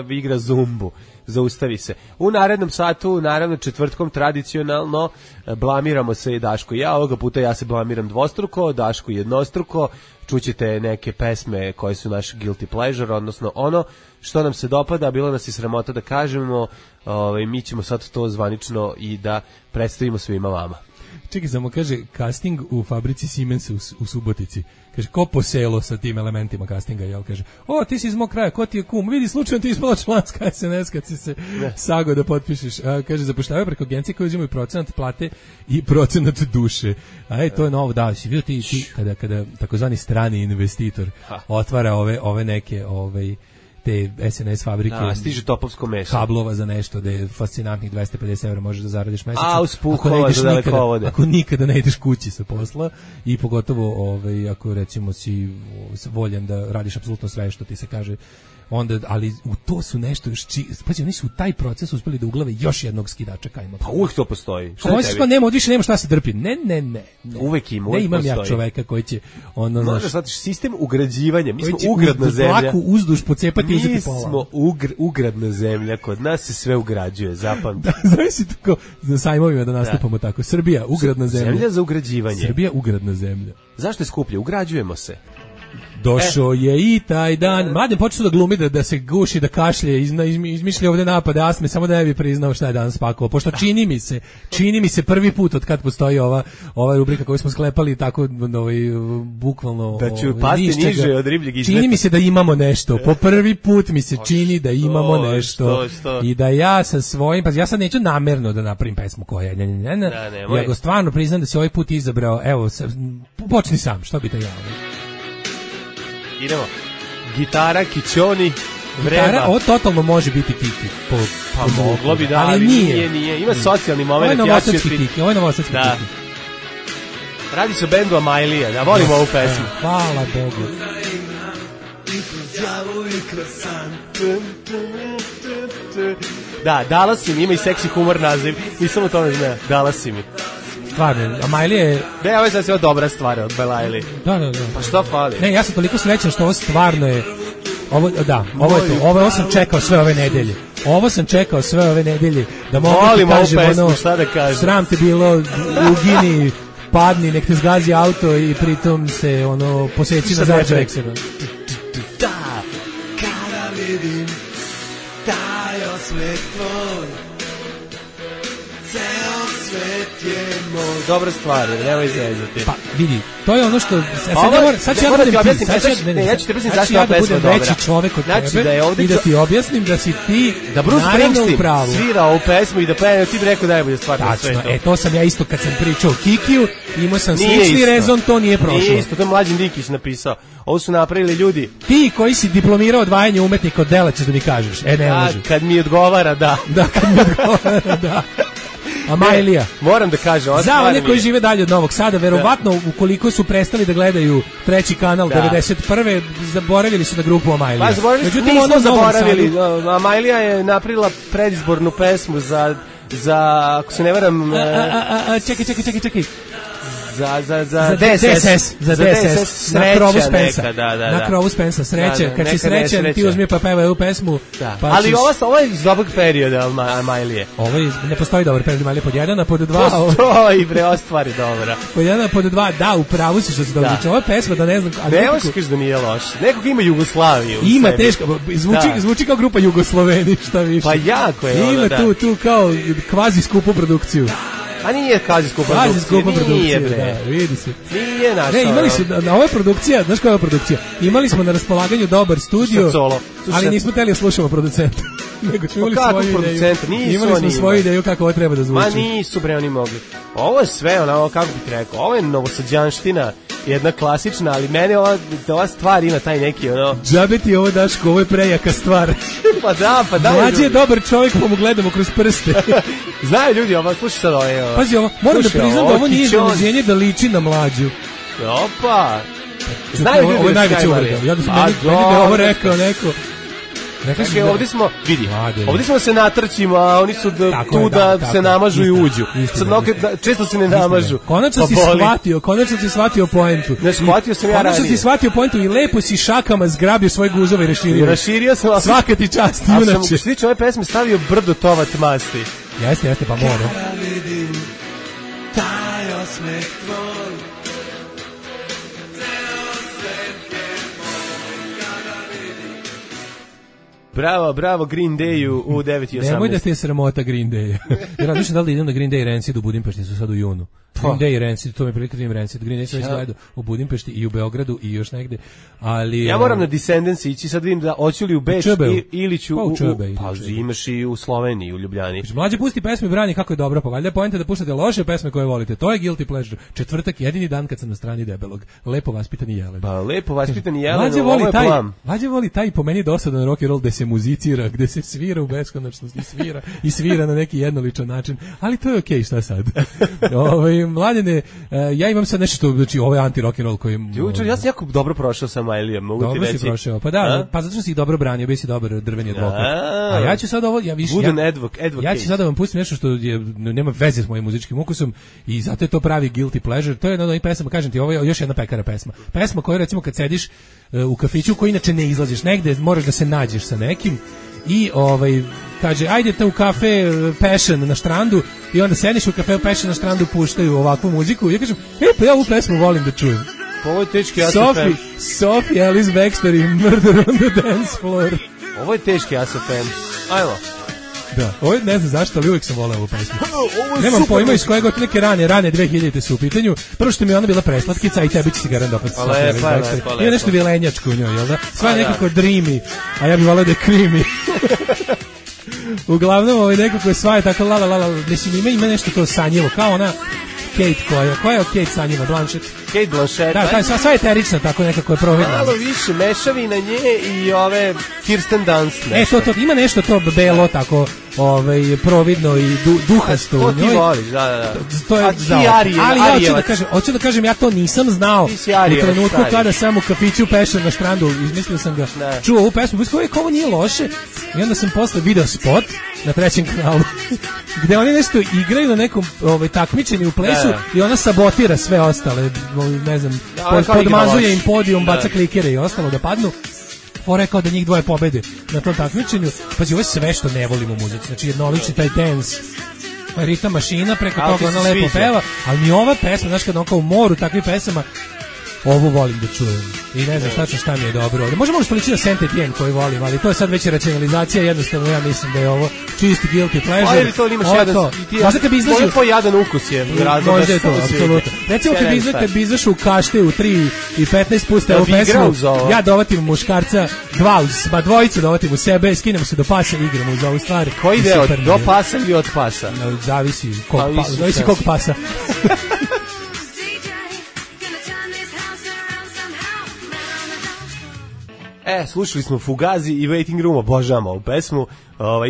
igra zumbu. Zaustavi se. U narednom satu, naravno četvrtkom, tradicionalno, blamiramo se i Daško i ja. Ovoga puta ja se blamiram dvostruko, Daško jednostruko. Čućete neke pesme koje su naš guilty pleasure, odnosno ono što nam se dopada, bilo nas i sramota da kažemo, mi ćemo sad to zvanično i da predstavimo svima vama. Čekaj, samo kaže casting u fabrici Siemens u Subotici. Kaže, ko po selo sa tim elementima castinga, jel? Kaže, ti si iz mog kraja, ko ti je kum? Vidi, slučajno ti ispala članska SNS kad si se sago da potpišeš. Kaže, zapošljavaju preko agencije koje uzimaju procenat plate i procenat duše. To je novo, da, si vidio ti kada takozvani strani investitor otvara ove neke, te SNS fabrike, stiže topovsko meso, kablova za nešto, da je fascinantnih 250 € možeš da zaradiš mesečno. Ako nikada ne ideš kući sa posla i pogotovo ako recimo si voljan da radiš apsolutno sve što ti se kaže, onda, ali u to su nešto još pazi, oni su u taj proces uspeli da uglave još jednog skidača kajma. Pa uvijek to postoji. Više nema šta se drpi. Ne. Uvijek ima, ne imam ja čoveka koji će možda shvatiš sistem ugrađivanja. Mi smo ugradna zemlja. Dlaku uzduž pocepati i uzeti pola. Mi smo ugradna zemlja, kod nas se sve ugrađuje, zapamti. Zavisi tako za sajmovima da nastupamo tako. Srbija, ugradna zemlja. Zemlja za ugrađivanje. Srbija, ugradna zemlja. Zašto je skuplje? Ugrađujemo se. Došao je i taj dan. Mladen počeo da glumi, da se guši, da kašlje, izmišlja ovde napade astme, samo da ne bi priznao šta je danas spakovao. Pošto čini mi se prvi put od kad postoji ova rubrika koju smo sklepali tako bukvalno da ću pasti niže od ribljeg izmeta. Čini mi se da imamo nešto. Po prvi put mi se čini da imamo nešto. I da ja sa svojim, pa ja sad neću namerno da napravim pesmu koja ja go stvarno priznam da se ovaj put izabrao. Evo, počni sam, što bi te ja. Idemo. Gitara, kičoni, vreba. Gitara, ovo totalno može biti Kiki. Pa moglo bi da, ali nije. Ima socijalni moment. Ovo je novosadski Kiki. Da. Radi se o bendu Amailija, da volimo ovu pesmu. Hvala Bogu. Da, Dallas im ima i seksi humor naziv. Nisam u tome znao. Dallas im. Stvarno, Amailija je... Ne, ovo je sasvim dobra stvar od Belaili. Da. Pa što fali? Ne, ja sam toliko srećan što ovo stvarno je... Ovo je to. Ovo sam čekao sve ove nedelje. Da mogu ti kažem, pesmu, šta da kažem. Sram te bilo, ugini, padni, nek te zgazi auto i pritom se, poseci na Zađa Eksera. Da, kada vidim taj osvet tvoj, ceo svet je moj. Dobra stvar, nemoj izrezati. Pa vidi, to je ono što sad ću ja da budem veći čovek od tebe i da ti objasnim da si ti da Bruce Springsteen svira ovu pesmu i da peva, ti bi rekao najbolje stvar na svetu. To sam ja isto kad sam pričao o Kikiju, imao sam slični rezon, to nije prošlo. Nije isto, to je Mlađan Dinkić napisao. Ovo su napravili ljudi. Ti koji si diplomirao odvajanje umetnika od dela ćeš da mi kažeš. Ne može. Kad mi odgovara, da. Kad mi odgovara, da. Amailija. Moram da kažem, za one koji žive dalje od Novog Sada, verovatno ukoliko su prestali da gledaju treći kanal 91. zaboravili su na grupu Amailija. Pa nismo zaboravili. Amailija je napravila predizbornu pesmu za ako se ne varam... Čekaj. Za DSS. Na krovu Spensa. Da. Na krovu Spensa. Sreće. Kad si srećan, ti uzmi pa pevaj ovu pesmu. Ali ovo je iz dobrog perioda Amailije. Ne postoji dobar period Amailije pod 1, a pod 2... Postoji, bre, ova stvar je dobra. Pod 1, a pod 2, da, upravo si što se dobro zvuči. Ova pesma, da ne znam... Ne možeš kaži da nije loš. Nekog ima Jugoslaviju. Ima, teško. Zvuči kao grupa Jugosloveni, šta više. Pa jako je. Ima tu kao kvazi skupu produkciju. A nije kvazi skupa produkcija. Nije, bre. Vidi se. Nije naša. Ne, imali su, na ovoj produkcija, znaš koja je produkcija? Imali smo na raspolaganju dobar studio, ali nismo hteli da slušamo producenta. Nego čuli svoju ideju. Imali smo svoju ideju kako ovo treba da zvuči. Ma nisu, bre, oni mogli. Ovo je sve, kako bih rekao, ovo je novosađanština, jedna klasična, ali mene ova stvar ima taj neki, Džabe ti ovo, Daško, ovo je prejaka stvar. Pa da. Mlađi je dobar čovjek, pa mu gledamo kroz prste. Znaju ljudi, slušaj sad ovo. Pazi ovo, moram da priznam da ovo nije iznenađenje da liči na Mlađu. Opa. Znaju ljudi, ovo je najveća uvreda. Ja da sam meni da ovo rekao neko. Dakle, ovdje smo se natrčimo, a oni su tu da se namažu i uđu. Često se ne namažu. Konačno si shvatio poentu. Ne, shvatio sam ja ranije. Konačno si shvatio poentu i lepo si šakama zgrabio svoje guzove i raširio. Raširio sam. Svaka ti čast, junače. A sam što ove pesme stavio brdo tovat masti. Jeste, pa mora. Bravo Green Dayu u 9:18. Nemoj da ste sramota Green Day. Ja razmišljam da li idem na Green Day Rancid u Budimpešti, su sad u junu. Green Day Rancid, to mi je prilika da imam Rancid. Green Day sam već gledao u Budimpešti i u Beogradu i još negde. Ali ja moram na Descendants ići, sad vidim da hoću li u Beč ili ću pa imaš i u Sloveniji, u Ljubljani. Mlađe pusti pesme brani kako je dobro, pa valjda poenta da puštate loše pesme koje volite. To je guilty pleasure. Četvrtak, jedini dan kad sam na strani debelog. Lepo vaspitani Jelen. Pa lepo vaspitani Jelen, ovo je plan. Mlađe voli taj po meni dosadan rock and roll gde se muzicira, gde se svira u beskonačnost i svira na neki jednoličan način, ali to je okej, šta sad? Mladene, ja imam sad nešto, znači ovo je anti-rock and roll koji... Ja sam jako dobro prošao sa Amailijom, mogu ti reći. Dobro si prošao, pa da, pa zato što si ih dobro branio, bio si dobar drveni advokat. A ja ću sad ovo, ja ću sad da vam pustim nešto što nema veze s mojim muzičkim ukusom i zato je to pravi guilty pleasure. To je jedna od onih pesama, kažem ti, ovo je još jedna pekara pesma. Pesma koju recimo kad sediš u kafiću koji inače ne izlaziš negde, moraš da se nađeš sa nekim i kaže, ajdete u kafe Passion na Štrandu i onda sediš u kafe Passion na Štrandu, puštaju ovakvu muziku i ja kažem, pa ja ovu pesmu volim da čujem. Ovo je teški ASFM. Sophie Alice Baxter i Murder on the Dance Floor. Ovo je teški ASFM. Ajmo. Da, ovo je, ne znam zašto, ali uvijek sam voleo ovu pesmu. Nemam pojma iz kojeg od neke rane 2000-te su u pitanju. Prvo što mi je ona bila preslatkica, i tebi će se garant dopati. Lepa. Nije nešto vilenjačko u njoj, jel da? Sva je nekako dreamy, a ja bih voleo da je creamy. Uglavnom, nekako sva je tako la. Mislim, ima nešto to sanjivo, kao ona Kate koja je Kate sanjiva, Blanchett. Kate Blanchett. Da, sva je eterična, tako nekako je providna. Malo više mešavi na nje i ove Kirsten Dunst. To, ima nešto to belo, tako, providno i duhasto u njoj. To ti voliš, da. To je ali ja hoću da kažem, ja to nisam znao u trenutku kada sam u kafiću pešao na štrandu, izmislio sam ga, čuo ovu pesmu, ovo nije loše, i onda sam posle video spot na 3. kanalu, gde oni nešto igraju na nekom takmičenju u plesu i ona sabotira sve ostale, ne znam, podmazuje im podijum, baca klikere i ostalo da padnu. Fore kao da njih dvoje pobede na tom takmičenju. Pazi, ovo je sve što ne volim u muzici. Znači, jednolični taj dance, ritam mašina, preko toga ona lepo peva, ali mi ova pesma, znaš, kada on kao u moru takvih pesama, ovu volim da čujem. I ne znam šta mi je dobro. Možemo uspalići da Saint Etienne koji volim, ali to je sad već racionalizacija, jednostavno ja mislim da je ovo čisti guilty pleasure. Ali to imaš jedan, možda kad bi izlažio... Ovo je jadan ukus je. Možda je to, apsolutno. Recimo kad bi izašao u kašte u 3 i 15 pusta ovu pesmu, ja dovatim muškarca, dvojicu dovatim u sebe, skinemo se do pasa i igramo uz ovu stvar. Koji deo, do pasa ili od pasa? Zavisi kog pasa. Slušali smo Fugazi i Waiting Room, obožavamo ovu pesmu,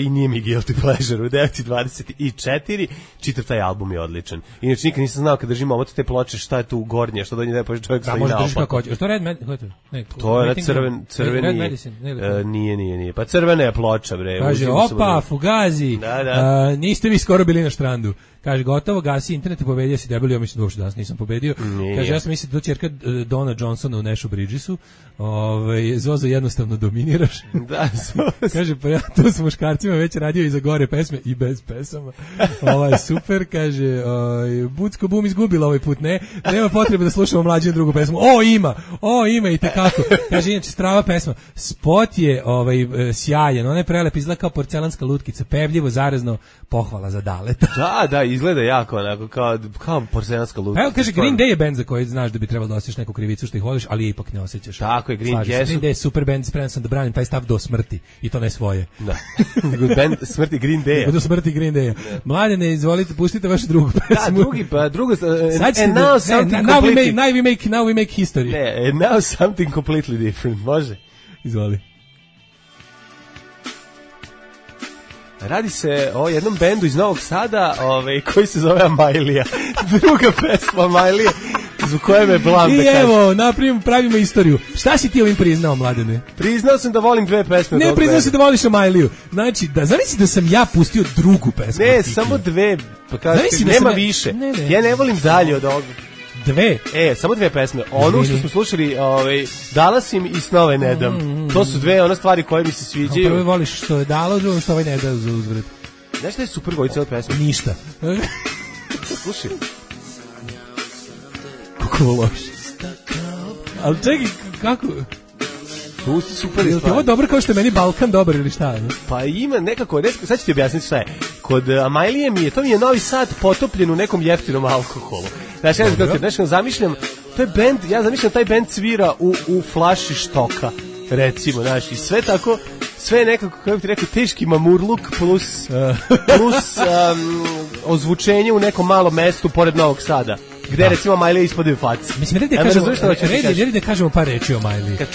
i nije mi guilty pleasure u 9:24, čitav taj album je odličan. Inače, nikad nisam znao kad držimo te ploče šta je tu gornje, što do nje da je čovjek stoji naopak. Da, može držiš kako hoće. Što je Red Medicine? To je crveni. Nije. Pa crvena je ploča, bre. Kaže, opa, Fugazi, niste vi skoro bili na štrandu. Kaže, gotovo, gasi internet i pobedio si debeli, ja mislim da uopšte danas nisam pobedio. Kaže, ja sam mislio da to ćerka Dona Johnsona u Nešu Bridgesu. Zozo, jednostavno dominiraš. Da, kaže, pa ja to s muškarcima već radio i za gore pesme i bez pesama. Super, kaže, Bucko Bum izgubila ovaj put, nema potrebe da slušamo mlađu drugu pesmu. Ima i tekako. Kaže, inače, strava pesma. Spot je sjajan, ona je prelep, izgleda kao porcelanska lutkica, pevljivo, zarazno, pohvala za Daleta. Da, izgleda jako onako kao porcelanska lutkica. Evo, kaže, Green Day je band za koji znaš da bi trebalo da osjećaš neku krivicu što ih voliš, ali ipak ne osjećaš. Tako je, Green Day je super band, spreman sam da branim taj stav do smrti i to ne svoje. Da. Band smrti Green Day. Do smrti Green Day. Mladene, izvolite, pustite vašu drugu pesmu. Drugo. Now we make history. Ne, and now something completely different. Može? Izvoli. Radi se o jednom bendu iz Novog Sada, koji se zove Amajlija. Druga pesma Amajlije, zbog koje me blam da kažem. I evo, pravimo istoriju. Šta si ti ovim priznao, Mladene? Priznao sam da volim dve pesme. Ne, priznao si da voliš Amajliju. Znači, zamisli da sam ja pustio drugu pesmu. Ne, samo dve, pa kažete, nema više. Ja ne volim dalje od ovoga. Dve? Samo dve pesme. Onu što smo slušali, Dalasim i Snove ne dam. To su dve stvari koje mi se sviđaju. Prvo voliš što je dalo, drugo što ne da za uzvrat. Znaš šta je super gojica od pesme? Ništa. Slušaj. Kako loš. Ali čekaj, kako... Tu super je stvar. Je ovo dobro kao što je meni Balkan dobar ili šta? Ne? Pa ima nekako, sad ću ti objasniti šta je. Kod Amajlije to mi je Novi Sad potopljen u nekom jeftinom alkoholu. Znači, zamišljam, to je bend, ja zamišljam taj bend svira u flaši štoka, recimo, znači, sve tako, sve je nekako, kako ti rekao, teški mamurluk plus ozvučenje u nekom malom mestu pored Novog Sada. Gde recimo Amajlija ispadaju faci. Mislim, da kažemo par reči o Amajliji. Kad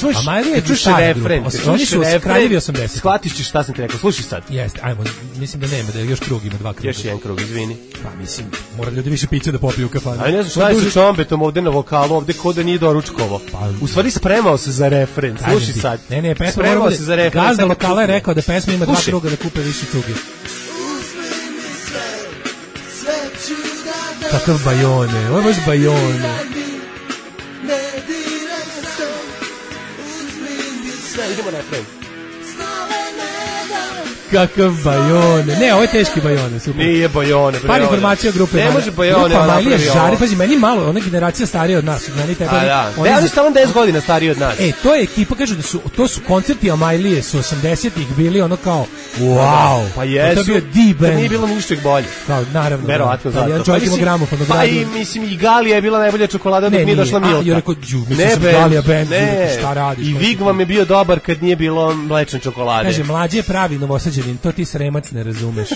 čuš refren, oni su kraljevi 80. Shvatiš ćeš šta sam ti rekao, slušaj sad. Jeste, ajmo, mislim da nema, da još krug ima, 2 kruga. Još jedan krug, izvini. Pa mislim, mora ljudi više pića da popiju u kafanu. Ali ne znam šta je sa čombetom ovde na vokalu, ovde ko da nije doručkovo. U stvari spremao se za refren, slušaj sad. Ne, pesma mora bude, gazda lokala je rekao da pesma ima 2 kruga da kupe više cuge. Kakav Bajone, ovo je baš Bajone. Idemo refren. Kakav Bajone. Ne, ovo je teški Bajone, super. Nije Bajone. Par informacija o grupe. Ne može Bajone. Grupa Majlija žari, pazi, meni malo, ona generacija starija od nas. Meni tebe. Oni su tamo 10 godina stariji od nas. To je ekipa, kažu da su, to su koncerti Amajlije su 80-ih bili ono kao, wow. Pa jesu. To je bio D-band. Nije bilo ništa bolje. Kao, naravno. Verovatno zato. Jedan čovjek ima gramofon od Pa i, mislim, i Galija je bila najbolja čokolada dok nije došla Milka. Ja rekao, mislim sam Galija band, šta radiš? I Vig vam je bio dobar kad nije bilo mlečne čokolade. Kaže, mlađi je pravi Novosađanin, to ti Sremac ne razumeš.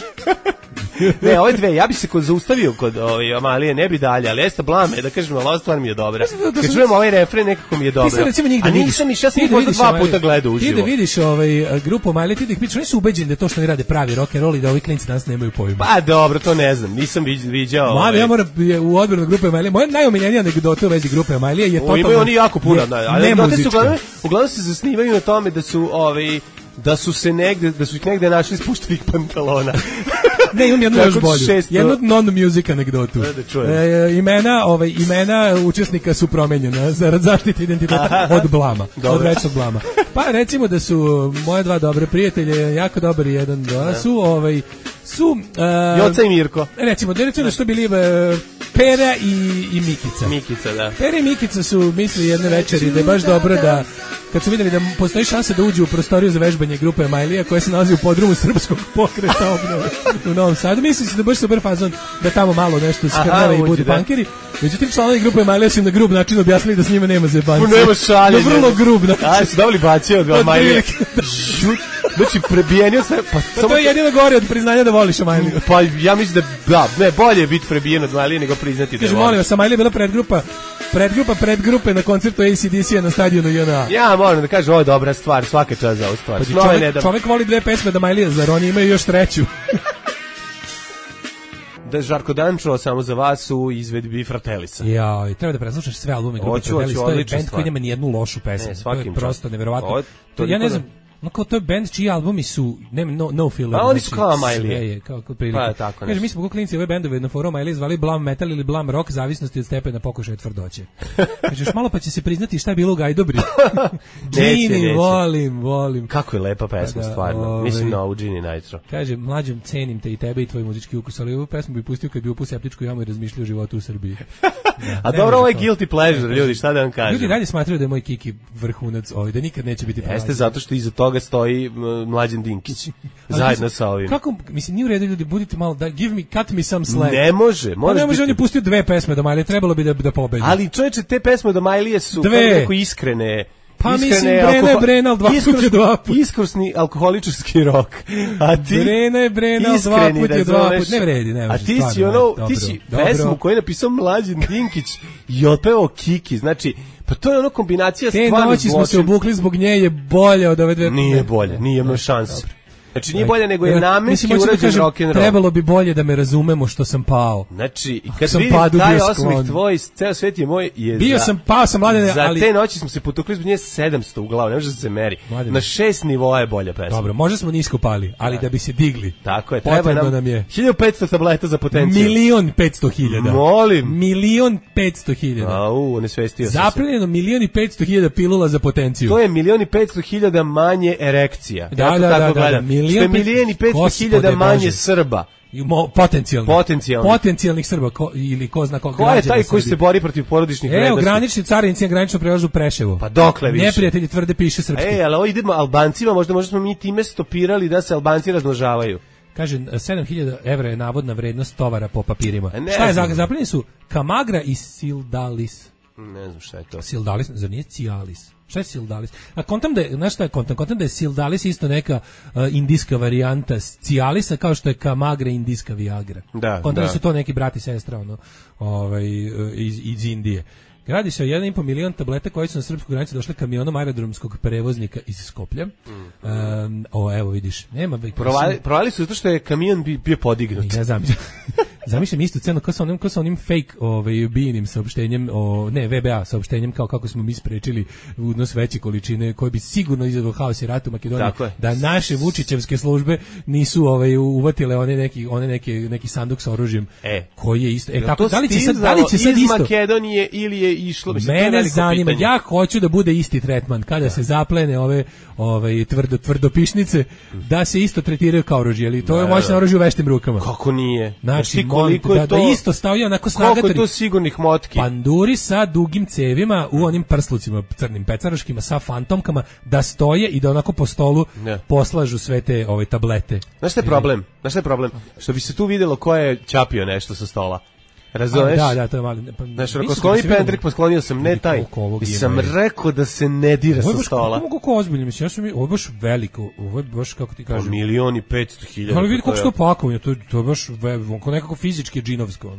Ne, ove dve, ja bi se zaustavio kod Amalije, ne bi dalje, ali jeste blame, da kažem, ova stvar mi je dobra. Kad čujem ovaj refren, nekako mi je dobro. A nisam išao, ja sam ih možda 2 puta gledao uživo. Ti da vidiš grupu Amalije, ti da ih pitaš, oni su ubeđeni da to što oni rade pravi rock and roll i da ovi klinci danas nemaju pojma. Pa dobro, to ne znam, nisam viđao. Mane, ja moram u odbranu grupe Amalije, moja najomiljenija anegdota u vezi grupe Amalije je totalno. Imaju oni jako puno, ali uglavnom se zasnivaju na tome da su ih negde našli spuštenih pantalona. Ne, imam jednu još bolju. Jednu non-music anegdotu. Imena učesnika su promenjena zarad zaštite identiteta od blama. Od večnog blama. Pa recimo da su moje 2 dobre prijatelje, jako dobar jedan, su Joca i Mirko. Recimo da su bili Pera i Mikica. Mikica, da. Pera i Mikica su mislili jedne večeri da je baš dobro da kad su vidjeli da postoji šansa da uđu u prostoriju za vežbanje grupe Amajlija koja se nalazi u podrumu Srpskog pokreta obnove u Novom Sadu. Mislim se da baš super fazon da tamo malo nešto skrnave i budu punkeri. Međutim, članovi grupe Amajlija su im na grub način objasnili da s njima nema zebancije. Nema šaljenja. Na vrlo grub način. Aj, su dobili bacio od Amajlija. Znači, prebijenio sve. Pa to je jedino gore od priznanja da voliš Amajliju. Pa ja mislim da bolje je biti prebijen od Amajlije nego priznati da je voliš. Molim vas, Amajlija je bila predgrupe na koncertu AC/DC-a na stadionu JNA. Ja moram da kažem, ovo je dobra stvar, svaka čast za ovu stvar. Čovjek voli 2 pesme da Amajlija, zar oni imaju još 3? Da Žarko Dančo samo za vas u izvedbi Fratelisa. Ja, i treba da preslušaš sve albume grupe Fratelisa. To je band koji nema ni jednu lošu pesmu. To je prosto neverovatno. Ja ne znam, no kao to je band čiji albumi su no filler. A oni su kao Amajlije. Kao prilike. Kaže, mi smo kao klinci ove bendove na forumu Amajlije zvali Blam Metal ili Blam Rock, zavisnosti od stepena pokušaja tvrdoće. Kaže, još malo pa će se priznati šta je bilo u Gajdobri. Gini, volim. Kako je lepa pesma, stvarno. Mislim na ovu Gini Nitro. Kaže, mlađem, cenim te i tebe i tvoj muzički ukus, ali ovu pesmu bi pustio kad bi upao septičku jamu i razmišljao o životu u Srbiji. A dobro, ovo je guilty pleasure, ljudi, šta da vam kažem. Ljudi dalje smatraju da je moj Kiki vrhunac da nikad neće biti pravi. Jeste zato što iza toga stoji Mlađan Dinkić zajedno sa ovim. Kako, mislim, nije u redu, ljudi, budite malo, cut me some slack. Ne može. Ne može, on je pustio 2 pesme do Majlije, trebalo bi da pobedi. Ali čovječe, te pesme do Majlije su kako iskrene. Pa mislim, Brena, ali 2 puta. Iskrsni alkoholičarski rok. A ti Brena, 2 puta, 2 puta. Ne vredi, ne može. A ti si pesmu koju je napisao Mlađan Dinkić i otpevao Kiki, znači, pa to je ono kombinacija stvarno zločin. Te noći smo se obukli zbog nje, je bolje od ove 2. Nije bolje, nije imao šanse. Znači nije bolje nego je namenski urađen rock'n'roll. Trebalo bi bolje da me razumemo što sam pao. Znači, kad vidim taj osmih tvoj, ceo svet je moj. Pao sam Mladene, ali... Za te noći smo se potukli zbog nje 700 u glavu, ne može da se meri. Mladene. Na 6 nivoa je bolja pesma. Dobro, možda smo nisko pali, ali da bi se digli. Tako je, treba nam je 1500 tableta za potenciju. 1.500.000. Molim. 1.500.000. Au, nesvestio sam se. Zaplenjeno 1.500.000 pilula za potenciju. To je 1.500.000 manje erekcija. Da. Što je 1.500.000 manje Srba. Potencijalnih Srba ili ko zna koliko. Ko je taj koji se bori protiv porodičnih vrednosti? Evo, granični carinici na graničnom prelazu Preševo. Pa dokle više? Neprijatelji tvrde piše srpski. Ali ovo idemo Albancima, možda smo mi time stopirali da se Albanci razmnožavaju. Kaže, 7.000 evra je navodna vrednost tovara po papirima. Šta je zaplenjeni su? Kamagra i Sildalis. Ne znam šta je to. Sildalis, zar nije Cialis? Šta je Sildalis? A kontam da je, znaš šta je kontam da je Sildalis isto neka indijska varijanta Cialisa, kao što je Kamagra indijska Viagra. Kontam da su to neki brat i sestra iz Indije. Radi se o 1,5 milion tableta koji su na srpsku granicu došle kamionom aerodromskog prevoznika iz Skoplja. Evo vidiš, nema... Provali su zato što je kamion bio podignut. Ja znam. Zamišljam istu scenu kao sa onim fake bijenim saopštenjem, VBA saopštenjem kao kako smo mi sprečili unos veće količine koje bi sigurno izazvao haos i rat u Makedoniji. Da naše Vučićevske službe nisu uvatile neki sanduk sa oružjem koji je isto. Tako, da li će sad iz isto? Makedonije ili je išlo? Mene zanima, ja hoću da bude isti tretman kada se zaplene ove tvrdopišnice, da se isto tretiraju kao oružje, ali to je moćno oružje u veštim rukama. Kako nije? Znači, koliko je to isto stavio onako snagatari. Koliko je to sigurnih motki? Panduri sa dugim cevima u onim prslucima crnim pecaraškima sa fantomkama da stoje i da onako po stolu poslažu sve te tablete. Znaš šta je problem? Što bi se tu vidjelo ko je ćapio nešto sa stola. Razumeš? Da, to je mali. Znaš, ako skloni pendrik, posklonio sam, ne taj. Sam rekao da se ne dira sa stola. Kako ozbiljno, mislim, ovo je baš veliko, ovo je baš, kako ti kažem. 1.500.000. Ali vidi kako što pakovanje, to je baš nekako fizički džinovsko.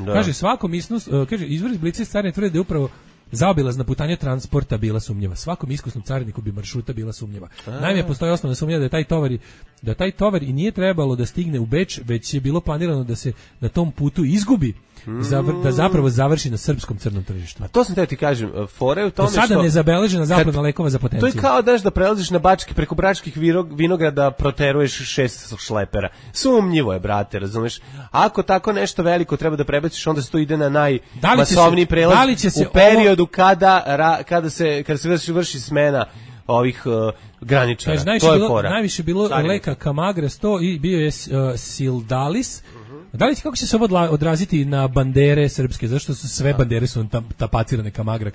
Kaže, svakom izvor iz Blica carine tvrde da je upravo zaobilazna putanja transporta bila sumnjiva. Svakom iskusnom cariniku bi maršruta bila sumnjiva. Naime, postoji osnovna sumnja da taj tovar i nije trebalo da stigne u Beč, već je bilo planirano da se na tom putu izgubi, da zapravo završi na srpskom crnom tržištu. A to sam te ti kažem, fora je u tome što... Sada nezabeležena zaplena lekova za potenciju. To je kao da prelaziš na preko Bračkih vinograda proteruješ 6 šlepera. Sumnjivo je, brate, razumeš? Ako tako nešto veliko treba da prebaciš, onda se to ide na najmasovniji prelaz u periodu kada se vrši smena ovih graničara. Znači, to je fora. Najviše bilo leka Kamagra 100 i bio je Sildalis. Da li kako će se ovo odraziti na bandere srpske? Zašto su sve bandere su tapacirane Kamagra?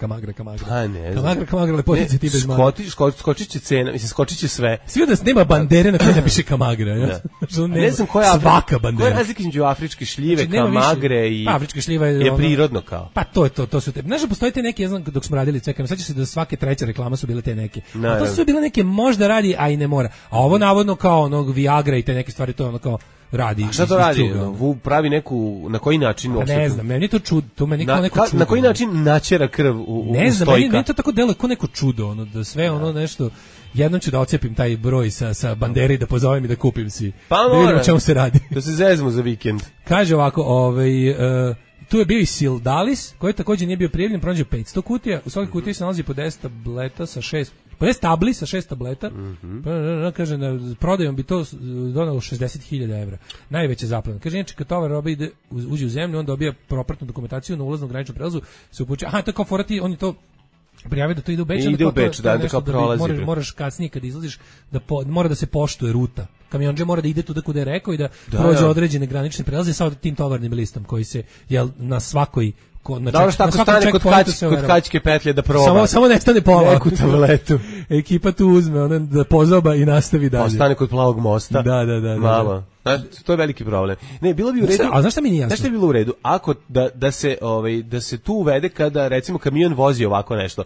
A ne znam. Kamagra, lepotice ti bez mana. Skočit će cena, mislim, skočit će sve. Svi da nema bandere na kojoj napiše Kamagra. Ne znam koja je svaka bandera. Koja je razlika između afričke šljive, Kamagre i... Afrička šljiva je prirodno kao. Pa to su te... Znaš da postoje te neke, ja znam dok smo radili cekam, sad će se da svake treća reklama su bile te neke. A to su bile neke možda radi, a i ne mora. A ovo navodno kao onog Viagra i te neke stvari, to je ono kao radi. A šta to radi? Pravi neku, na koji način? Ne znam, meni to čudo, to meni kao neko čudo. Na koji način načera krv u ne znam, stojka? meni to tako deluje kao neko čudo, da sve ono nešto, jednom ću da ocepim taj broj sa bandere i da pozovem i da kupim si. Pa da vidimo čemu se radi. Da se zezmo za vikend. Kaže ovako, tu je bio i Sildalis, koji također nije bio prijavljen, pronađe 500 kutija, u svakoj kutiji se nalazi po 10 tableta sa 6, po 10 tabli sa 6 tableta, kaže, na prodajom bi to donalo 60.000 evra. Najveća zaplena. Kaže, inače, kad tovar roba uđe u zemlju, on dobija propratnu dokumentaciju na ulaznom graničnom prelazu, se upućuje, to je kao forati, on je to prijavio da to ide u Beč, ide u Beč, da kao prolazi. Moraš kasnije kad izlaziš, mora da se poštuje ruta. Kamionđe mora da ide tuda kuda je rekao i da prođe određene granične prelaze sa tim tovarnim listom koji se na svakoj dobro što ako stane kod kačke petlje da proba. Samo ne stane pola. Neku tabletu. Ekipa tu uzme, da pozoba i nastavi dalje. Ostane kod Plavog mosta. Da. Malo. To je veliki problem. Ne, bilo bi u redu. A znaš šta mi nije jasno? Znaš šta je bilo u redu? Ako da se tu uvede kada recimo kamion vozi ovako nešto.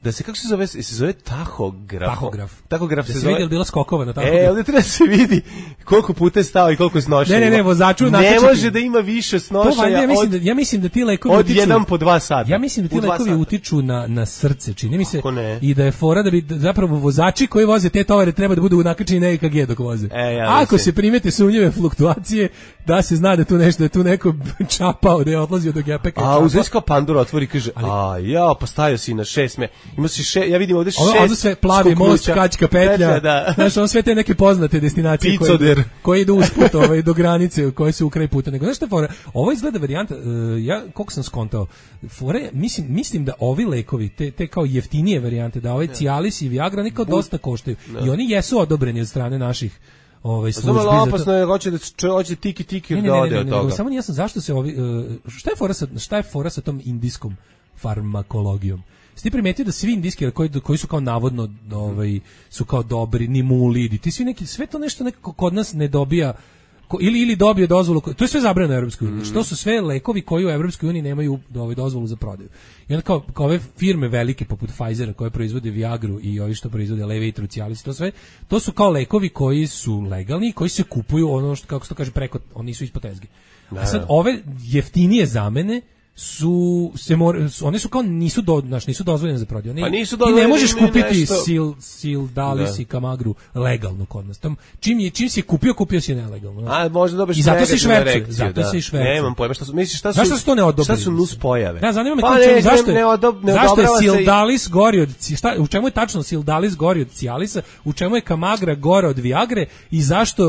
Da se, kako se zove tahograf. Tahograf se zove. Da se vidi bilo skokova na tahograf. Ovdje treba se vidi koliko puta je stao i koliko je snošaja. Ne, vozaču ne može da ima više snošaja ja mislim da ti lekovi od 1 po 2 sata. Ja mislim da ti lekovi utiču na srce, čini mi se. I da je fora da bi zapravo vozači koji voze te tovare treba da budu nakačeni na EKG dok voze. Ako se primete sumnjive fluktuacije, da se zna da je tu neko čapao, da je odlazio do gepeka. A uzeš kao Pandora otvori i kaže, pa stavio si na 6 ima si ja vidim ovdje 6 ovdje sve plavi most, kačka petlja, znaš, on sve te neke poznate destinacije koje idu usput do granice koje su u kraj puta. Nego, znaš šta fora? Ovo izgleda varijanta, ja koliko sam skontao, fore, mislim da ovi lekovi, te kao jeftinije varijante, da ovaj Cialis i Viagra nikao dosta koštaju. I oni jesu odobreni od strane naših službi. Opasno je, hoće tiki da ode od toga. Samo nisam zašto se ovi, šta je fora sa tom indijskom farmakologijom? Ti primetio da svi indijski koji su kao navodno su kao dobri, nimulidi, ti svi neki, sve to nešto nekako kod nas ne dobija, ili dobije dozvolu, to je sve zabranjeno u Evropskoj uniji, što su sve lekovi koji u Evropskoj uniji nemaju dozvolu za prodaju. I onda kao ove firme velike poput Pfizera koje proizvode Viagru i ovi što proizvode Levitru, Cialis, to su kao lekovi koji su legalni, koji se kupuju ono što, kako se to kaže, preko, oni su ispod tezge. A sad ove jeftinije zamene one su kao nisu dozvoljene za prodaju. Pa nisu ti dozvoljene ne možeš ni kupiti nešto. Sildalis i Kamagru legalno kod nas. Čim si kupio si nelegalno. A možda dobiješ i zato se negativnu švercuje, reakciju, zato se i švercuje. Nemam pojma šta su, misliš šta su? Zašto su to ne odobrili? Šta su nus pojave? Da, zanima me pa zašto je odobrava Sildalis gori od u čemu je tačno Sildalis gori od Cialisa, u čemu je Kamagra gore od Viagre i zašto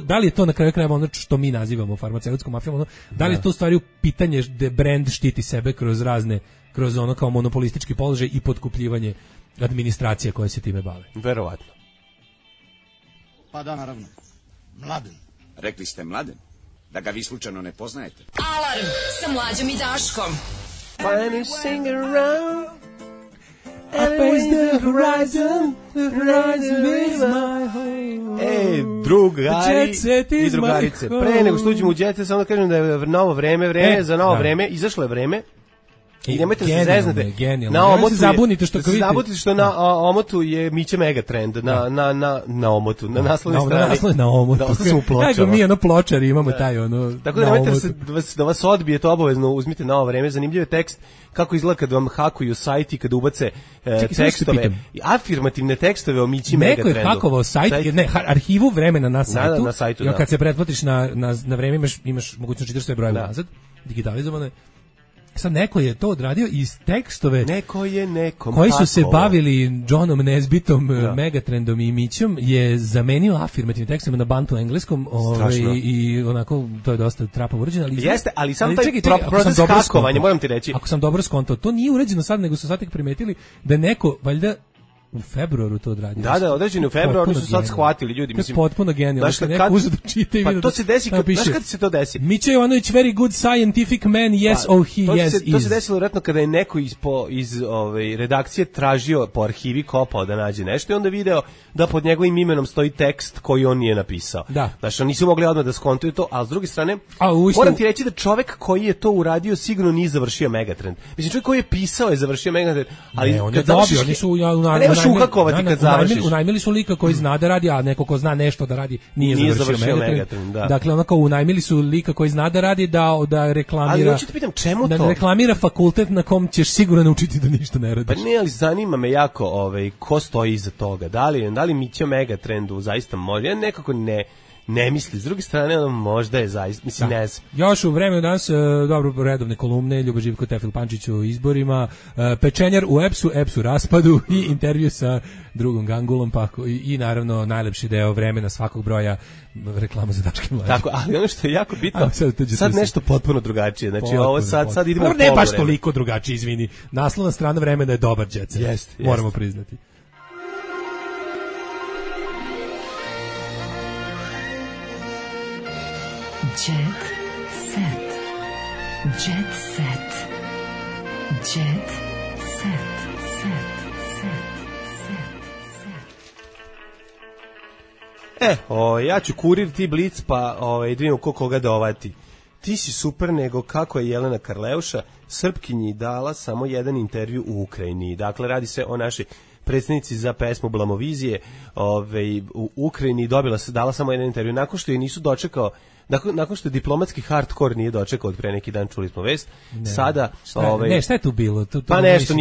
da li je to na kraju krajeva ono što mi nazivamo farmaceutskom mafijom, ono, da li je to u stvari pitanje da brend štiti sebe kroz ono kao monopolistički položaj i potkupljivanje administracije koje se time bave. Verovatno. Pa da, naravno. Mladen. Rekli ste Mladen? Da ga vi slučajno ne poznajete? Alarm sa Mlađom i Daškom. When you sing around I face the horizon is my home. Drugari i drugarice, pre nego što uđemo u Jet Set, samo da kažem da je novo vreme za novo vreme, izašlo je vreme. I nemojte se zeznete. Na omotu se zabunite što na omotu je Mića Megatrend na omotu, na naslovnoj strani. Na omotu. Da sam u pločama. Nego mi pločari imamo taj ono. Tako da nemojte da vas odbije, to obavezno uzmite Novo vreme. Zanimljiv je tekst kako izgleda kad vam hakuju sajt i kad ubace tekstove, afirmativne tekstove o Mići Megatrendu. Neko je hakovao sajt, arhivu vremena na sajtu. Na sajtu, i kad se pretplatiš na vreme imaš mogućnost čitaš sve brojeve nazad, digitalizovane. Sad neko je to odradio iz tekstove koji su se bavili Johnom Nesbitom, Megatrendom i Mićom, je zamenio afirmativnim tekstom na bantu engleskom i onako to je dosta trapavo urađeno. Jeste, ali sam taj proces hakovanja, moram ti reći. Ako sam dobro skontao, to nije urađeno sad, nego su sad tek primetili da neko, valjda, u februaru to odradio. Da, određeni u februaru su sad shvatili ljudi, mislim. To je potpuno genijalno. Znaš, neko uzeo da čita i vidio. Pa to se desi, znaš kad se to desi? Mića Jovanović, very good scientific man, yes, he yes is. To se desilo vjerojatno kada je neko iz redakcije tražio po arhivi, kopao da nađe nešto i onda video da pod njegovim imenom stoji tekst koji on nije napisao. Da. Znači, nisu mogli odmah da skontuju to, ali s druge strane, moram ti reći da čovek koji je to uradio sigurno nije završio Megatrend. Mislim, čovjek koji je pisao je završio Megatrend, ali on je dobio, oni su uhakovati kad završiš. Unajmili su lika koji zna da radi, a neko ko zna nešto da radi nije završio Megatrend. Dakle, onako unajmili su lika koji zna da radi da reklamira. Ali hoću te pitam čemu to? Da reklamira fakultet na kom ćeš sigurno naučiti da ništa ne radiš. Pa ne, ali zanima me jako ko stoji iza toga. Da li Mića Megatrendu zaista može? Ja nekako ne misli. S druge strane, ono možda je zaista, mislim, ne znam. Još u vremenu danas, dobro, redovne kolumne, Ljubo Živko, Tefil Pančić o izborima, pečenjar u EPS-u raspadu i intervju sa drugom Gangulom, pa i naravno najlepši deo vremena svakog broja reklama za Daške Mlađe. Tako, ali ono što je jako bitno, sad nešto potpuno drugačije. Znači, ovo sad idemo u ne baš toliko drugačije, izvini. Naslovna strana vremena je dobar Jet Set. Jest. Moramo priznati. Jet set. Jet set. Jet set. Ja ću kurir, ti Blic, pa da vidimo koga dovati. Ti si super, nego kako je Jelena Karleuša Srpkinji dala samo jedan intervju u Ukrajini. Dakle, radi se o našoj predsjednici za pesmu Blamovizije u Ukrajini, dala samo jedan intervju. Nakon što je nisu dočekao, nakon što je diplomatski hardcore nije dočekao od pre neki dan, čuli smo vest, sada... šta je tu bilo? Pa nešto,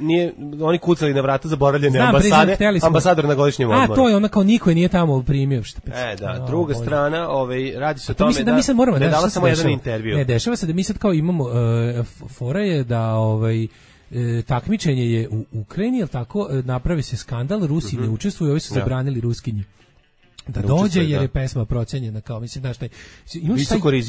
nije, oni kucali na vrata zaboravljene ambasade, ambasador na godišnjem odmoru. A, to je ona kao niko je nije tamo primio. Da, druga strana, radi se o tome da je dala samo jedan intervju. Ne, dešava se da mi sad kao imamo, fora je da takmičenje je u Ukrajini, jel tako, napravi se skandal, Rusi ne učestvuju, ovi su zabranili Ruskinji da dođe, jer je pesma procenjena kao, mislim, znaš,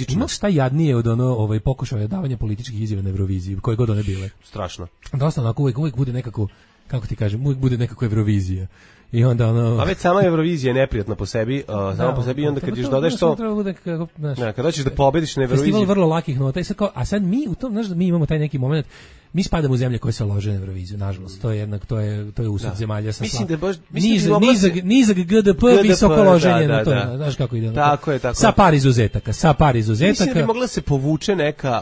imaš šta jadnije od pokušaja davanja političkih izjava na Euroviziji, koje god one bile. Strašno. Dosta onako, uvijek bude nekako, kako ti kažem, uvijek bude nekako Eurovizija. I onda a već sama Eurovizija je neprijatna po sebi, samo po sebi, i onda kad još dodaš to, kad hoćeš da pobediš na Euroviziji. Festival vrlo lakih nota, i sad kao, a sad mi u tom, znaš da mi imamo taj neki moment, mi spadamo u zemlje koje se lože na Euroviziju, nažalost. To je jednak, to je usud zemalja sa mislim da baš nizak GDP, visoko loženje na to. Znaš kako ide? Tako je. Sa par izuzetaka. Mislim da bi mogla se povuče neka,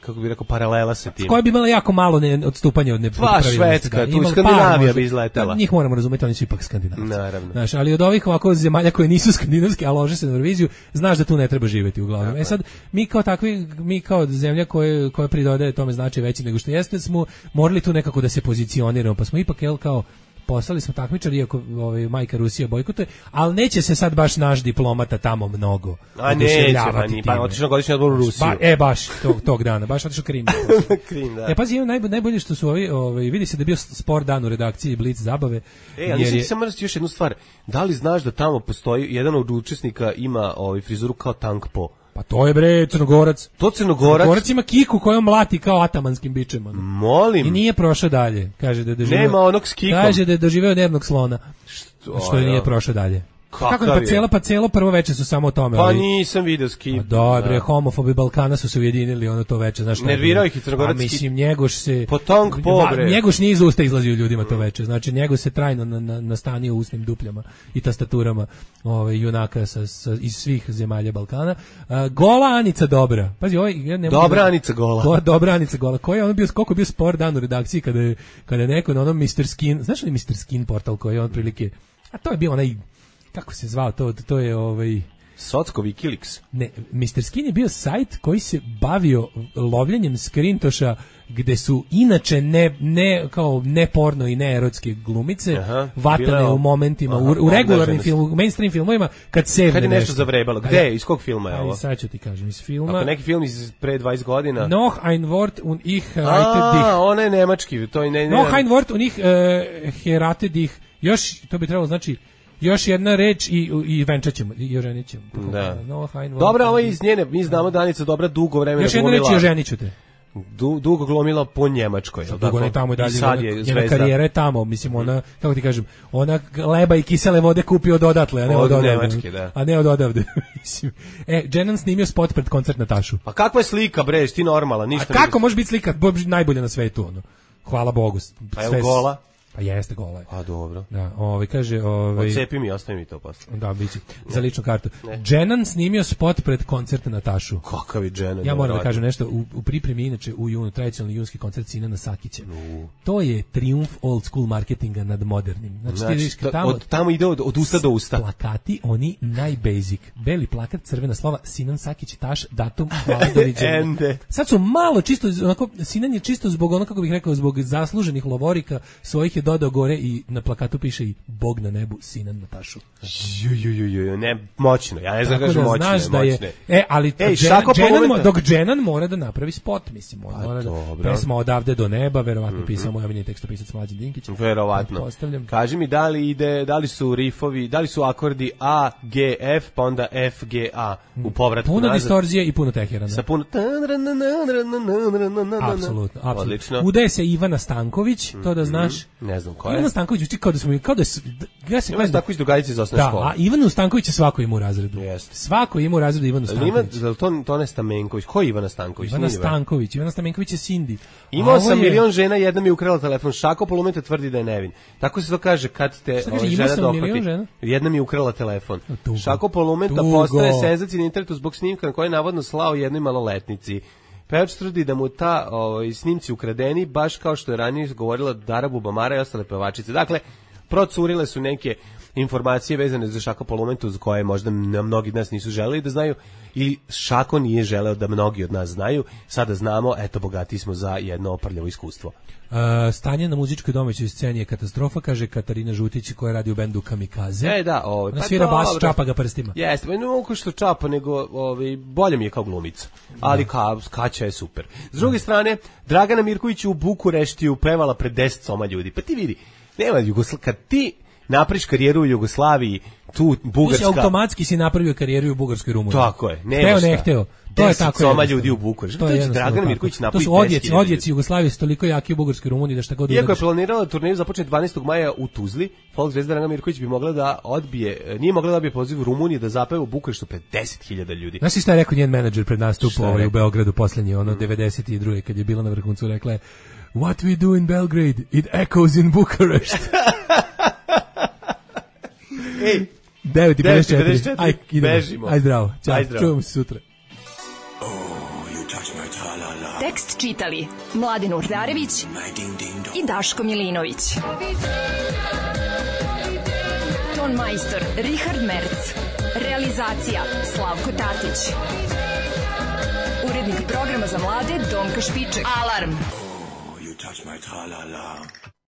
kako bi rekao, paralela sa tim. Koja bi imala jako malo odstupanja od nepravilnosti. Švedska, tu Skandinavija bi izletela. Njih moramo razumeti, oni su ipak Skandinavci. Naravno. Znaš, ali od ovih ovako zemalja koje nisu skandinavske, a lože se na Euroviziju, znaš da tu ne treba živjeti uglavnom. Sad, mi kao takvi, mi kao zemlja koja pridodaje tome značaj veći nego što jeste, smo morali tu nekako da se pozicioniramo, pa smo ipak, kao poslali smo takmičari, iako majka Rusija bojkotuje, ali neće se sad baš naš diplomata tamo mnogo. A neće, pa otišao na godišnji odbor u Rusiju. Baš tog dana, baš otišao Krim. Krim, da. Pazi, najbolje što su vidi se da je bio sport dan u redakciji Blic zabave. A nisam samo još jednu stvar, da li znaš da tamo postoji, jedan od učesnika ima frizuru kao Tank Po? Pa to je bre Crnogorac. Crnogorac ima kiku kojom mlati kao atamanskim bičem. Molim. I nije prošao dalje. Kaže da je doživeo. Nema onog s kikom. Kaže da je doživeo nervnog slona. Što nije prošao dalje. Kako pa celo prvo veče su samo o tome. Pa nisam video s kikom. Dobre, homofobi Balkana su se ujedinili to veče, znaš. Nervirao ih i Crnogorac. Mislim, Njegoš se Potonk pobre. Njegoš nije iz usta izlazio ljudima to veče. Znači Njegoš se trajno nastanio u usnim dupljama i tastaturama junaka iz svih zemalja Balkana. Gola Anica Dobra. Pazi, Dobra Anica Gola. Dobra Anica Gola. Koliko je bio spor dan u redakciji kada je neko na onom Mr. Skin, znaš li Mr. Skin portal koji je on prilike, a to je bio onaj, kako se zvao, to je Socko Wikileaks. Ne, Mr. Skin je bio sajt koji se bavio lovljenjem skrintoša gde su inače ne porno i ne erotske glumice vatane u momentima, u regularnim filmu, mainstream filmovima, kad je nešto zavrebalo. Gde? Iz kog filma je ovo? Sad ću ti kažem, iz filma. Ako neki film iz pre 20 godina. Noch ein Wort und ich heirate dich. Ona je nemački. To je Noch ein Wort und ich heirate dich. Još, to bi trebalo znači još jedna reč i venčaćemo i oženit ćemo. Da. Dobra, ovo je iz njene, mi znamo da Anica Dobra dugo vremena još jedna reč i oženit ću te. Dugo glumila po Njemačkoj, je li tako? Dugo ne tamo i dalje, njena karijera je tamo, mislim, ona, kako ti kažem, ona leba i kisele vode kupi od odatle, a ne od Nemačke, da. A ne od odavde, mislim. Dženan snimio spot pred koncert Natašu. Pa kakva je slika, bre, ti normalna, ništa. A kako može biti slika, najbolja na svetu, ono? Hvala Bogu. Pa je gola? Pa jeste, gola je. A dobro. Da, kaže, odcepi mi, ostavi mi to posle. Da, biće. Za ličnu kartu. Dženan snimio spot pred koncert Natašu. Kakav je Dženan? Ja moram da kažem nešto, u pripremi inače u junu tradicionalni junski koncert Sinana Sakića. To je trijumf old school marketinga nad modernim. Znači tamo ide od usta do usta. Plakati, oni najbasic. Beli plakat, crvena slova, Sinan Sakić, taš, datum, hvala, doviđenja. Sad su malo čisto, onako, Sinan je čisto zbog ono, kako bih rekao, zbog zasluženih lovorika svojih je dodao gore i na plakatu piše i Bog na nebu, Sinan Natašu. Ne, moćno. Ja ne znam kažem moćno. Znaš da je, ali dok Dženan mora da napravi spot, mislim, on mora da pesma Odavde do neba, verovatno pisao moj omiljeni tekstopisac Mlađan Dinkić. Verovatno. Kaži mi da li su rifovi, da li su akordi A, G, F, pa onda F, G, A u povratku puno nazad. Distorzije i puno teherana. Sa puno apsolutno. Odlično. Udaje se Ivana Stanković, to da znaš. Ne znam ko je. Ivana Stanković uči kao da Ivana Stanković drugarica iz osnovne škole. Da, a Ivanu Stanković svako ima u razredu. Svako ima u razredu Ivanu Stanković. To ne Stamenković. Ko je Ivana Stanković? Ivana Stamenković je Cindy. Imao sam milion žena, jedna mi je ukrala telefon. Šako Polumeta tvrdi da je nevin. Tako se to kaže kad te žena dohvati. Jedna mi je ukrala telefon. Šako Polumeta postaje senzacija na internetu zbog snimka na koje je navodno slao jednoj maloletnici. Pevač tvrdi da mu ta snimci ukradeni, baš kao što je ranije govorila Dara Bubamara i ostale pevačice. Dakle, procurile su neke informacije vezane za Šako Polumentu, za koje možda mnogi od nas nisu želeli da znaju, ili Šako nije želeo da mnogi od nas znaju. Sada znamo, eto, bogati smo za jedno oprljavo iskustvo. Stanje na muzičkoj domaćoj sceni je katastrofa, kaže Katarina Žutić koja radi u bendu Kamikaze. Ona svira bas, čapa ga prstima. Jeste, ne mogu što čapa, nego bolje mi je kao glumica. Ali Kaća je super. S druge strane, Dragana Mirković u Bukureštiju pevala pred 10 soma ljudi. Pa ti vidi, nema kad ti napriš karijeru u Jugoslaviji, tu Bugarska... automatski si napravio karijeru u Bugarskoj Rumuniji. Tako je, nema šta. Ne hteo. To je tako. Soma ljudi u Bukureštu. To je Dragan Mirković napravi 10.000. To su odjeci Jugoslavije su toliko jaki u Bugarskoj Rumuniji da šta god uradiš. Iako je planirala turneju započne 12. maja u Tuzli, folk zvezda Dragan Mirković bi mogla da nije mogla da odbije poziv u Rumuniji da zapeva u Bukureštu pred 10.000 ljudi. Znaš šta je rekao njen menadžer pred nastup u Beogradu poslednji, 92. kad je bila na vrhuncu, rekla je What we do in Belgrade, it echoes in Bucharest. Ej, 9:54. Aj, idemo. bežimo. Aj zdravo. Ćao, Aj zdravo. čujemo se sutra. Tekst čitali Mladen Urdarević i Daško Milinović. Ton majstor Richard Merc. Realizacija Slavko Tatić. Urednik programa za mlade Donka Špiček. Alarm! You touch my tra-la-la.